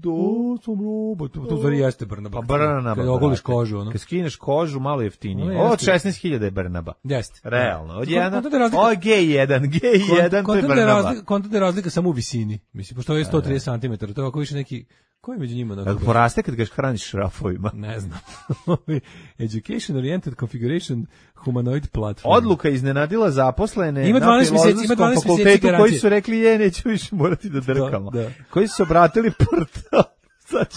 robot. To stvari jeste Brnaba. Pa Brnaba. Kad ogoliš kožu, ono. Kad skineš kožu, malo jeftinije. Ovo od 16.000 je Brnaba. Jeste. Realno. Od jedan, ovo je G1, to je Brnaba. Konta je razlika samo u visini. Mislim, pošto ovo je 130 cm, to je ako više neki... Ko je među njima? Kako poraste kad ga hraniš šrafovima? Ne znam. Education Oriented Configuration Humanoid Platform. Odluka iznenadila zaposlene ima 12 mjeseci fakultetu koji su rekli neću više morati da drkamo. Da. Koji su se obratili portal.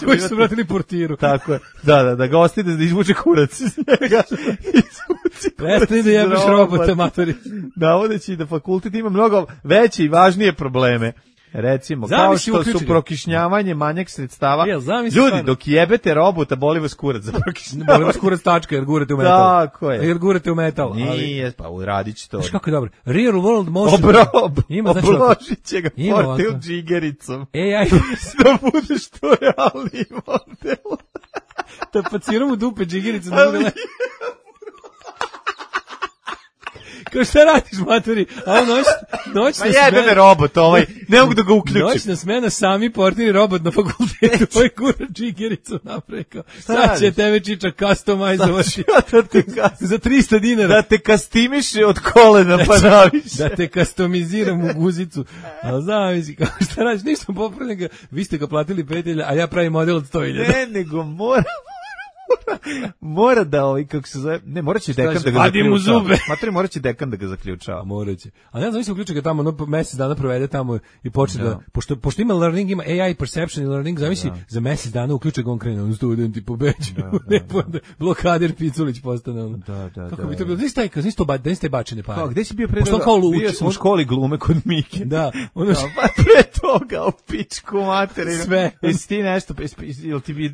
Koji su vratili portiru. Tako je. Da ga ostide da izvuče kurac iz njega. Prestani da jebeš robota, matori. Navodeći da fakultet ima mnogo veće i važnije probleme. Recimo, kao što su prokišnjavanje, manjak sredstava. Ljudi, dok jebete robota, boli vas kurac za prokišnjavanje. Boli vas kurac tačka, jer gurate u metal. Tako je. Jer gurate u metal. Nije, pa uradit će to. Znaš kako je dobro? Real world motion. Obložit će ga portil džigericom. AI. Da bude što realniji model. Da paciram u dupe džigericom. Kao šta radiš, matori? A on noćna smena... jebe me robot ne mogu da ga uključim. Noćna smena, sami portiri robot na fakultetu, ovaj kura džigericom napreko. Sad će tebe čiča customizovati. Za $300. Da te kastimiše od kolena pa naviše. Da te customiziram u guzicu. A znam, šta radiš, ništa popravljam ga. Vi ste ga platili 5.000, a ja pravim model od 100.000. Ne, nego mora da kako se zove, morat će dekan da ga zaključava. Morat će dekan da ga zaključava. Morat će. A ne znam, uključi ga tamo, mesec dana provede tamo i počne da, pošto ima learning, ima AI perception i learning, zamisli, za mesec dana uključe ga on krene, on studenti pobeđu, blokader Piculić postane. Kako bi to bilo? Gde ste bačene pare? Gde si bio pre toga? Bio sam u školi glume kod Mike. Da. Pa pre toga, u pičku materinu. Sve. Jesi ti nešto,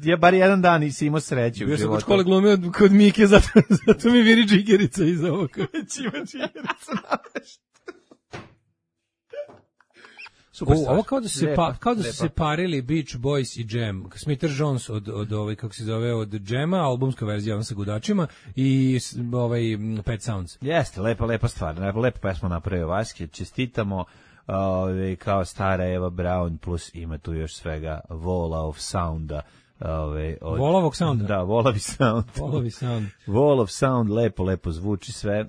ja bar jedan dan nisi imao sreću. Bio sam kod škole glumio kod Mike, zato mi viri džigerica iz ovog. Već ima džigerica navešta. Ovo kao da su se parili Beach Boys i Jam. Smith Jones od kako se zove, od Jama, albumska verzija on sa gudačima i Pet Sounds. Jeste, lepa stvar, lepa pesma napravio Vaske, čestitamo. Kao stara Eva Brown, plus ima tu još svega Vola of Sounda. Volovog sounda. Da, Volovi sound. Wall of Sound, lepo zvuči sve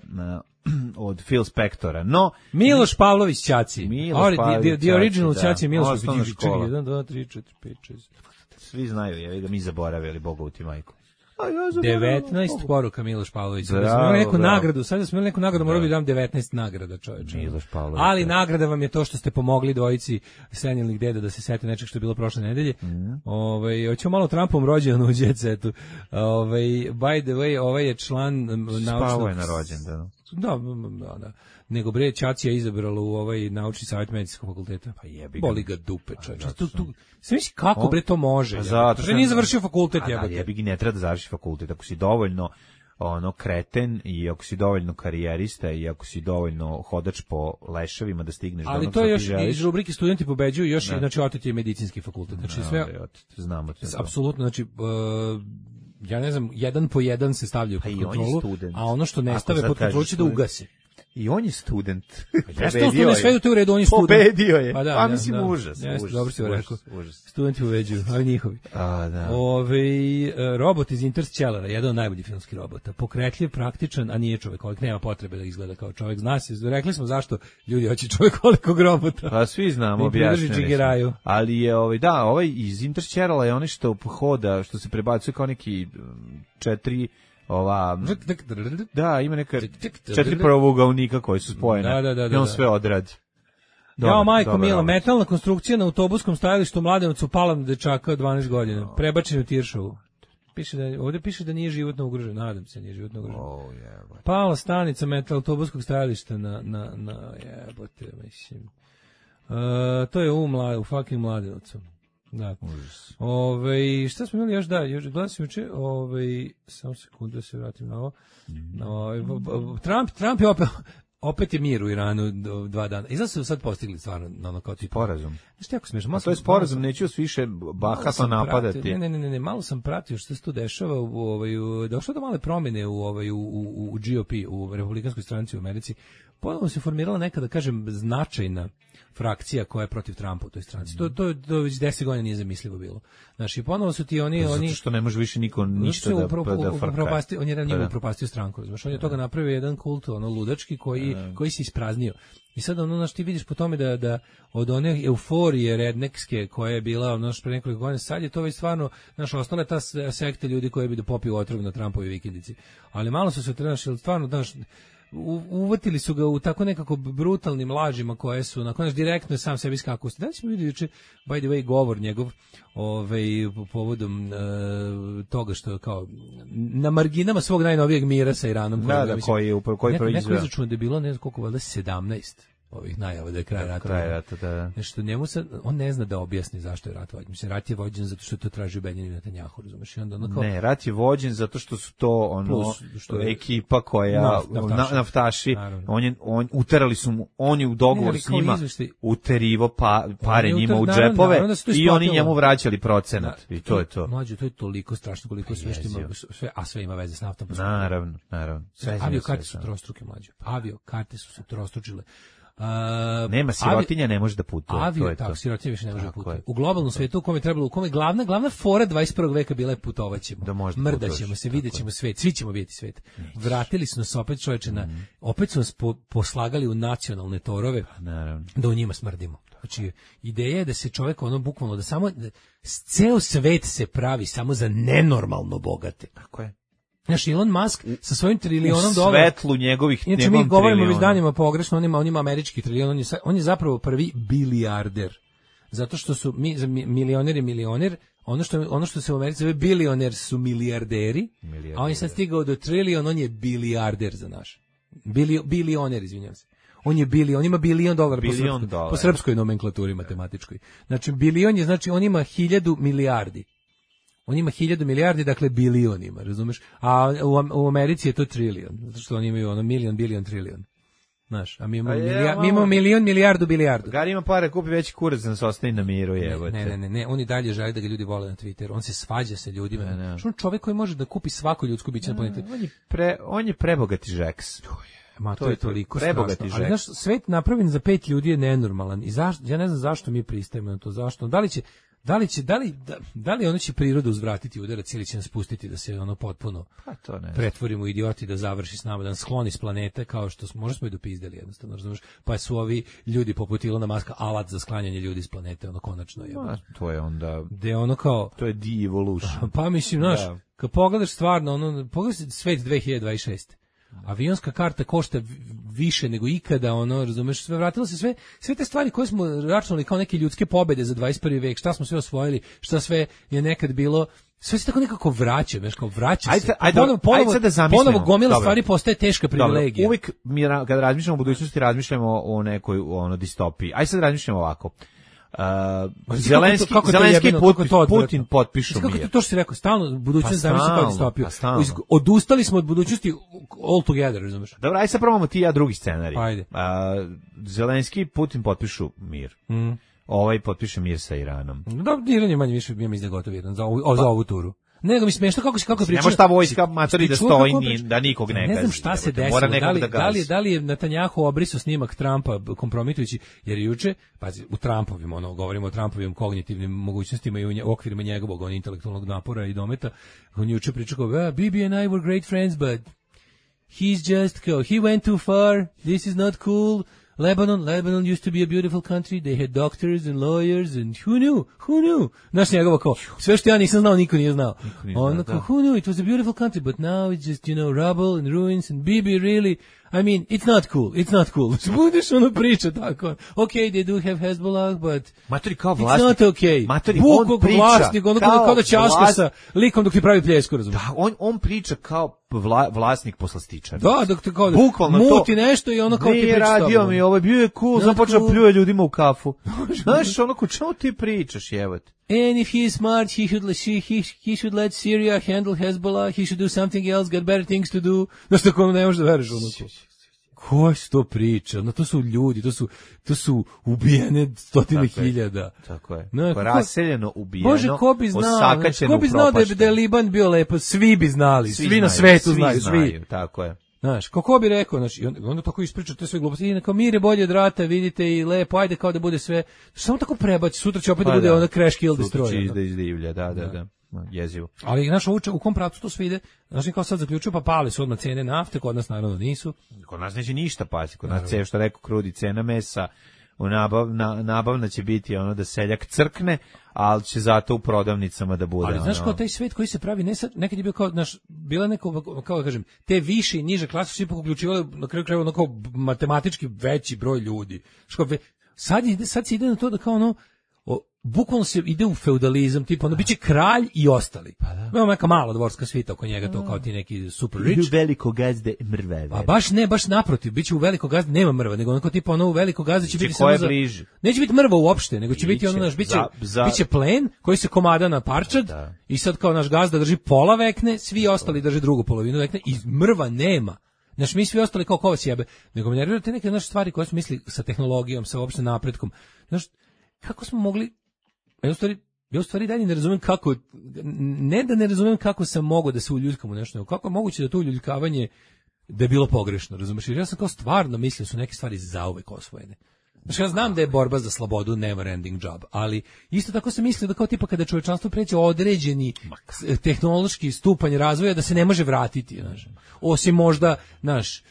od Phil Spectora. No, Miloš Pavlović Ćaci. The original Ćaci Miloš Pavlović. 1, 2, 3, 4, 5, 6. Svi znaju, ga mi zaboravili, Bogovu ti majku. 19 poruka Miloš Pavlović. Sada smo imali neku nagradu, morao bi dam 19 nagrada, čoveče. Ali nagrada vam je to što ste pomogli dvojici senilnih deda da se sete nečeg što je bilo prošle nedelje. Hoćemo malo Trumpom rođendan u Jet Setu. By the way, ovaj je član Spavao je na rođendanu. Da. Nego bre, Ćaci je izabralo u naučni savjet medicinskog fakulteta. Pa jebi ga. Boli ga dupe, čovječe. Sve misli kako bre to može? Zato što nije završio fakultet, jebote. Jebi ga, ne treba da završi fakultet. Ako si dovoljno kreten i ako si dovoljno karijerista i ako si dovoljno hodač po leševima da stigneš do onog što ti želiš. Ali to je još iz rubrike studenti pobeđuju, još znači otet je medicinski fakultet. Znači sve znamo to. Apsolutno, znači ja ne znam, 1 po 1 se stavljaju pod kontrolu, a ono što ne stave pod kontrolu će da ugasi. I on je student. Pobedio je. Sve u redu, on je student. Pobedio je. Pa mislim, užas. Dobro si rekao. Studenti uveđuju, ali njihovi. Robot iz Interstellara, jedan od najboljih filmskih robota. Pokretljiv, praktičan, a nije čovekolik. Nema potrebe da izgleda kao čovek. Zna se, rekli smo zašto ljudi hoće čovekolikog robota. Pa svi znamo, objašnjeni. Ali je ovaj iz Interstellara je onaj što hoda, što se prebacuje kao neki 4 ima neka 4 pravougaonika koji su spojene. I on sve odradi. Jao, majko mila, metalna konstrukcija na autobuskom stajalištu u Mladenovcu pala na dečaka od 12 godina. Prebačen u Tiršovu. Ovdje piše da nije životno ugrožen. Nadam se nije životno ugrožen. Pala stanica metal autobuskog stajališta na jebote, mislim. To je u fucking Mladenovcu. Da. Šta smo imali još gledam se juče, samo sekundu da se vratim na ovo. Trump je opet je mir u Iranu 2 dana. I znači su sad postigli stvarno ono kao sporazum. Znači jako smiješno. To je sporazum, neću vas više bahato napadati. Ne, malo sam pratio što se tu dešava, došlo do male promjene u GOP, u Republikanskoj stranci u Americi. Ponovno se formirala neka, da kažem, značajna frakcija koja je protiv Trumpa u toj stranci. To već 10 godina nije zamislivo bilo. Znači, ponovo su ti oni... Zato što ne može više niko ništa da frka. On je njemu upropastio stranku. Znači, on je toga napravio jedan kult, ludački, koji se ispraznio. I sad, ti vidiš po tome da od one euforije rednekske koja je bila, pre nekoliko godina, sad je to već stvarno, ostala je ta sekta ljudi koji bi da popiju otrov na Trumpovi vikendici. Ali malo su se trenašili, stvarno, uvatili su ga u tako nekako brutalnim lažima koje su nakon direktno sam sebi skakao. Da li smo vidjeli juče, by the way, govor njegov povodom toga što je kao na marginama svog najnovijeg mira sa Iranom. Koji neko izračuna da je bilo, ne znam koliko, valjda 17 ovih najava da je kraj rata. Da. Nešto njemu sad, on ne zna da objasni zašto je rat vođen. Mislim, rat je vođen zato što je to tražio Benjamin Netanjahu, razumeš? Ne, rat je vođen zato što su to ekipa koja naftaši, uterali su mu, on je u dogovor s njima uterivo pare njima u džepove i oni njemu vraćali procenat. I to je to. Mlađe, to je toliko strašno koliko sve što ima, a sve ima veze s naftom. Naravno. Aviokarte su trostruke, mlađe. Aviokarte su se trostručile. Nema sirotinja, ne može da putuje. Sirotinja više ne može da putuje. U globalnom svetu u kome trebalo, u kome glavna fora 21. veka bila je putovaćemo. Mrdaćemo se, vidjet ćemo svet, svi ćemo vidjeti svet. Vratili su nas opet, čoveče, opet su nas poslagali u nacionalne torove, da u njima smrdimo. Znači, ideja je da se čovjek bukvalno, da samo, ceo svet se pravi samo za nenormalno bogate. Tako je. Znaš, Elon Musk sa svojim trilionom dolara... U svetlu njegovih triliona. Znači, mi govorimo već danima pogrešno, on ima američki trilion, on je zapravo prvi bilijarder. Zato što su milioner, ono što se u Americi zove bilioner su milijarderi, a on je sad stigao do trilion, on je bilijarder za naš. Bilioner, izvinjam se. On ima $1 billion po srpskoj nomenklaturi matematičkoj. Znači, bilion je, znači, on ima 1000 milijardi. On ima 1000 milijardi, dakle bilionima, razumeš? A u Americi je to trilion, zato što oni imaju milion, bilion, trilion. Znaš, a mi imamo milion, milijardu, bilijardu. Gari ima pare, kupi veći kurac da nas ostaje na miru, jebote. Ne, on i dalje želi da ga ljudi vole na Twitteru, on se svađa sa ljudima. Što on čovjek koji može da kupi svako ljudsko biće na planetu? On je prebogati žeks. To je toliko strašno. Ali znaš, svet napravljen za 5 ljudi je nenormalan. I ja ne znam zašto mi pristajemo na to, zašto. Da li ono će priroda uzvratiti udarac ili će nas pustiti da se potpuno pretvorimo u idioti, da završi s nama, da nas skloni s planete, kao što možda smo i dopizdeli jednostavno, razumiješ? Pa su ovi ljudi poput Ilona Maska alat za sklanjanje ljudi s planete, konačno je. To je onda... To je de-evolution. Pa mislim, znaš, kad pogledaš stvarno, pogledaš svet 2026. Avionska karta košta više nego ikada, razumeš, vratilo se sve te stvari koje smo računali kao neke ljudske pobede za 21. vek, šta smo sve osvojili, šta sve je nekad bilo, sve se tako nekako vraća, vraća se. Ponovo gomila stvari postaje teška privilegija. Uvijek mi kada razmišljamo o budućnosti, razmišljamo o nekoj distopiji. Ajde sad razmišljamo ovako. Zelenski Putin potpišu mir. Kako to što si rekao, stalno budućnost zavisi kao distopiju. Odustali smo od budućnosti all together, razumeš? Dobro, aj sad probamo ti i ja drugi scenarij. Ajde. Zelenski i Putin potpišu mir. Ovaj potpiše mir sa Iranom. Da, Iran je manje više bio mislim gotov jedan za ovu turu. Nego mi smešno kako priča. Ne može ta vojska matori da stoji da nikog ne gazi. Ne znam šta se desilo. Da li je Netanjahu obrisao snimak Trumpa kompromitujući, jer juče, pazi, u Trumpovim, govorimo o Trumpovim kognitivnim mogućnostima i u okvirima njegovog intelektualnog napora i dometa, on juče pričao kao, Bibi and I were great friends, but he's just, he went too far, this is not cool. Lebanon used to be a beautiful country. They had doctors and lawyers and who knew? Znaš njegovo kao, sve što ja nisam znao, niko nije znao. Ono kao, who knew? It was a beautiful country, but now it's just, rubble and ruins and Bibi really, I mean, it's not cool. Budeš ono priča tako. Okay, they do have Hezbollah, but matori kao it's not okay. Matori, on priča vlasnik, kao da ćaska sa likom dok ti pravi pljesku, razumiješ? Da, on priča kao vlasnik poslastičara. Da, dok te kao bukvalno muti nešto i ono kao ti priča. Radio mi, ovo je bio je cool, sam počeo pljuje ljudima u kafu. Znaš, ono ko čemu ti pričaš, jebote? And if he is smart, he should let Syria handle Hezbollah, he should do something else, got better things to do. Znaš, tako ne možeš da veriš ono. Ko se to priča? No, to su ljudi, to su ubijene stotine hiljada. Tako je. No, raseljeno, ubijeno, Bože, ko bi znao da je Liban bio lepo? Svi bi znali, svi na svetu znaju, svi. Tako je. Znaš, kako bi rekao, znači, onda tako ispriča te sve gluposti, i kao mir je bolje od rata, vidite, i lepo, ajde kao da bude sve, samo tako prebaci, sutra će opet da bude onda crash kill destroy. Sutra će da izdivlja, da. Jezivo. Ali, znaš, u kom pravcu to sve ide, znači, kao sad zaključuju, pa pali su odmah cene nafte, kod nas naravno nisu. Kod nas neće ništa pasi, kod nas što rekao krudi, cena mesa, nabavna će biti ono da seljak crkne, ali će zato u prodavnicama da bude. Ali znaš kao taj svet koji se pravi, nekad je bio kao, bila neko, kao da kažem, te više i niže klase su ipak uključivali na kraju krajeva ono kao matematički veći broj ljudi. Sad se ide na to da kao ono, bukvalno se ide u feudalizam, tipa ono biće kralj i ostali. Ima neka mala dvorska svita oko njega, to kao ti neki super rich. I u veliko gazde mrve. A baš naprotiv, biće u veliko gazde nema mrva, nego onako tipa ono u veliko gazde će biti samo neće biti mrva uopšte, nego će biti ono biće plen koji se komada na parčad i sad kao naš gazda drži pola vekne, svi ostali drže drugu polovinu vekne i mrva nema. Znaš, mi svi ostali kao kovac jebe, nego me nerviraju te neke naše stvari koje smo mislili sa tehnologijom, sa uopšte napretkom. Znaš, kako smo mogli. Ja u stvari dalje ne razumem kako, ne da ne razumem kako sam mogao da se uljuljkam u nešto, nego kako je moguće da to uljuljkavanje da je bilo pogrešno, razumeš? Jer ja sam kao stvarno mislio su neke stvari zauvek osvojene. Znači, ja znam da je borba za slobodu never ending job, ali isto tako sam mislio da kao tipa kada čovječanstvo pređe određeni tehnološki stupanj razvoja da se ne može vratiti, znaš. Osim možda, znaš,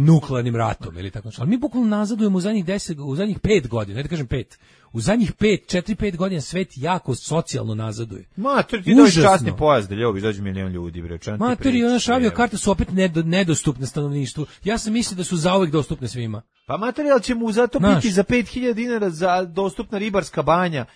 nuklearnim ratom ili tako. Ali mi bukvalno nazadujemo u zadnjih 5 godina, ne da kažem 5. U zadnjih 4-5 godina svet jako socijalno nazaduje. Mater, ti dođe časni pojas da ljubiš, dođe milion ljudi, bre. Mater, i ona avio karte su opet nedostupne stanovništvu. Ja sam mislio da su zauvek dostupne svima. Pa materijal će mu zato biti za 5.000 dinara za dostupna ribarska banja.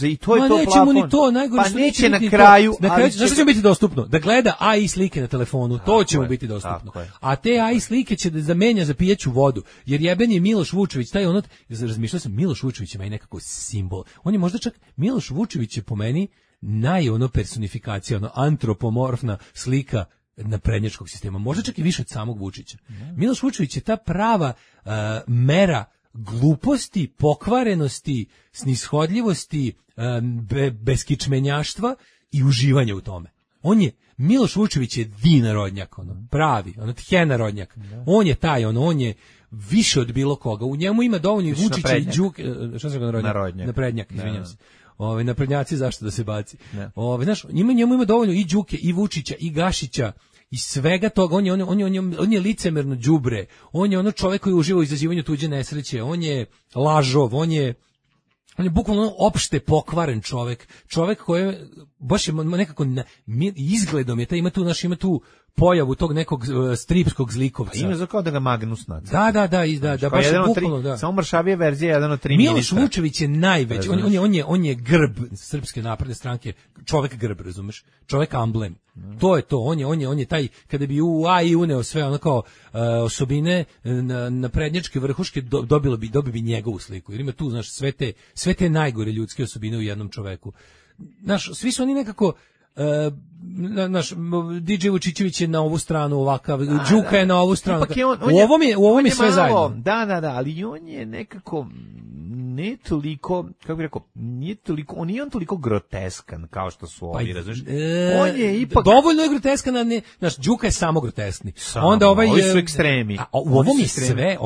I to je to plafon. Ni to, najgore pa što neće na kraju. Zašto će biti dostupno? Da gleda AI slike na telefonu, to će mu biti dostupno. A te AI slike će da zamenja za pijeću vodu. Jer jeben je Miloš Vučević, taj ono, razmišljao sam, Miloš Vučević ima i nekako simbol. On je možda čak, Miloš Vučević je po meni personifikacija, antropomorfna slika naprednjačkog sistema. Možda čak i više od samog Vučića. Miloš Vučević je ta prava mera gluposti, pokvarenosti, snishodljivosti, beskičmenjaštva i uživanja u tome. Miloš Vučević je narodnjak, pravi, tjenarodnjak. On je taj, on je više od bilo koga. U njemu ima dovoljno i Vučića i Đuke, šta se ga naprednjak, izvinjam se. Naprednjaci zašto da se baci. Znaš, njemu ima dovoljno i Đuke i Vučića i Gašića i svega toga. On je licemerno đubre. On je ono čovjek koji uživa u izazivanju tuđe nesreće. On je lažov, on je bukvalno opšte pokvaren čovjek koji je baš je nekako izgledom je ima tu pojavu tog nekog stripskog zlikovca. Ima za kao da ga Magnus naca. Da, baš bukvalno, da. Samo mršavije verzija, jedan od 3 ministra. Miloš Vučević je najveći, on je grb Srpske napredne stranke, čovek grb, razumeš? Čovek amblem. To je to, on je taj, kada bi u AI uneo sve ono kao osobine na prednjačke vrhuške, dobio bi njegovu sliku, jer ima tu, znaš, sve te najgore ljudske osobine u jednom čoveku. Znaš, svi su oni nekako, naš DJ Vučićević je na ovu stranu ovakav, Đuka je na ovu stranu. U ovom je sve malo, zajedno. Da, ali on je nekako ne toliko, kako bih rekao, on nije toliko groteskan kao što su ovi, razumiješ? On je ipak dovoljno je groteskan, a ne, znaš, Đuka je samo grotesni. Onda ovi su ekstremi. A u ovom je sve,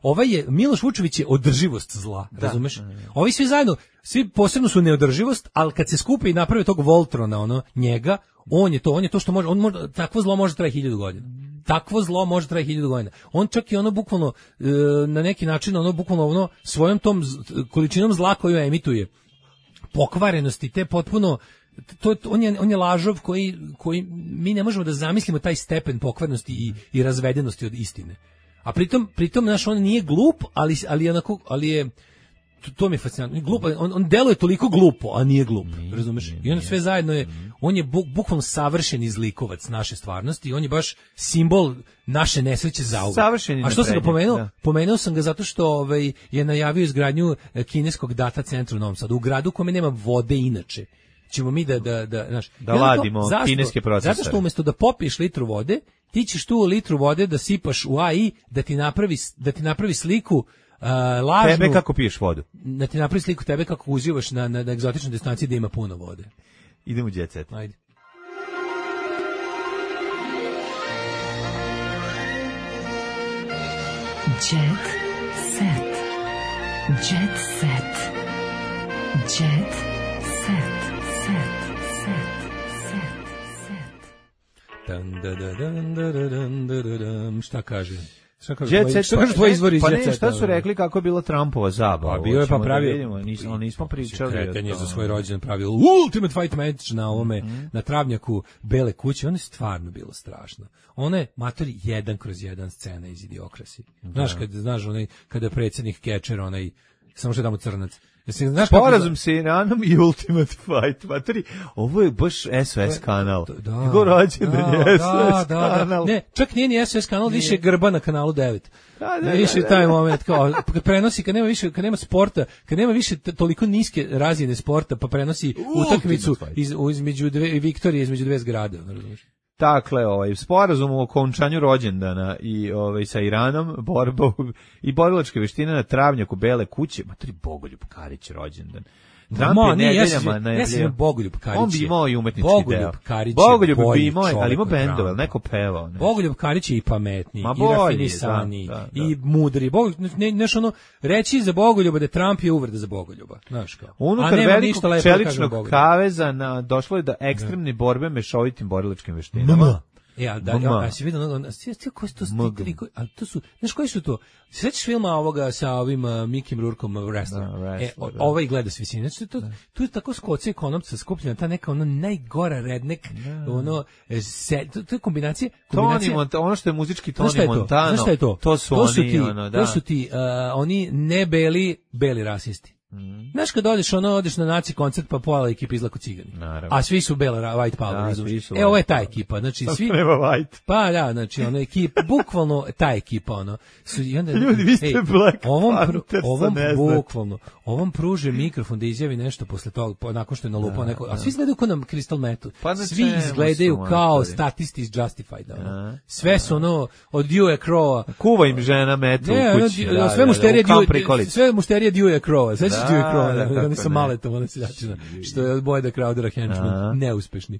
ovaj je Miloš Vučević je održivost zla, razumeš? Ovi svi zajedno, svi posebno su neodrživost, ali kad se skupe i naprave tog Voltrona, njega, on je to što može, takvo zlo može trajati 1000 godina. Takvo zlo može trajati 1000 godina. On čak i bukvalno, na neki način, bukvalno svojom tom količinom zla koju emituje, pokvarenosti, te potpuno, on je lažov koji mi ne možemo da zamislimo taj stepen pokvarenosti i razvedenosti od istine. A pritom, znaš, on nije glup, ali je to mi je fascinantno. Glup, on deluje toliko glupo, a nije glup, razumeš? I on sve zajedno je, on je bukvalno savršeni zlikovac naše stvarnosti i on je baš simbol naše nesreće zauvek. A što sam ga pomenuo? Da. Pomenuo sam ga zato što je najavio izgradnju kineskog data centra u Novom Sadu, u gradu u kome nema vode inače. Ćemo mi da ladimo kineske procesore. Zato što umjesto da popiješ litru vode, ti ćeš tu litru vode da sipaš u AI, da ti napravi sliku lažnu, tebe kako piješ vodu. Da ti napravi sliku tebe kako uživaš na egzotičnoj destinaciji da ima puno vode. Idemo u Jet Set. Ajde. Jet Set. Jet Set. Jet Set. Šta kaže? Šta su rekli kako je bila Trumpova zabava? Bio je pravio, nismo pričali. Kretan je za svoj rođendan pravio Ultimate Fight match na ovome, na travnjaku Bele kuće. Ono je stvarno bilo strašno. Ono je, matori, 1/1 scena iz Idiokrasi. Znaš, kada je predsjednik Kečer, samo što je tamo crnac. Sporazum sa Iranom i Ultimate Fight. Materi, ovo je baš SOS kanal. Njegov rođendan je SOS kanal. Ne, čak nije ni SOS kanal, više Grba na kanalu 9. Više taj moment, kao, kad prenosi, kad nema sporta, kad nema više toliko niske razine sporta, pa prenosi utakmicu između Viktorije, između dve zgrade, razumiješ? Dakle, sporazum o okončanju rođendana i sa Iranom, borba i borilačke veštine na travnjaku Bele kuće, matri Bogoljub Karić rođendan. Trump je nedeljama najavljivao. Bogoljub Karić. On bi imao i umetnički deo. Bogoljub bi imao, ali ima bendove, neko pevao. Bogoljub Karić je i pametniji, i rafinisaniji, i mudri. Znaš, reći za Bogoljuba da Trump je uvreda za Bogoljuba. Znaš kao. Unutar velikog čeličnog kaveza došlo je do ekstremne borbe mešovitim borilačkim veštinama. Ja si vidio, koji su to stikli, ali to su, znaš koji su to? Sećaš filma ovoga sa ovim Mikim Rourkeom, Wrestler? Ovaj gleda s visine. Znači, tu je tako skoce ekonomca skupljena, ta neka najgora rednek, to je kombinacija. Ono što je muzički Tony Montano, znaš šta je to? To su ti, oni ne beli rasisti. Znaš kad odeš na naci koncert pa pola ekipa izlako cigani. A svi su bela white power. Ovo je ta ekipa, znači svi nema white. Pa da, znači ona ekipa bukvalno ta ekipa i onda ljudi, vi ste Black Panther, ovom pruže mikrofon da izjavi nešto posle toga, nakon što je nalupao neko, a svi izgledaju kao na Crystal Metal. Svi izgledaju kao statisti iz Justified. Sve su od Dewey Crowa. Kuva im žena metal u kući. Sve mušterije Dewey Crowa. Sveći Dewey Crowa, oni su maletom, seljačina, što je od Boyda Crowdera henchman, neuspešni.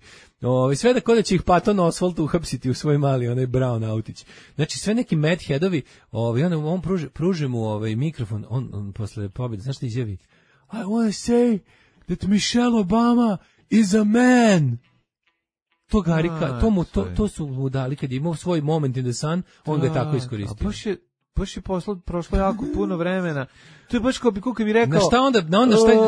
Sve da kod da će ih Patton Oswalt uhapsiti u svoj mali, onaj Brown autić. Znači, sve neki madheadovi, on pruže mu mikrofon, on posle pobjede, znaš što izjavi? I want to say that Michelle Obama is a man. To Garika, to su mu dali, kad je imao svoj moment in the sun, on ga je tako iskoristio. Baš je prošlo jako puno vremena. To je baš kao bi rekao.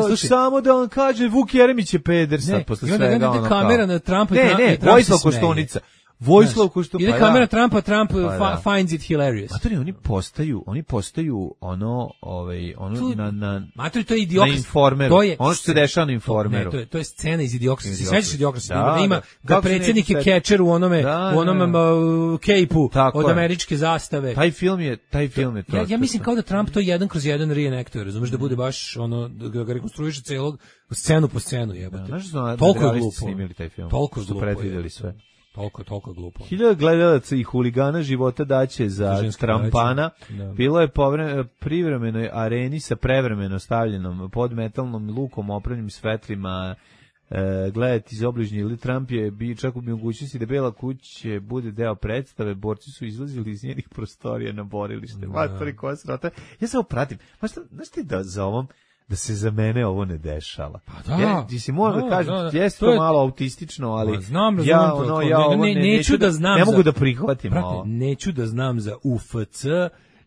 Slušaj. Samo da on kaže Vuk Jeremić je peder sad posle svega. I onda kamera na Trumpa. Ne, Vojislav Koštunica. Vojislav što ide kamera Trumpa, Trump finds it hilarious. Matori, oni postaju ono na Matori, to je Idiokrasi. Na Informeru. Ono što se dešava na Informeru. To je scena iz Idiokrasi. Se sećaš Idiokrasi? Da ima da predsjednik je catcher u onome kejpu od američke zastave. Taj film je to. Ja mislim kao da Trump to 1/1 reenactuje, razumeš, da bude baš ono da ga rekonstruiše celog scenu po scenu, jebote. Toliko glupo snimili taj film. Toliko su predvideli sve. Toliko glupo. 1000 gledalaca i huligana života daće za Trampana. Bilo je privremenoj areni sa prevremeno stavljenom pod metalnom lukom, opravljenim svetlima, gledati iz obližnje. Ili Trump je čak u mogućnosti da Bela kuća bude deo predstave. Borci su izlazili iz njenih prostorija na borilište. Matori, koja srota. Ja samo pratim. Znaš ti da za ovom da se za mene ovo ne dešava. Pa da. Ti si moram da kažem, jeste to malo autistično, ali neću da znam. Ne mogu da prihvatim ovo. Neću da znam za UFC,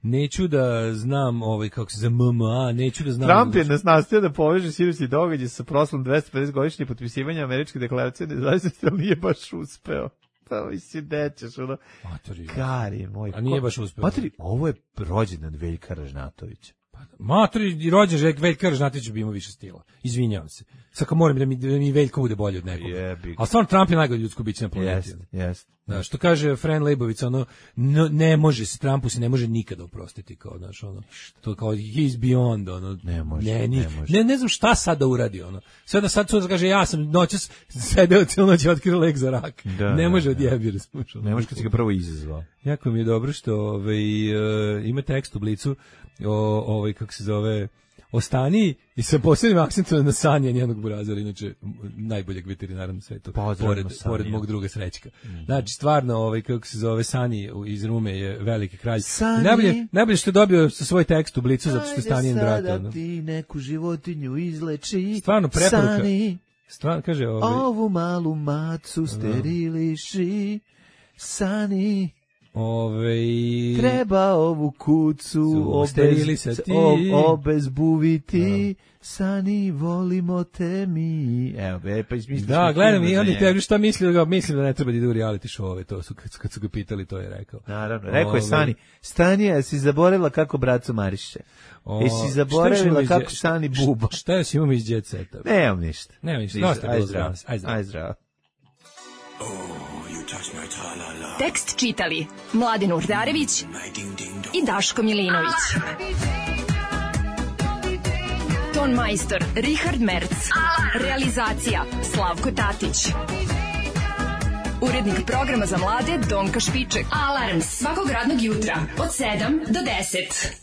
neću da znam kako se za MMA, neću da znam. Trump je nastojao da poveže sinoćni događaj sa proslavom 250 godišnje potpisivanja američke deklaracije nezavisnosti, ali nije baš uspeo. Pa mi si nećeš, ono. Kari moj. A nije baš uspeo. Materi, ovo je rođendan Veljka Ražnatovića. Matori, rođen Veljka Ražnatović bi imao više stila. Izvinjavam se. Sad kao moram da mi Veljko bude bolji od nekoga. Ali stvarno Trump je najgore ljudsko biće na planeti. Jest. Da, što kaže Fran Lejbović, ne može se, Trumpu se ne može nikada oprostiti, kao, znaš, to kao, he's beyond, ne može. Ne znam šta sad da uradi, Sve da sad kaže, ja sam noćas sedeo cijelu noć i otkrio lek za rak. Ne može odjebiti. Ne može kad si ga prvo izazvao. Jako mi je dobro što ima tekst u Blicu kako se zove, o Staniji i sa posebnim akcentom na Sanje njenog burazera, inače najboljeg veterinara na svetu, pored mog druga Srećka. Znači, stvarno, kako se zove, Sani iz Rume je veliki kralj. Najbolje što je dobio sa svoj tekst u Blicu, zato što je Stanijen brat. Sada ti neku životinju izleči. Stvarno, preporuka. Sani, stvarno, kaže, ovu malu macu steriliši. Sani, treba ovu kucu obezbuviti. Sani, volimo te mi. Evo, pa izmislili. Da, gledam i oni tebi šta mislim da ne treba da idu u reality show, to su kad su ga pitali, to je rekao. Naravno, rekao je Sani. Stani, si zaboravila kako braco mariše? Jesi zaboravila kako Sani buba? Šta još imamo iz Jet Seta? Nemam ništa. Aj zdravo. Tekst čitali Mladen Urdarević i Daško Milinović. Ton majstor Richard Merc. Realizacija Slavko Tatić. Urednik programa za mlade Donka Špiček. Alarms svakog radnog jutra od 7 do 10.